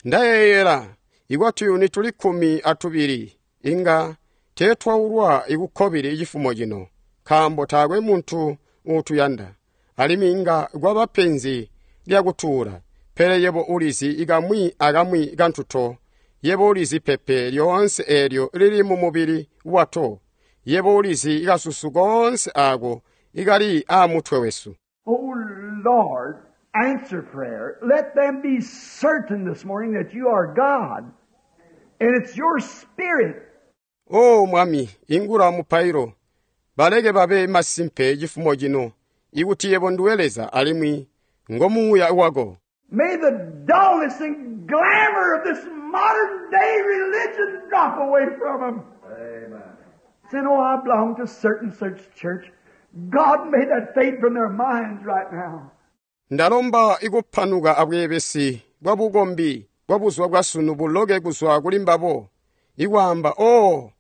Ndayeyela ikwatuyuni tuli 12 inga teetwaulwa ikukkobili cifumo cino, nkaambo taakwe muntu uutuyanda, alimwi inga kwaba penzi lyakutuula. Pele yebo ulizi ikamwi akamwi kantuto, yebo ulizi pepe lyoonse eelyo lili mu mubili wato, yebo ulizi ikasusu koonse aako ikali aamutwe wesu. O Lord, answer prayer. Let them be certain this morning that you are God, and it's your Spirit. O Mwami, ingula mupailo, baleke babe masimpe cifumo cino, ikuti yebo nduwe Leza alimwi ngomuuya wako. May the dullness and glamour of this modern day religion drop away from them. Amen. Saying, oh, I belong to certain such church. God, may that fade from their minds right now. Ndalomba ikuphanuka abweebesi bwa bukombi bwa buzuba bwa sunu buloke kuzwa kuli mbabo, ikwaamba, o,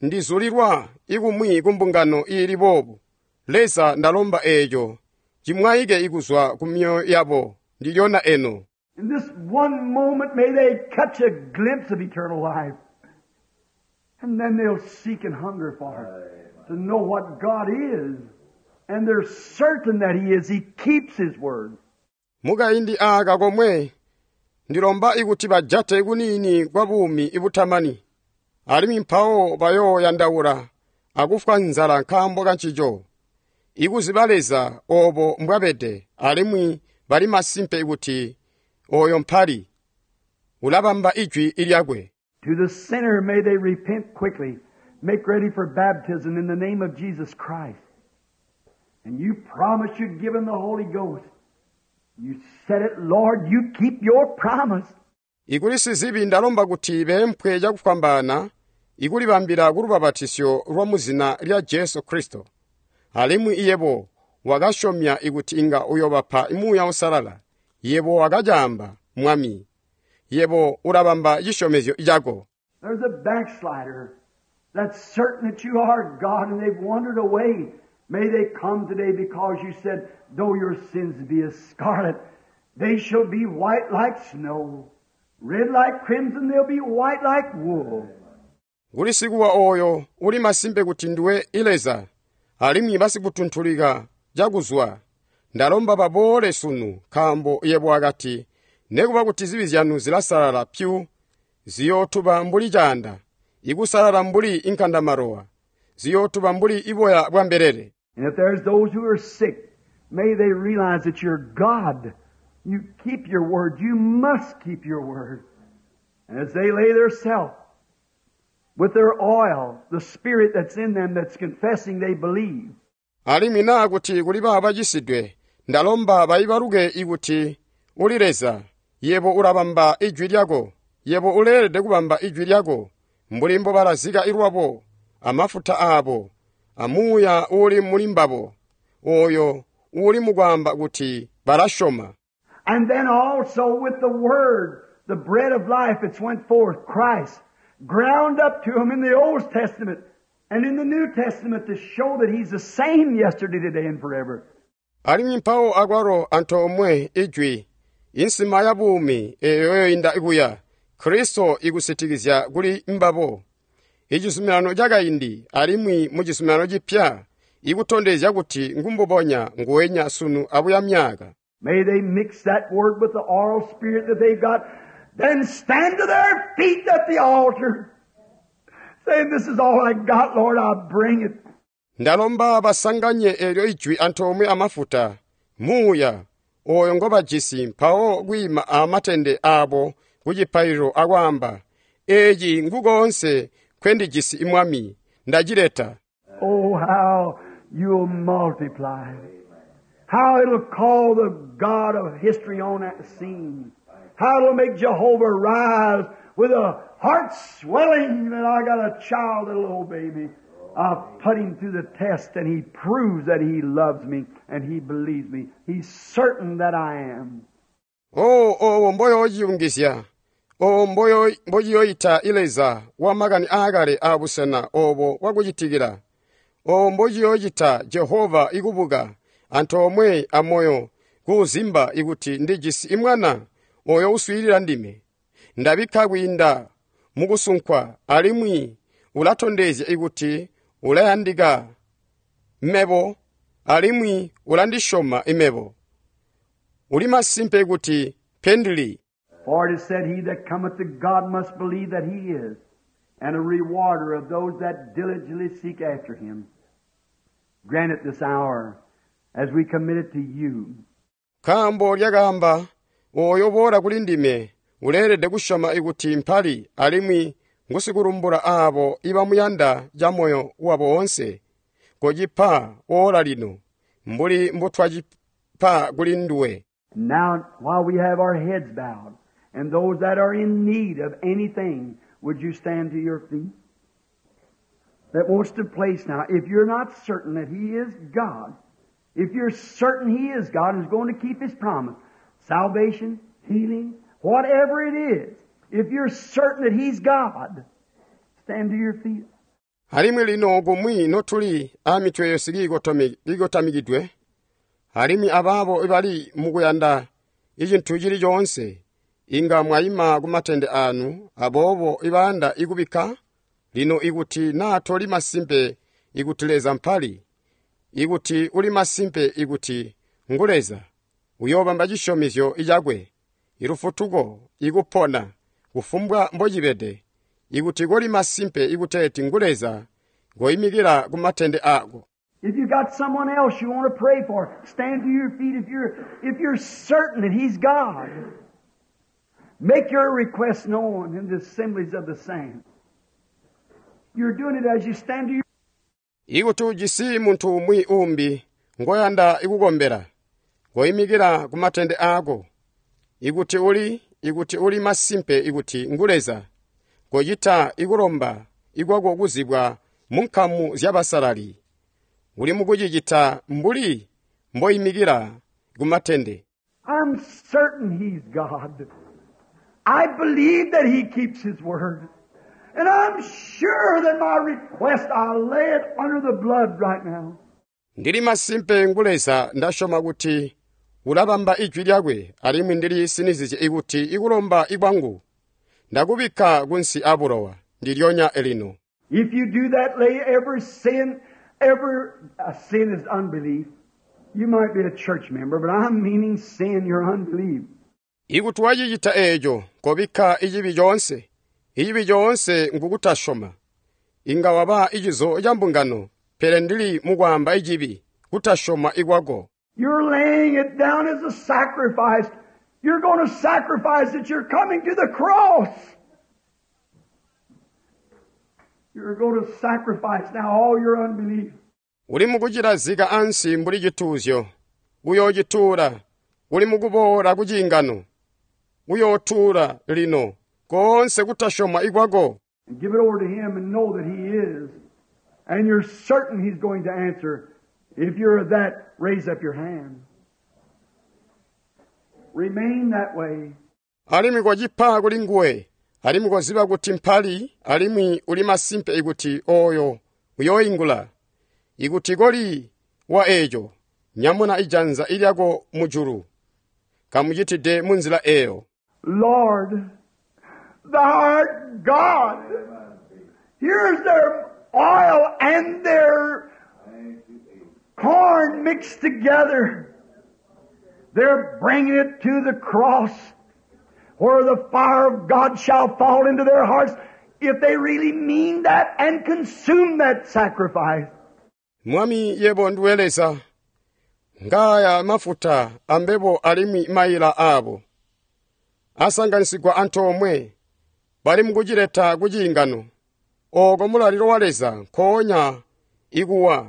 ndizulilwa ikumwi kumbungano iili boobu. Leza ndalomba eeco cimwaike ikuzwa ku myoyo yabo ndilyona eno. In this one moment, may they catch a glimpse of eternal life. And then they'll seek and hunger for it, to know what God is. And they're certain that He is. He keeps His word. Mukaindi aaka komwe ndilomba ikuti bajate kuniini kwa buumi ibutamani, Alimwi mpawo bayooyandaula akufwa nzala nkaambo kancico. Ikuziba Leza oobo mbwabede alimwi bali masimpe kuti oyo mpali ulabamba ijwi lyakwe. To the sinner, may they repent quickly, make ready for baptism in the name of Jesus Christ. And you promised you'd give them the Holy Ghost. You said it, Lord, you keep your promise. Ikuli sizibi ndalomba kuti beempwe cakufwambaana ikulibambila kulubabatisyo lwa muzina lya Jesu Kristo. Alimwi iyebo wakasyomya ikuti inga uyobapa Muuya Uusalala. Yebo wakacaamba, Mwami. Yebo ulabamba cisyomezyo cako. There's a backslider that's certain that you are God and they've wandered away. May they come today because you said, though your sins be as scarlet, they shall be white like snow. Red like crimson, they'll be white like wool. Kuli sikuwa oyo uli masimpe kuti ndiwe Leza alimwi basikutuntulika cakuzwa. Ndalomba baboole sunu nkaambo yebo akati nekuba kuti zibi zyanu zilasalala pyu ziyootuba mbuli caanda, ikusalala mbuli inkandamalowa, ziyootuba mbuli iboya bwa mbelele. And if there's those who are sick, may they realize that you're God. You keep your word. You must keep your word. And as they lay their self with their oil, the spirit that's in them that's confessing they believe. Alimwi naa kuti kuli baabo bacisidwe, ndalomba baibaluke ikuti uli Leza, yebo ulabamba ijwi lyako, yebo uleelede kubamba ijwi lyako, mbuli mbobalazika ilwabo, amafuta aabo, amuuya uuli muli mbabo, oyo uuli mukwaamba kuti balasyoma. And then also with the Word, the bread of life that's went forth, Christ, ground up to him in the Old Testament and in the New Testament to show that He's the same yesterday, today, and forever. Alimwi mpawo akwalo antoomwe ijwi, insima ya buumi eyo yoinda kuya, Kristo ikusitikizya kuli mbabo. Icizuminano cakaindi alimwi mu cizuminano cipya ikutondezya kuti ngumbubonya nguwenya sunu abuya myaka. May they mix that word with the oral spirit that they've got, then stand to their feet at the altar, saying, This is all I got, Lord, I bring it. Ndalomba basanganye elyo ijwi antoomwe amafuta, muuya, oyo ngobajisi mpawo kwiima amatende abo ku cipaililo akwaamba, Eeci ngukoonse nkendijisi Mwami, ndacileta. Oh, how you'll multiply. How it'll call the God of history on that scene. How it'll make Jehovah rise with a heart swelling that I got a child that'll obey me. I've put him through the test and he proves that he loves me and he believes me. He's certain that I am. Oh, owo mboyoociyungizya, owo mbociyoyita Leza wamakani aakale aabusena obo bwakucitikila, owo mbociyoocita Jehova ikubuka antoomwe amoyo kuuzimba ikuti ndijisi imwana oyo uswiilila ndime. Ndabikka kwiinda mukusunkwa alimwi ulatondezya ikuti ulayandika mebo alimwi ulandisyoma imebo. Uli masimpe kuti pendili. For it is said, He that cometh to God must believe that He is, and a rewarder of those that diligently seek after Him. Grant it this hour as we commit it to you. Nkaambo lyakaamba, oyo boola kuli ndime uleelede kusyoma ikuti mpali alimwi ngusikulumbula aabo ibamuyanda camoyo wabo woonse. Kocipa oola lino, mbuli mbutwacipa kuli nduwe. Now, while we have our heads bowed, and those that are in need of anything, would you stand to your feet? That wants to place now, if you're not certain that He is God, if you're certain He is God and is going to keep His promise, salvation, healing, whatever it is, if you're certain that He's God, stand to your feet. Alimwi lino kumwi notuli aamitwe yonse kiikotamikidwe, alimwi abaabo ibali mukuyanda icintu cili coonse, inga mwayima ku matende anu, aboobo ibayanda ikubikka, lino ikuti naa toli masimpe ikuti Leza mpali, ikuti uli masimpe ikuti ngu Leza, uyoobamba cisyomezyo cakwe, ilufutuko, ikupona, kufumbwa mbocibede, Ikuti koli masimpe ikuteeti ngu Leza, koyimikila ku matende ako. If you got someone else you want to pray for, stand to your feet if you're certain that He's God. Make your request known in the assemblies of the saints. You're doing it as you stand to your Ikuti ujisi muntu umwi umbi ngoyanda ikukombela, koyimikila ku matende ako. Ikuti uli masimpe ikuti ngu Leza, kochita ikulomba ikwako kuzibwa mu nkamu zyabasalali. Uli mukuchichita mbuli mboyimikila ku matende. I'm certain He's God. I believe that He keeps His word. And I'm sure that my request, I'll lay it under the blood right now. Ndili masimpe ngu Leza ndasyoma kuti ulabamba ijwi lyakwe alimwi ndili sinizizye ikuti ikulomba ikwangu ndakubikka kunsi abulowa ndilyonya elino. If you do that, lay every sin, every sin is unbelief. You might be a church member, but I'm meaning sin, your unbelief. Ikuti wachichita eecho kobikka ichibi chonse, ichibi chonse ngukutasyoma. Inga waba ichizo cha mbungano, pele ndili mukwamba ichibi, kutasyoma ikwako. You're laying it down as a sacrifice. You're going to sacrifice it. You're coming to the cross. You're going to sacrifice now all your unbelief. Uli mukuchilazika ansi mbuli chituuzyo, uyochituula. Uli mukubola ku chingano, uyotuula lino, konse kutasyoma ikwako. And give it over to Him and know that He is. And you're certain He's going to answer. If you're that, raise up your hand. Remain that way. Alimwi kwachipa kuli nguwe, alimwi kwaziba kuti mpali, alimwi uli masimpe ikuti oyo uyoingula. Ikuti koli wa echo, nyamuna ijanza ilyako mujulu. Kamuchitide munzila eyo. Lord, Thou art God. Here's their oil and their corn mixed together. They're bringing it to the cross where the fire of God shall fall into their hearts if they really mean that and consume that sacrifice. Mwami yebo ndiwe Leza, ngaya mafuta ambebo alimwi mayila abo. Asanganisigwa antoomwe, bali mukuchileta ku chingano. Oko mulaliro wa Leza nkoonya ikuwa.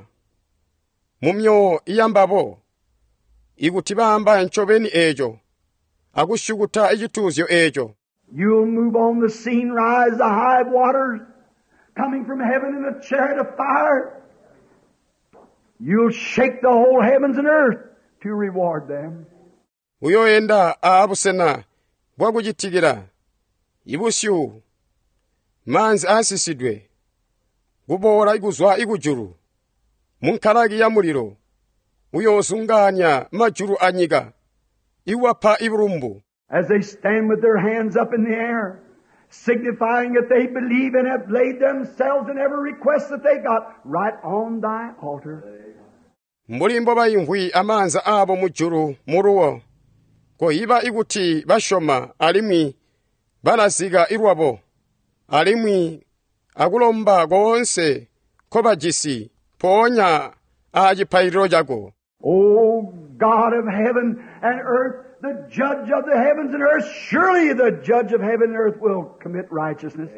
Mu myoyo iyambabo, ikuti bamba ncobeni echo, akusyukuta ichituuzyo echo. You'll move on the scene, rise the high waters, coming from heaven in a chariot of fire. You'll shake the whole heavens and earth to reward them. Uyoyenda aabusena bwakuchitikira, ibusyu, manzi asisidwe, kubola ikuzwa ikujulu, mu nkalaki ya mulilo, uyozunganya majulu anyika, iwapha ibulumbu. As they stand with their hands up in the air, signifying that they believe and have laid themselves in every request that they got right on thy altar. Mbuli mbo bayimvwi amanza abo mujulu muluwo, koyiba ikuti basyoma alimwi balazika ilwabo, alimwi akulomba koonse nkobajisi mpoonya aacipayililo chako. O God of heaven and earth, the judge of the heavens and earth, surely the judge of heaven and earth will commit righteousness.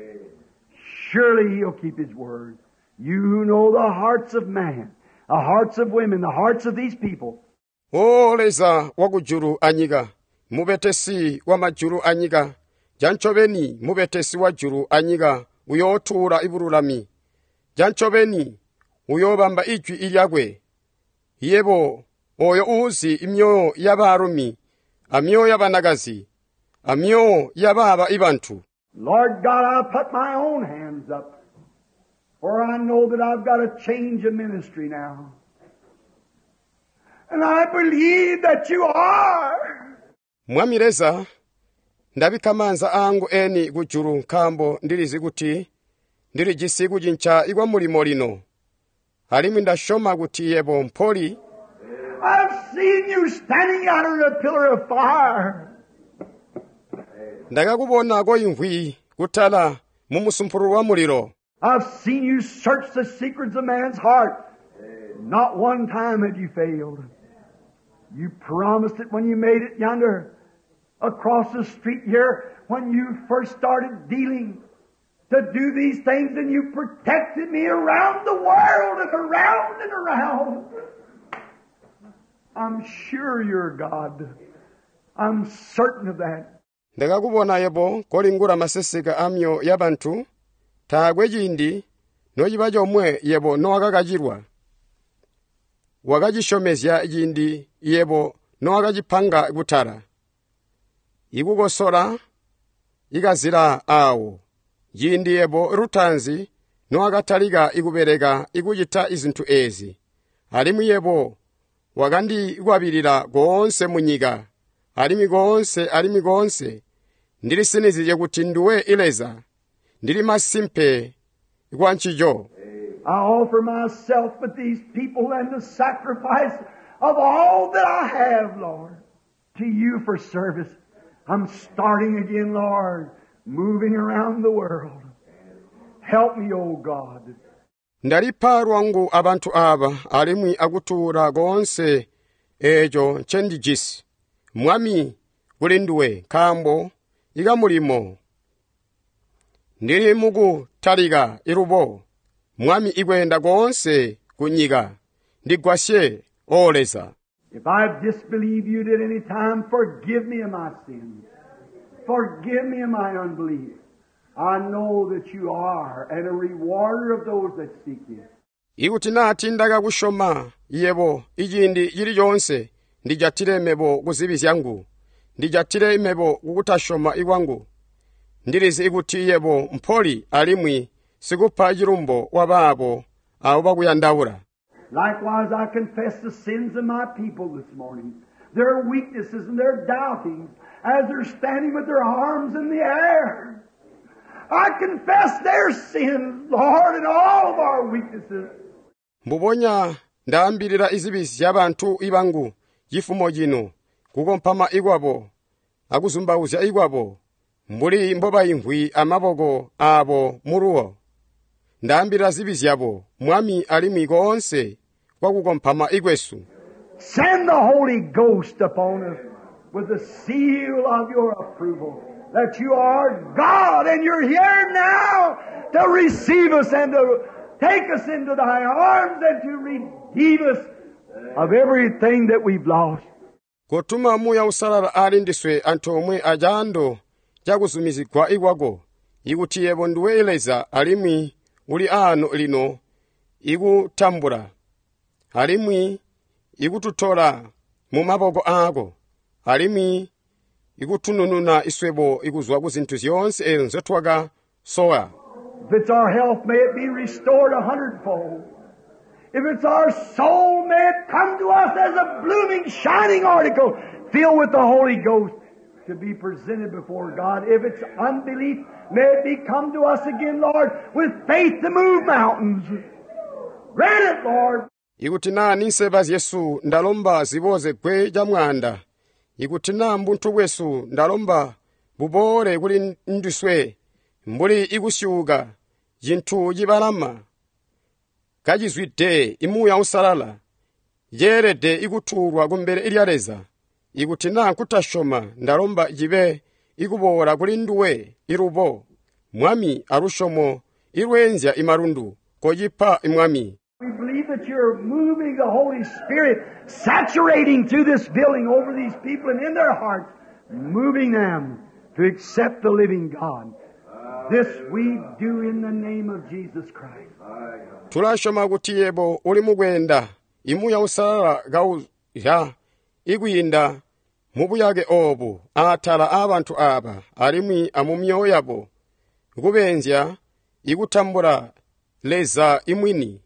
Surely he'll keep his word. You who know the hearts of man, the hearts of women, the hearts of these people. O Leza wakujulu anyika, mubetesi wa majulu anyika, janchobeni mubetesi wa julu anyika, uyotuula ibululami. Janchobeni uyobamba ijwi ilyakwe. Yebo oyo uzi imyoyo y'abaalumi, amyoyo y'abanakazi, amyoyo y'abaaba ibantu. Lord God, I put my own hands up, for I know that I've got a change of ministry now. And I believe that you are. Mwami Leza, ndabikka maanza angu eni kujulu nkaambo ndilizi kuti ndilijisi kucinca ikwa mulimo lino. Alimwi ndasyoma kuti yebo mpoli. I've seen you standing out in a pillar of fire. Ndakakubona koimvwi kutala mu musumpululu wa mulilo. I've seen you search the secrets of man's heart. Not one time had you failed. You promised it when you made it yonder across the street here when you first started dealing to do these things, and you protected me around the world and around and around. I'm sure you're God. I'm certain of that. Ndakakubona yebo kolingula maseseka a myoyo ya bantu, taakwe ciindi nociba comwe yebo nowakakacilwa. Wakacisyomezya ciindi yebo nowakacipanga kutala. Ikukosola ikazila aawo, ciindi yebo lutaanzi nowakatalika ikubeleka ikucita izintu eezi. Alimwi yebo wakandikwabilila koonse munyika, alimwi koonse alimwi koonse. Ndilisinizye kuti nduwe Leza, ndili masimpe kwa ncico. I offer myself with these people and the sacrifice of all that I have, Lord, to you for service. I'm starting again, Lord, moving around the world. Help me, O God. Ndalipa lwangu abantu aba alimwi akutuula koonse eeco ncendijisi. Mwami kuli nduwe, nkaambo ikamulimo. Ndili mukutalika ilubo, Mwami ikweenda koonse ku nyika. Ndigwasye, O Leza. If I've disbelieved you at any time, forgive me of my sins. Forgive me of my unbelief. I know that you are and a rewarder of those that seek you. Ikuti naa ndakakusyoma yebo iciindi cili coonse, ndijatile mebo ku zibi zyangu. Ndijatile mebo kukutasyoma kwangu. Ndilizi kuti yebo mpoli alimwi sikupa cilumbo wa baabo abo bakuyandaula. Likewise, I confess the sins of my people this morning, their weaknesses and their doubtings, as they're standing with their arms in the air. I confess their sins, Lord, and all of our weaknesses. Mbubonya ndaambilila izibi zyabantu ibangu cifumo cino, kukompama ikwabo akuzumbauzya ikwabo, mbuli mbobaimvwi amaboko aabo muluwo. Ndaambilila zibi zyabo, Mwami, alimwi koonse kwakukompama ikwesu. Send the Holy Ghost upon us with the seal of your approval that you are God and you're here now to receive us and to take us into thy arms and to redeem us of everything that we've lost. Kotuma Muuya Uusalala ali ndiswe antoomwe acaando cakuzumizigwa ikwako, ikuti yebo nduwe Leza alimwi uli aano lino ikutambula, alimwi ikututola mu maboko aako, alimwi ikutunununa iswebo ikuzwa ku zintu zyoonse ezo nzyotwakasowa. If it's our health, may it be restored 100-fold. If it's our soul, may it come to us as a blooming, shining article filled with the Holy Ghost to be presented before God. If it's unbelief, may it be come to us again, Lord, with faith to move mountains. Grant it, Lord. Ikuti naa ninseba zyesu ndalomba ziboze gwe ca mwaanda. Ikuti naa mbuntu bwesu ndalomba buboole kuli ndiswe mbuli ikusyuuka cintu cibalama kacizwide imuuya usalala ceelede ikutuulwa kumbele lya Leza. Ikuti naa nkutasyoma ndalomba cibe ikuboola kuli nduwe ilubo, Mwami, alusyomo ilweenzya imalundu, kocipa Mwami. We believe that you're moving the Holy Spirit, saturating through this building over these people and in their hearts, moving them to accept the living God. This we do in the name of Jesus Christ. Tulasyoma kuti yebo uli mukweenda imuuya usalala kauzya ikwiinda mubuyake oobu aatala aabantu aaba alimwi amumyoyo yabo, kubeenzya ikutambula Leza imwini.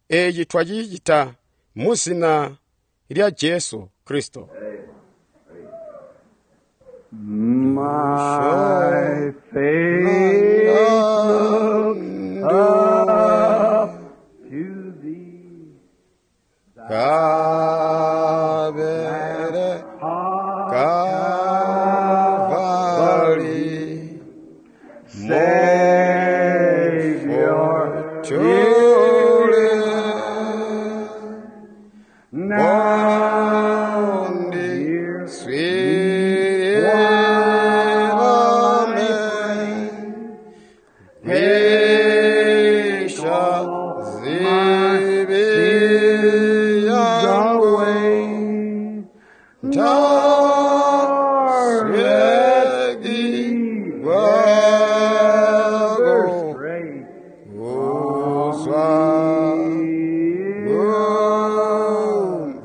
Eeci twacicita mu zina lya Jesu Kristo. My faith looks up to thee. Kabere Kalvari Savior. Tyole Now Bondi hear Swirame Take Wisha all my zibi sins yangu away. Nor let Taswegi me ever wago stray Uzwa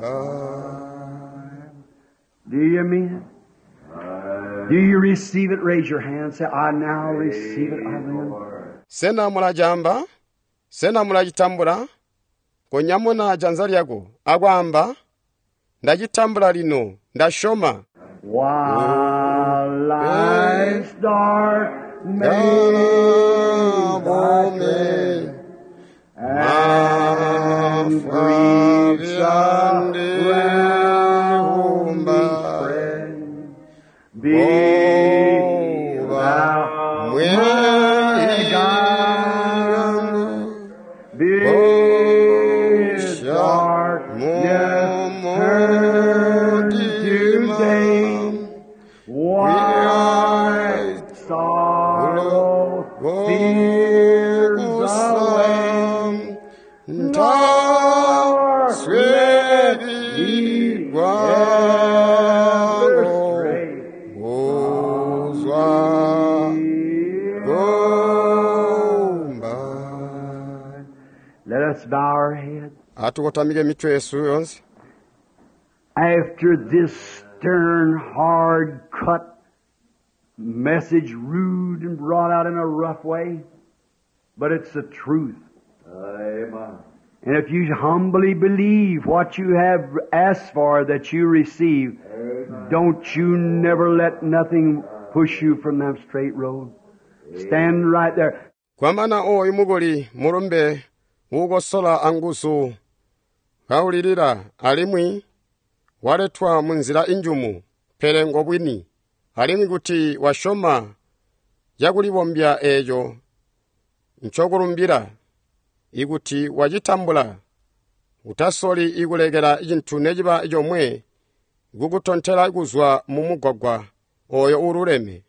Gumba. Do you mean it? Do you receive it? Raise your hand. Say, I now receive it. I will. Sena mulajamba sena mulacitambula konyamuna janza lyako akwaamba ndacitambula lino ndasyoma While life's dark maze I tread, and griefs around me spread, be thou my guide. Bid darkness turn to day. Wipe sorrow, fears away. Nor let me ever stray. Let us bow our heads. Atukotamike mitwe yesu yonse. After this stern, hard cut message, rude and brought out in a rough way, but it's the truth. Amen. And if you humbly believe what you have asked for that you receive, don't you never let nothing push you from that straight road. Stand right there. Kwamana oyu mukuli mulumbe wukosola anguzu kawulilira alimwi waletwa munzila injumu pele ngobwini alimwi kuti wasyoma cakulibombya eeco ncokulumbila ikuti wacitambula utasoli ikulekela cintu neciba comwe kukutontela kuzwa mu mugwagwa oyo ululeme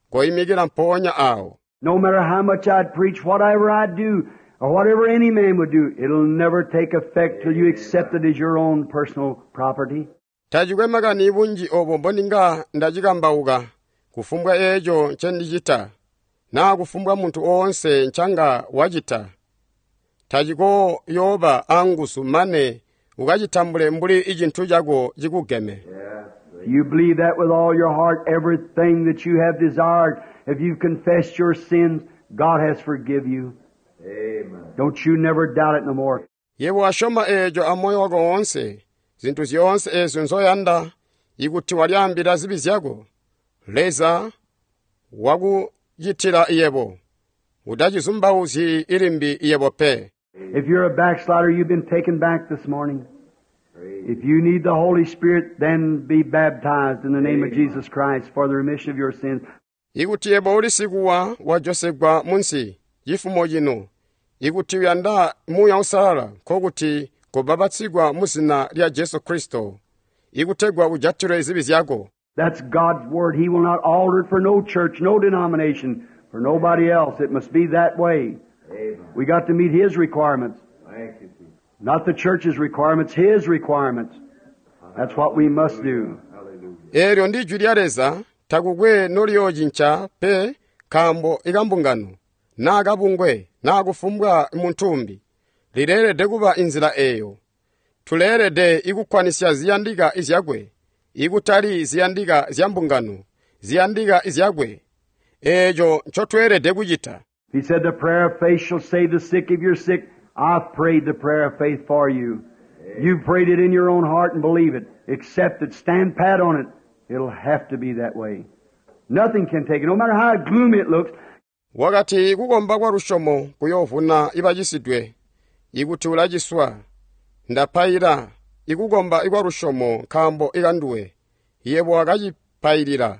koyimikila mpoonya awo. No matter how much I'd preach, whatever I'd do, or whatever any man would do, it'll never take effect till you accept it as your own personal property. Tacikwe makani bunji obo mbondinga ndacikambauka kufumbwa eeco ncendicita naa kufumbwa munthu oonse ncanga wacita tacikoyooba anguzu mane ukacitambule mbuli icintu cako cikugeme. If you believe that with all your heart, everything that you have desired, if you've confessed your sins, God has forgive you. Amen. Don't you never doubt it no more. Yebo wasyoma eeco amoyo wako woonse zinthu zyoonse eezyo nzoyanda ikuti walyaambila zibi zyako Leza wakucitila yebo utacizumbauzyi ilimbi yebo pe. If you're a backslider, you've been taken back this morning. If you need the Holy Spirit, then be baptized in the name of Jesus Christ for the remission of your sins. Ikuti yebo uli sikuwa wajosegwa munsi cifumo cino ikuti uyanda muuya usalala nkokuti kobapatsigwa mu zina lya Jesu Kristo ikutegwa ujatilwe zibi zyako. That's God's Word. He will not alter it for no church, no denomination, for nobody else. It must be that way. Amen. We got to meet His requirements. Thank you, Jesus. Not the church's requirements, His requirements. That's what we must do. Hallelujah. Eelyo ndi jwi lya Leza takukwe noliyoocinca pe nkaambo ikambungano naa kabungwe naa kufumbwa muntu lileelede kuba inzila eeyo. Tuleelede ikukkwanisya ziyandika izyakwe ikutali ziyandika zya mbungano ziyandika izyakwe eeco ncotweelede kucita. He said, The prayer of faith shall save the sick. If you're sick, I've prayed the prayer of faith for you. You've prayed it in your own heart and believe it. Accept it. Stand pat on it. It'll have to be that way. Nothing can take it, no matter how gloomy it looks. Wakati kukomba kwa lusyomo kuyoovuna ibacisidwe ikuti ulaciswa ndapaila ikukomba ikwa lusyomo nkaambo ikanduwe yebo wakacipailila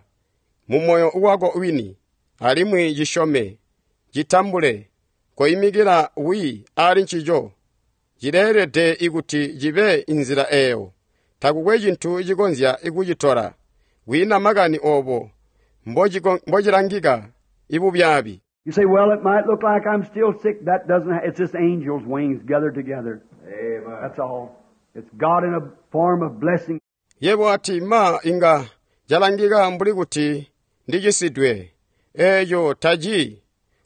mu moyo wako wini alimwi cisyome citambule. Koimikila wi ali ncico. Cileelede ikuti cibe inzila eyo. Takukwe cintu cikonzya kucitola. Kwiina makani obo mbocilangika ibubyaabi. You say, well, it might look like I'm still sick. That doesn't, it's just angels' wings gathered together. Amen. That's all. It's God in a form of blessing. Yebo ati ma inga calangika mbuli kuti ndicisidwe. Eeco taci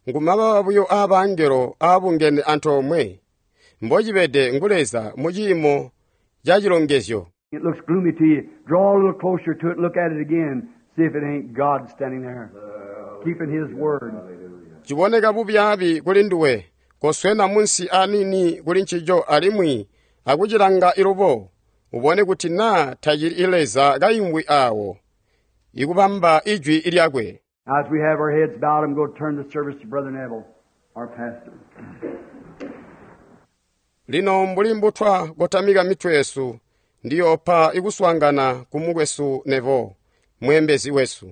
ngumababa buyo aabangelo aabungene antoomwe. Mbocibede ngu Leza mu ciimo ca cilongezyo. It looks gloomy to you. Draw a little closer to it and look at it again. See if it ain't God standing there, keeping His word. Ciboneka bubyaabi kuli nduwe, koswena munsi aniini kuli ncico alimwi akucilanga ilubo, ubone kuti naa tacili Leza kaimvwi aawo, ikubamba ijwi lyakwe. As we have our heads bowed, I'm going to turn the service to Brother Neville, our pastor. Lino mbuli mbutwa kotamika mitwe yesu, ndiyoopa ikuswaangana ku mukwesu Neville, mweembezi wesu.